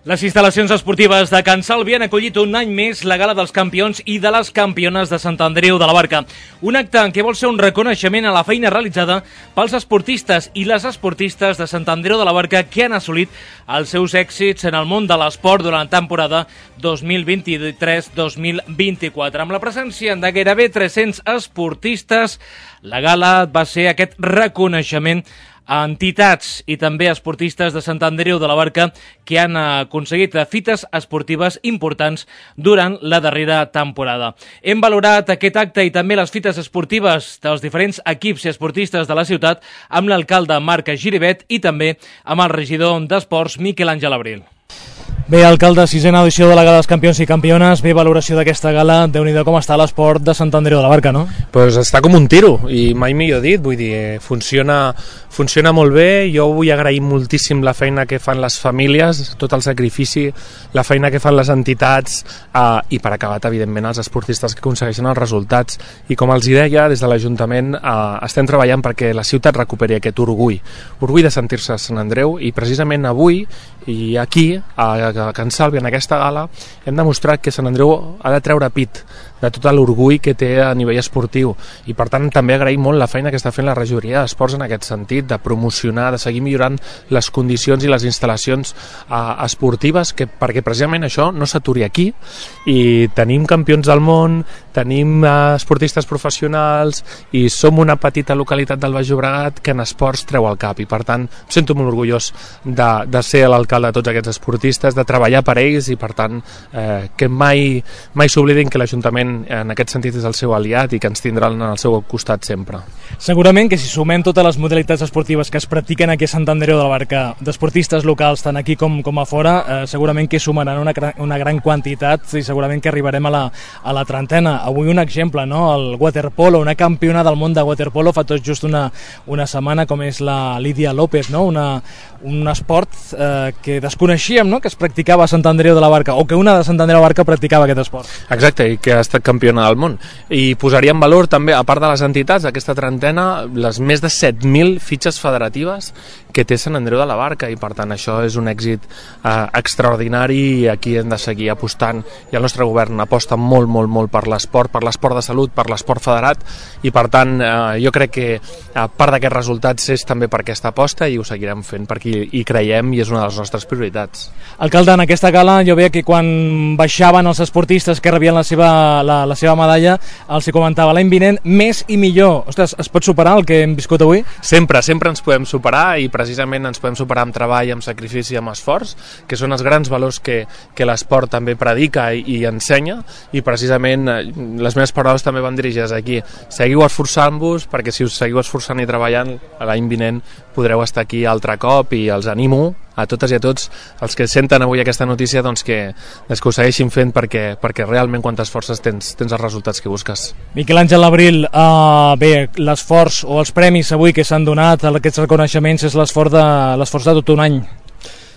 Les instal·lacions esportives de Can Salvi han acollit un any més la gala dels campions i de les campiones de Sant Andreu de la Barca. Un acte en què vol ser un reconeixement a la feina realitzada pels esportistes i les esportistes de Sant Andreu de la Barca que han assolit els seus èxits en el món de l'esport durant la temporada dos mil vint-i-tres dos mil vint-i-quatre. Amb la presència de gairebé tres-cents esportistes, la gala va ser aquest reconeixement a entitats i també esportistes de Sant Andreu de la Barca que han aconseguit fites esportives importants durant la darrera temporada. Hem valorat aquest acte i també les fites esportives dels diferents equips i esportistes de la ciutat amb l'alcalde Marc Giribet i també amb el regidor d'Esports Miquel Àngel Abril. Bé, alcalde, sisena edició de la Gala dels Campions i Campiones, bé valoració d'aquesta gala, Déu-n'hi-do com està l'esport de Sant Andreu de la Barca, no? Pues està com un tiro, i mai millor dit, vull dir, funciona, funciona molt bé, jo vull agrair moltíssim la feina que fan les famílies, tot el sacrifici, la feina que fan les entitats, eh, i per acabat, evidentment, els esportistes que aconsegueixen els resultats, i com els hi deia, des de l'Ajuntament eh, estem treballant perquè la ciutat recuperi aquest orgull, orgull de sentir-se a Sant Andreu, i precisament avui, i aquí, a a Can Salvi, en aquesta gala, hem demostrat que Sant Andreu ha de treure pit de tot l'orgull que té a nivell esportiu i per tant també agraïm molt la feina que està fent la regidoria d'esports en aquest sentit, de promocionar, de seguir millorant les condicions i les instal·lacions eh, esportives que, perquè precisament això no s'aturi aquí i tenim campions del món, tenim eh, esportistes professionals i som una petita localitat del Baix Llobregat que en esports treu el cap i per tant em sento molt orgullós de, de ser l'alcalde de tots aquests esportistes, de treballar per ells i per tant eh, que mai, mai s'oblidin que l'Ajuntament en aquest sentit és el seu aliat i que ens tindrà al seu costat sempre. Segurament que si sumem totes les modalitats esportives que es practiquen aquí a Sant Andreu de la Barca, d'esportistes locals, tant aquí com, com a fora, eh, segurament que sumaran una, una gran quantitat i segurament que arribarem a la, a la trentena. Avui un exemple, no? El waterpolo, una campiona del món de waterpolo fa tot just una, una setmana, com és la Lídia López, no? Una, un esport eh, que desconeixíem, no? Que es practicava a Sant Andreu de la Barca, o que una de Sant Andreu de la Barca practicava aquest esport. Exacte, i que ha estat campiona del món. I posaria en valor també, a part de les entitats, aquesta trentena, les més de set mil fitxes federatives que té Sant Andreu de la Barca, i per tant això és un èxit eh, extraordinari, i aquí hem de seguir apostant, i el nostre govern aposta molt, molt, molt per l'esport, per l'esport de salut, per l'esport federat, i per tant eh, jo crec que a part d'aquests resultats és també per aquesta aposta, i ho seguirem fent perquè hi creiem i és una de les nostres prioritats. Alcalde, en aquesta gala jo veia que quan baixaven els esportistes que rebien la seva, la, la seva medalla, els hi comentava l'any vinent més i millor. Ostres, es pot superar el que hem viscut avui? Sempre, sempre ens podem superar, i precisament ens podem superar amb treball, amb sacrifici, amb esforç, que són els grans valors que, que l'esport també predica i, i ensenya, i precisament les meves paraules també van dirigides aquí. Seguiu esforçant-vos, perquè si us seguiu esforçant i treballant, l'any vinent podreu estar aquí altre cop, i els animo a totes i a tots els que senten avui aquesta notícia, doncs que, doncs que ho segueixin fent, perquè, perquè realment quan t'esforces tens, tens els resultats que busques. Miquel Àngel Abril, uh, bé, l'esforç o els premis avui que s'han donat, aquests reconeixements, és l'esforç de, l'esforç de tot un any.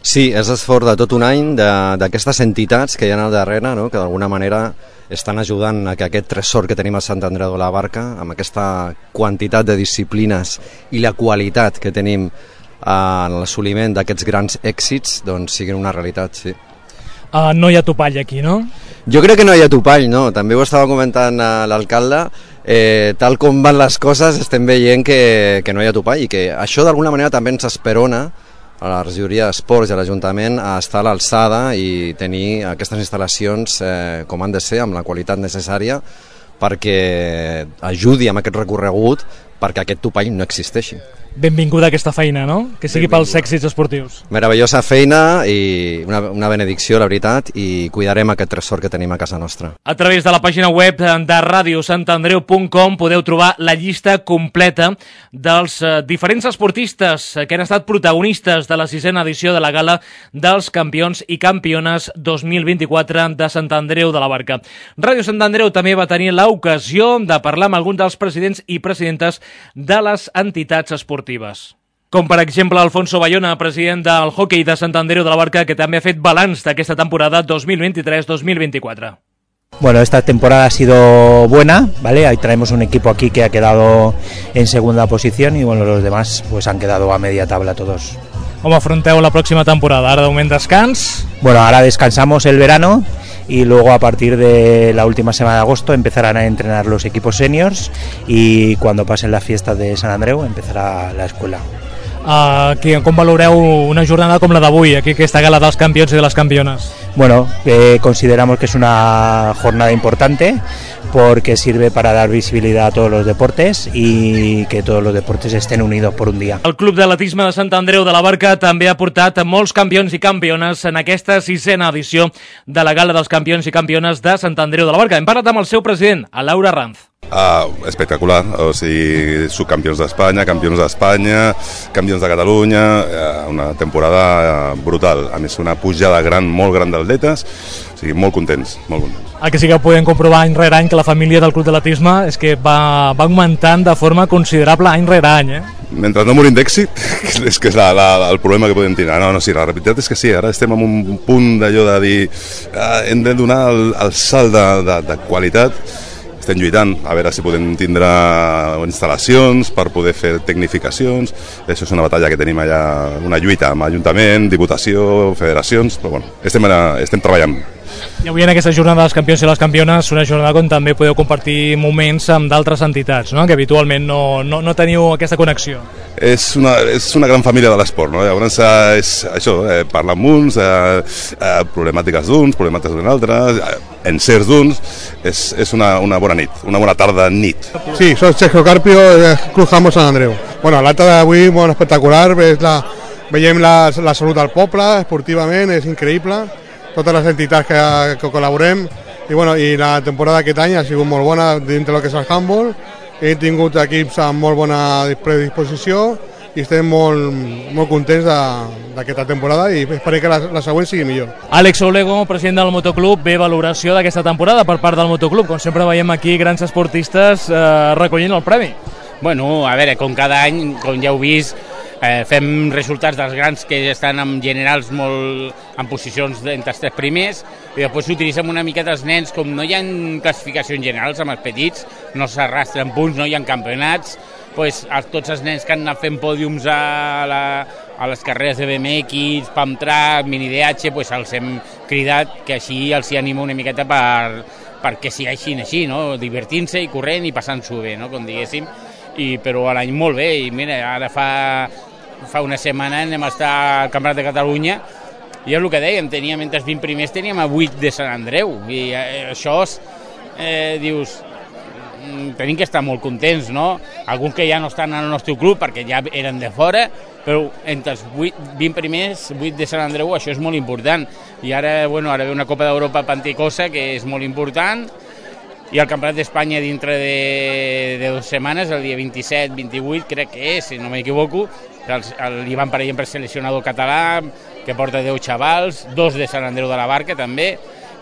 Sí, és l'esforç de tot un any d'aquestes entitats que hi ha al darrere, no? Que d'alguna manera estan ajudant a que aquest tresor que tenim a Sant Andreu de la Barca, amb aquesta quantitat de disciplines i la qualitat que tenim en l'assoliment d'aquests grans èxits, doncs siguin una realitat, sí. Uh, no hi ha topall aquí, no? Jo crec que no hi ha topall, no. També ho estava comentant l'alcalde, eh, tal com van les coses estem veient que, que no hi ha topall, i que això d'alguna manera també ens esperona a la regidoria d'Esports i a l'Ajuntament a estar a l'alçada i tenir aquestes instal·lacions eh, com han de ser, amb la qualitat necessària, perquè ajudi amb aquest recorregut perquè aquest topall no existeixi. Benvinguda aquesta feina, no? Que sigui pels èxits esportius. Meravellosa feina i una, una benedicció, la veritat, i cuidarem aquest tresor que tenim a casa nostra. A través de la pàgina web de radio sant andreu punt com podeu trobar la llista completa dels eh, diferents esportistes que han estat protagonistes de la sisena edició de la Gala dels Campions i Campiones dos mil vint-i-quatre de Sant Andreu de la Barca. Ràdio Sant Andreu també va tenir l'ocasió de parlar amb alguns dels presidents i presidentes de les entitats esportives. Com per exemple Alfonso Bayona, president del hoquei de Sant Andreu de la Barca, que també ha fet balanç d'aquesta temporada dos mil vint-i-tres dos mil vint-i-quatre. Bueno, esta temporada ha sido buena, ¿vale? Ahí traemos un equipo aquí que ha quedado en segunda posición y bueno, los demás pues han quedado a media tabla todos. Com afronteu la pròxima temporada? Ara de moment descans? Bueno, ahora descansamos el verano y luego a partir de la última semana de agosto empezarán a entrenar los equipos seniors y cuando pasen la fiesta de Sant Andreu empezará la escuela. Uh, que, com valoreu una jornada com la d'avui, aquí aquesta gala dels campions i de les campiones? Bueno, eh, consideramos que es una jornada importante porque sirve para dar visibilidad a todos los deportes y que todos los deportes estén unidos por un día. El Club d'Atletisme de Sant Andreu de la Barca també ha portat molts campions i campiones en aquesta sisena edició de la Gala dels Campions i Campiones de Sant Andreu de la Barca. Hem parlat amb el seu president, a Laura Ranz. Ah, espectacular, o sigui, subcampions d'Espanya, campions d'Espanya, campions de Catalunya, una temporada brutal, a més una pujada gran, molt gran d'atletes, o sigui, molt contents, molt contents. El que sí que podem comprovar any rere any que la família del Club d'Atletisme és que va, va augmentant de forma considerable any rere any, eh? Mentre no morim d'èxit, és que és la, la, el problema que podem tenir. No, no, sí, la realitat és que sí, ara estem en un punt d'allò de dir eh, hem de donar el, el salt de, de, de qualitat. Estem lluitant a veure si podem tindre instal·lacions per poder fer tecnificacions. Això és una batalla que tenim allà, una lluita amb Ajuntament, Diputació, federacions, però bueno, estem, estem treballant. I avui en aquesta jornada dels campions i les campiones, una jornada on també podeu compartir moments amb d'altres entitats, no? Que habitualment no, no, no teniu aquesta connexió. És una, és una gran família de l'esport, no? Llavors és això, eh, parlar amb uns, eh, eh, problemàtiques d'uns, problemàtiques d'altres, eh, encerts d'uns, és, és una, una bona nit, una bona tarda nit. Sí, soy Sergio Carpio, de Club Jamón Sant Andreu. Bueno, l'acte d'avui molt espectacular, és la, veiem la, la salut del poble, esportivament, és increïble, totes les entitats que, que col·laborem, i, bueno, i la temporada d'aquest any ha sigut molt bona dintre del que és el handball, hem tingut equips amb molt bona predisposició i estem molt, molt contents d'aquesta temporada i esperem que la, la següent sigui millor. Àlex Olego, president del Motoclub, bé valoració d'aquesta temporada per part del Motoclub. Com sempre veiem aquí grans esportistes eh, recollint el premi. Bueno, a veure, com cada any, com ja heu vist, eh, fem resultats dels grans que estan en generals molt en posicions entre els tres primers i després s'utilitzen una miqueta els nens, com no hi ha classificacions generals amb els petits, no s'arrastren punts, no hi ha campionats, pues, tots els nens que han anat fent pòdiums a, la, a les carreres de B M X, Pump Track, Mini D H, pues, els hem cridat que així els hi anima una miqueta per, perquè siguin així, no? Divertint-se i corrent i passant-s'ho bé, no? Com diguéssim. I, però a l'any molt bé, i mira, ara fa, fa una setmana anem a estar al Campionat de Catalunya i és el que dèiem, teníem entre els vint primers teníem a vuit de Sant Andreu i eh, això eh, dius tenim que estar molt contents, no? Alguns que ja no estan al nostre club perquè ja eren de fora, però entre els vuit, vint primers, vuit de Sant Andreu, això és molt important. I ara, bueno, ara ve una Copa d'Europa Panticosa que és molt important i el Campionat d'Espanya dintre de, de dues setmanes, el dia vint-i-set vint-i-vuit, crec que és, si no m'equivoco, l'Ivan Parellem per seleccionador català, que porta deu xavals, dos de Sant Andreu de la Barca també,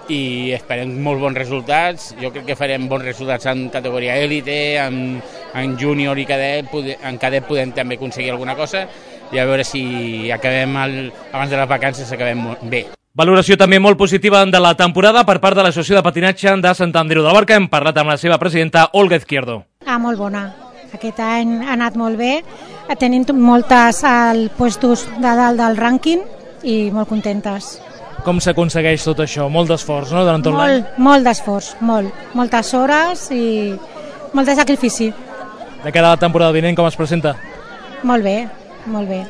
i esperem molt bons resultats. Jo crec que farem bons resultats en categoria élite, en, en júnior i cadet, en cadet podem també aconseguir alguna cosa i a veure si acabem el, abans de les vacances acabem bé. Valoració també molt positiva de la temporada per part de l'Associació de Patinatge de Sant Andreu de la Barca. Hem parlat amb la seva presidenta, Olga Izquierdo. Ah, molt bona. Aquest any ha anat molt bé. Tenim moltes al puestos de dalt del rànquing i molt contentes. Com s'aconsegueix tot això? Molt d'esforç, no?, durant tot l'any? Molt, molt d'esforç, molt. Moltes hores i molt de sacrifici. De cara a la temporada vinent, com es presenta? Molt bé, molt bé.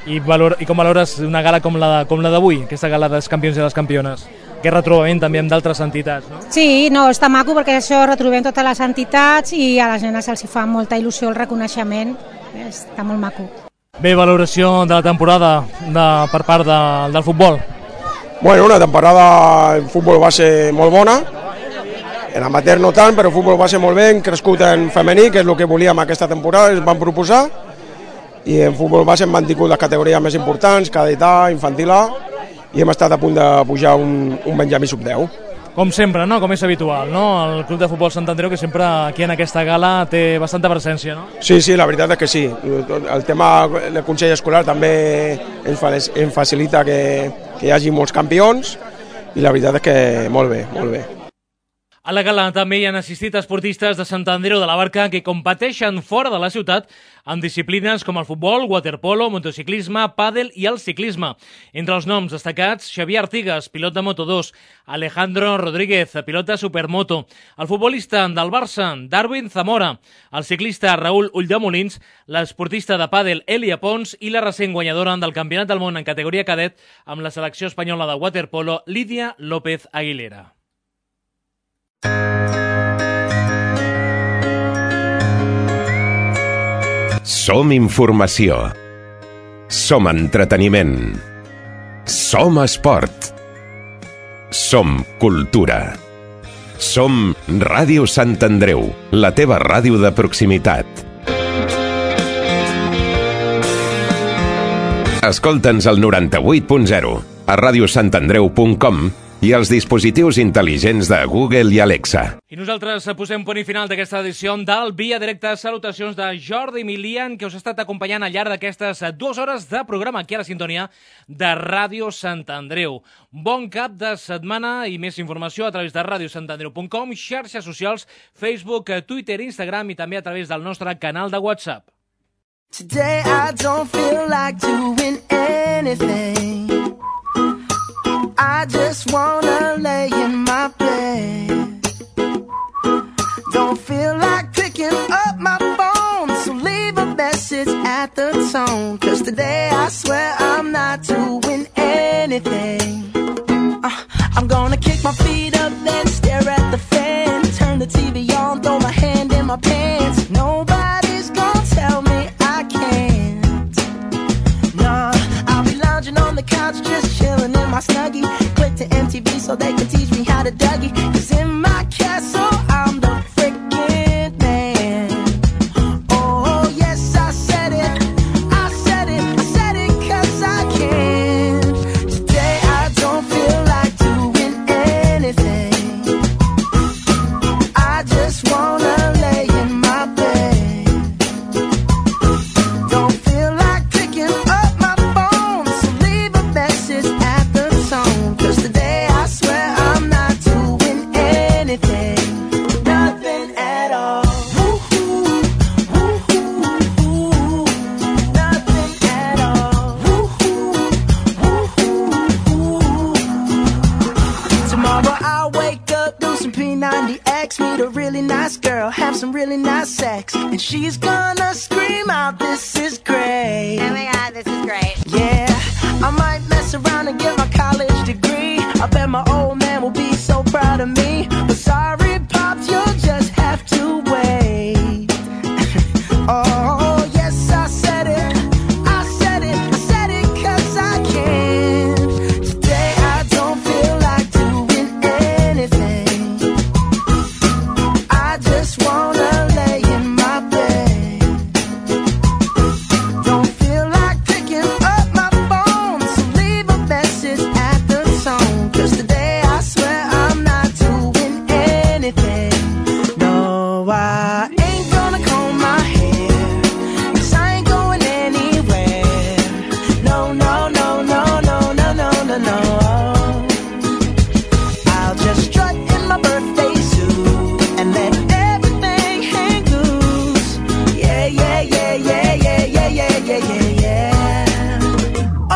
I, valor, i com valores una gala com la, com la d'avui, aquesta gala dels campions i les campiones? Que retrobament també amb d'altres entitats, no? Sí, no, està maco perquè això retrobem totes les entitats i a les nenes els hi fa molta il·lusió el reconeixement. Està molt maco. Bé, valoració de la temporada de, per part de, del futbol? Bueno, una temporada en futbol base molt bona, en amateur no tant, però futbol base molt bé, hem crescut en femení, que és el que volíem aquesta temporada, ens van proposar, i en futbol base hem mantingut les categories més importants, cadet A, infantil A, i hem estat a punt de pujar un, un Benjamí sub deu. Com sempre, no? Com és habitual, no? El Club de Futbol Sant Andreu, que sempre aquí en aquesta gala té bastanta presència, no? Sí, sí, la veritat és que sí. El tema del Consell Escolar també ens facilita que, que hi hagi molts campions i la veritat és que molt bé, molt bé. A la gala també hi han assistit esportistes de Sant Andreu de la Barca que competeixen fora de la ciutat en disciplines com el futbol, waterpolo, motociclisme, pàdel i el ciclisme. Entre els noms destacats, Xavier Artigas, pilot de Moto dos, Alejandro Rodríguez, pilot de Supermoto, el futbolista del Barça, Darwin Zamora, el ciclista Raúl Ulldemolins, l'esportista de pàdel Elia Pons i la recent guanyadora del Campionat del Món en categoria cadet amb la selecció espanyola de waterpolo, Lídia López Aguilera. Som informació. Som entreteniment. Som esport. Som cultura. Som Ràdio Sant Andreu, la teva ràdio de proximitat. Escolta'ns al noranta-vuit punt zero, a ràdio sant andreu punt com i als dispositius intel·ligents de Google i Alexa. I nosaltres posem punt i final d'aquesta edició del Via Directa. Salutacions de Jordi Milian, que us ha estat acompanyant al llarg d'aquestes dues hores de programa aquí a la sintonia de Ràdio Sant Andreu. Bon cap de setmana i més informació a través de ràdio sant andreu punt com, xarxes socials, Facebook, Twitter, Instagram i també a través del nostre canal de WhatsApp. Today I don't feel like doing anything. I just wanna lay in my bed. Don't feel like picking up my phone, so leave a message at the tone. Cause today I swear I'm not doing anything. uh, I'm gonna kick my feet up, then stare at the fan. Turn the T V on, throw my hand in my pants. Nobody's gonna tell me I can't. Nah, I'll be lounging on the couch, just chilling in my Snuggie. Click to M T V so they can teach me how to Dougie. Cause in my castle I'm the freaking man. gonna scream out, this is great. Oh my God, this is great. Yeah, I might mess around and get my college degree. I bet my old man will be so proud of me. But sorry, Pops, you'll just have to wait. Oh, yes, I said it. I said it. I said it 'cause I can. Today I don't feel like doing anything. I just wanna lay in my bed. Don't feel like picking up my phone, so leave a message at the tone. 'Cause today I swear I'm not doing anything. No, I ain't gonna comb my hair, 'cause I ain't going anywhere. No, no, no, no, no, no, no, no, no. I'll just strut in my birthday suit and let everything hang loose. Yeah, yeah, yeah, yeah, yeah, yeah, yeah, yeah, yeah, yeah.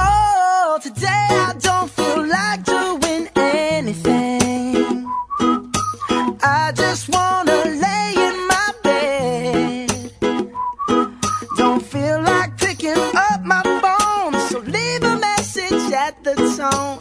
Oh, today I don't feel like doing anything. I just wanna lay in my bed. Don't feel like picking up my phone, so leave a message at the tone.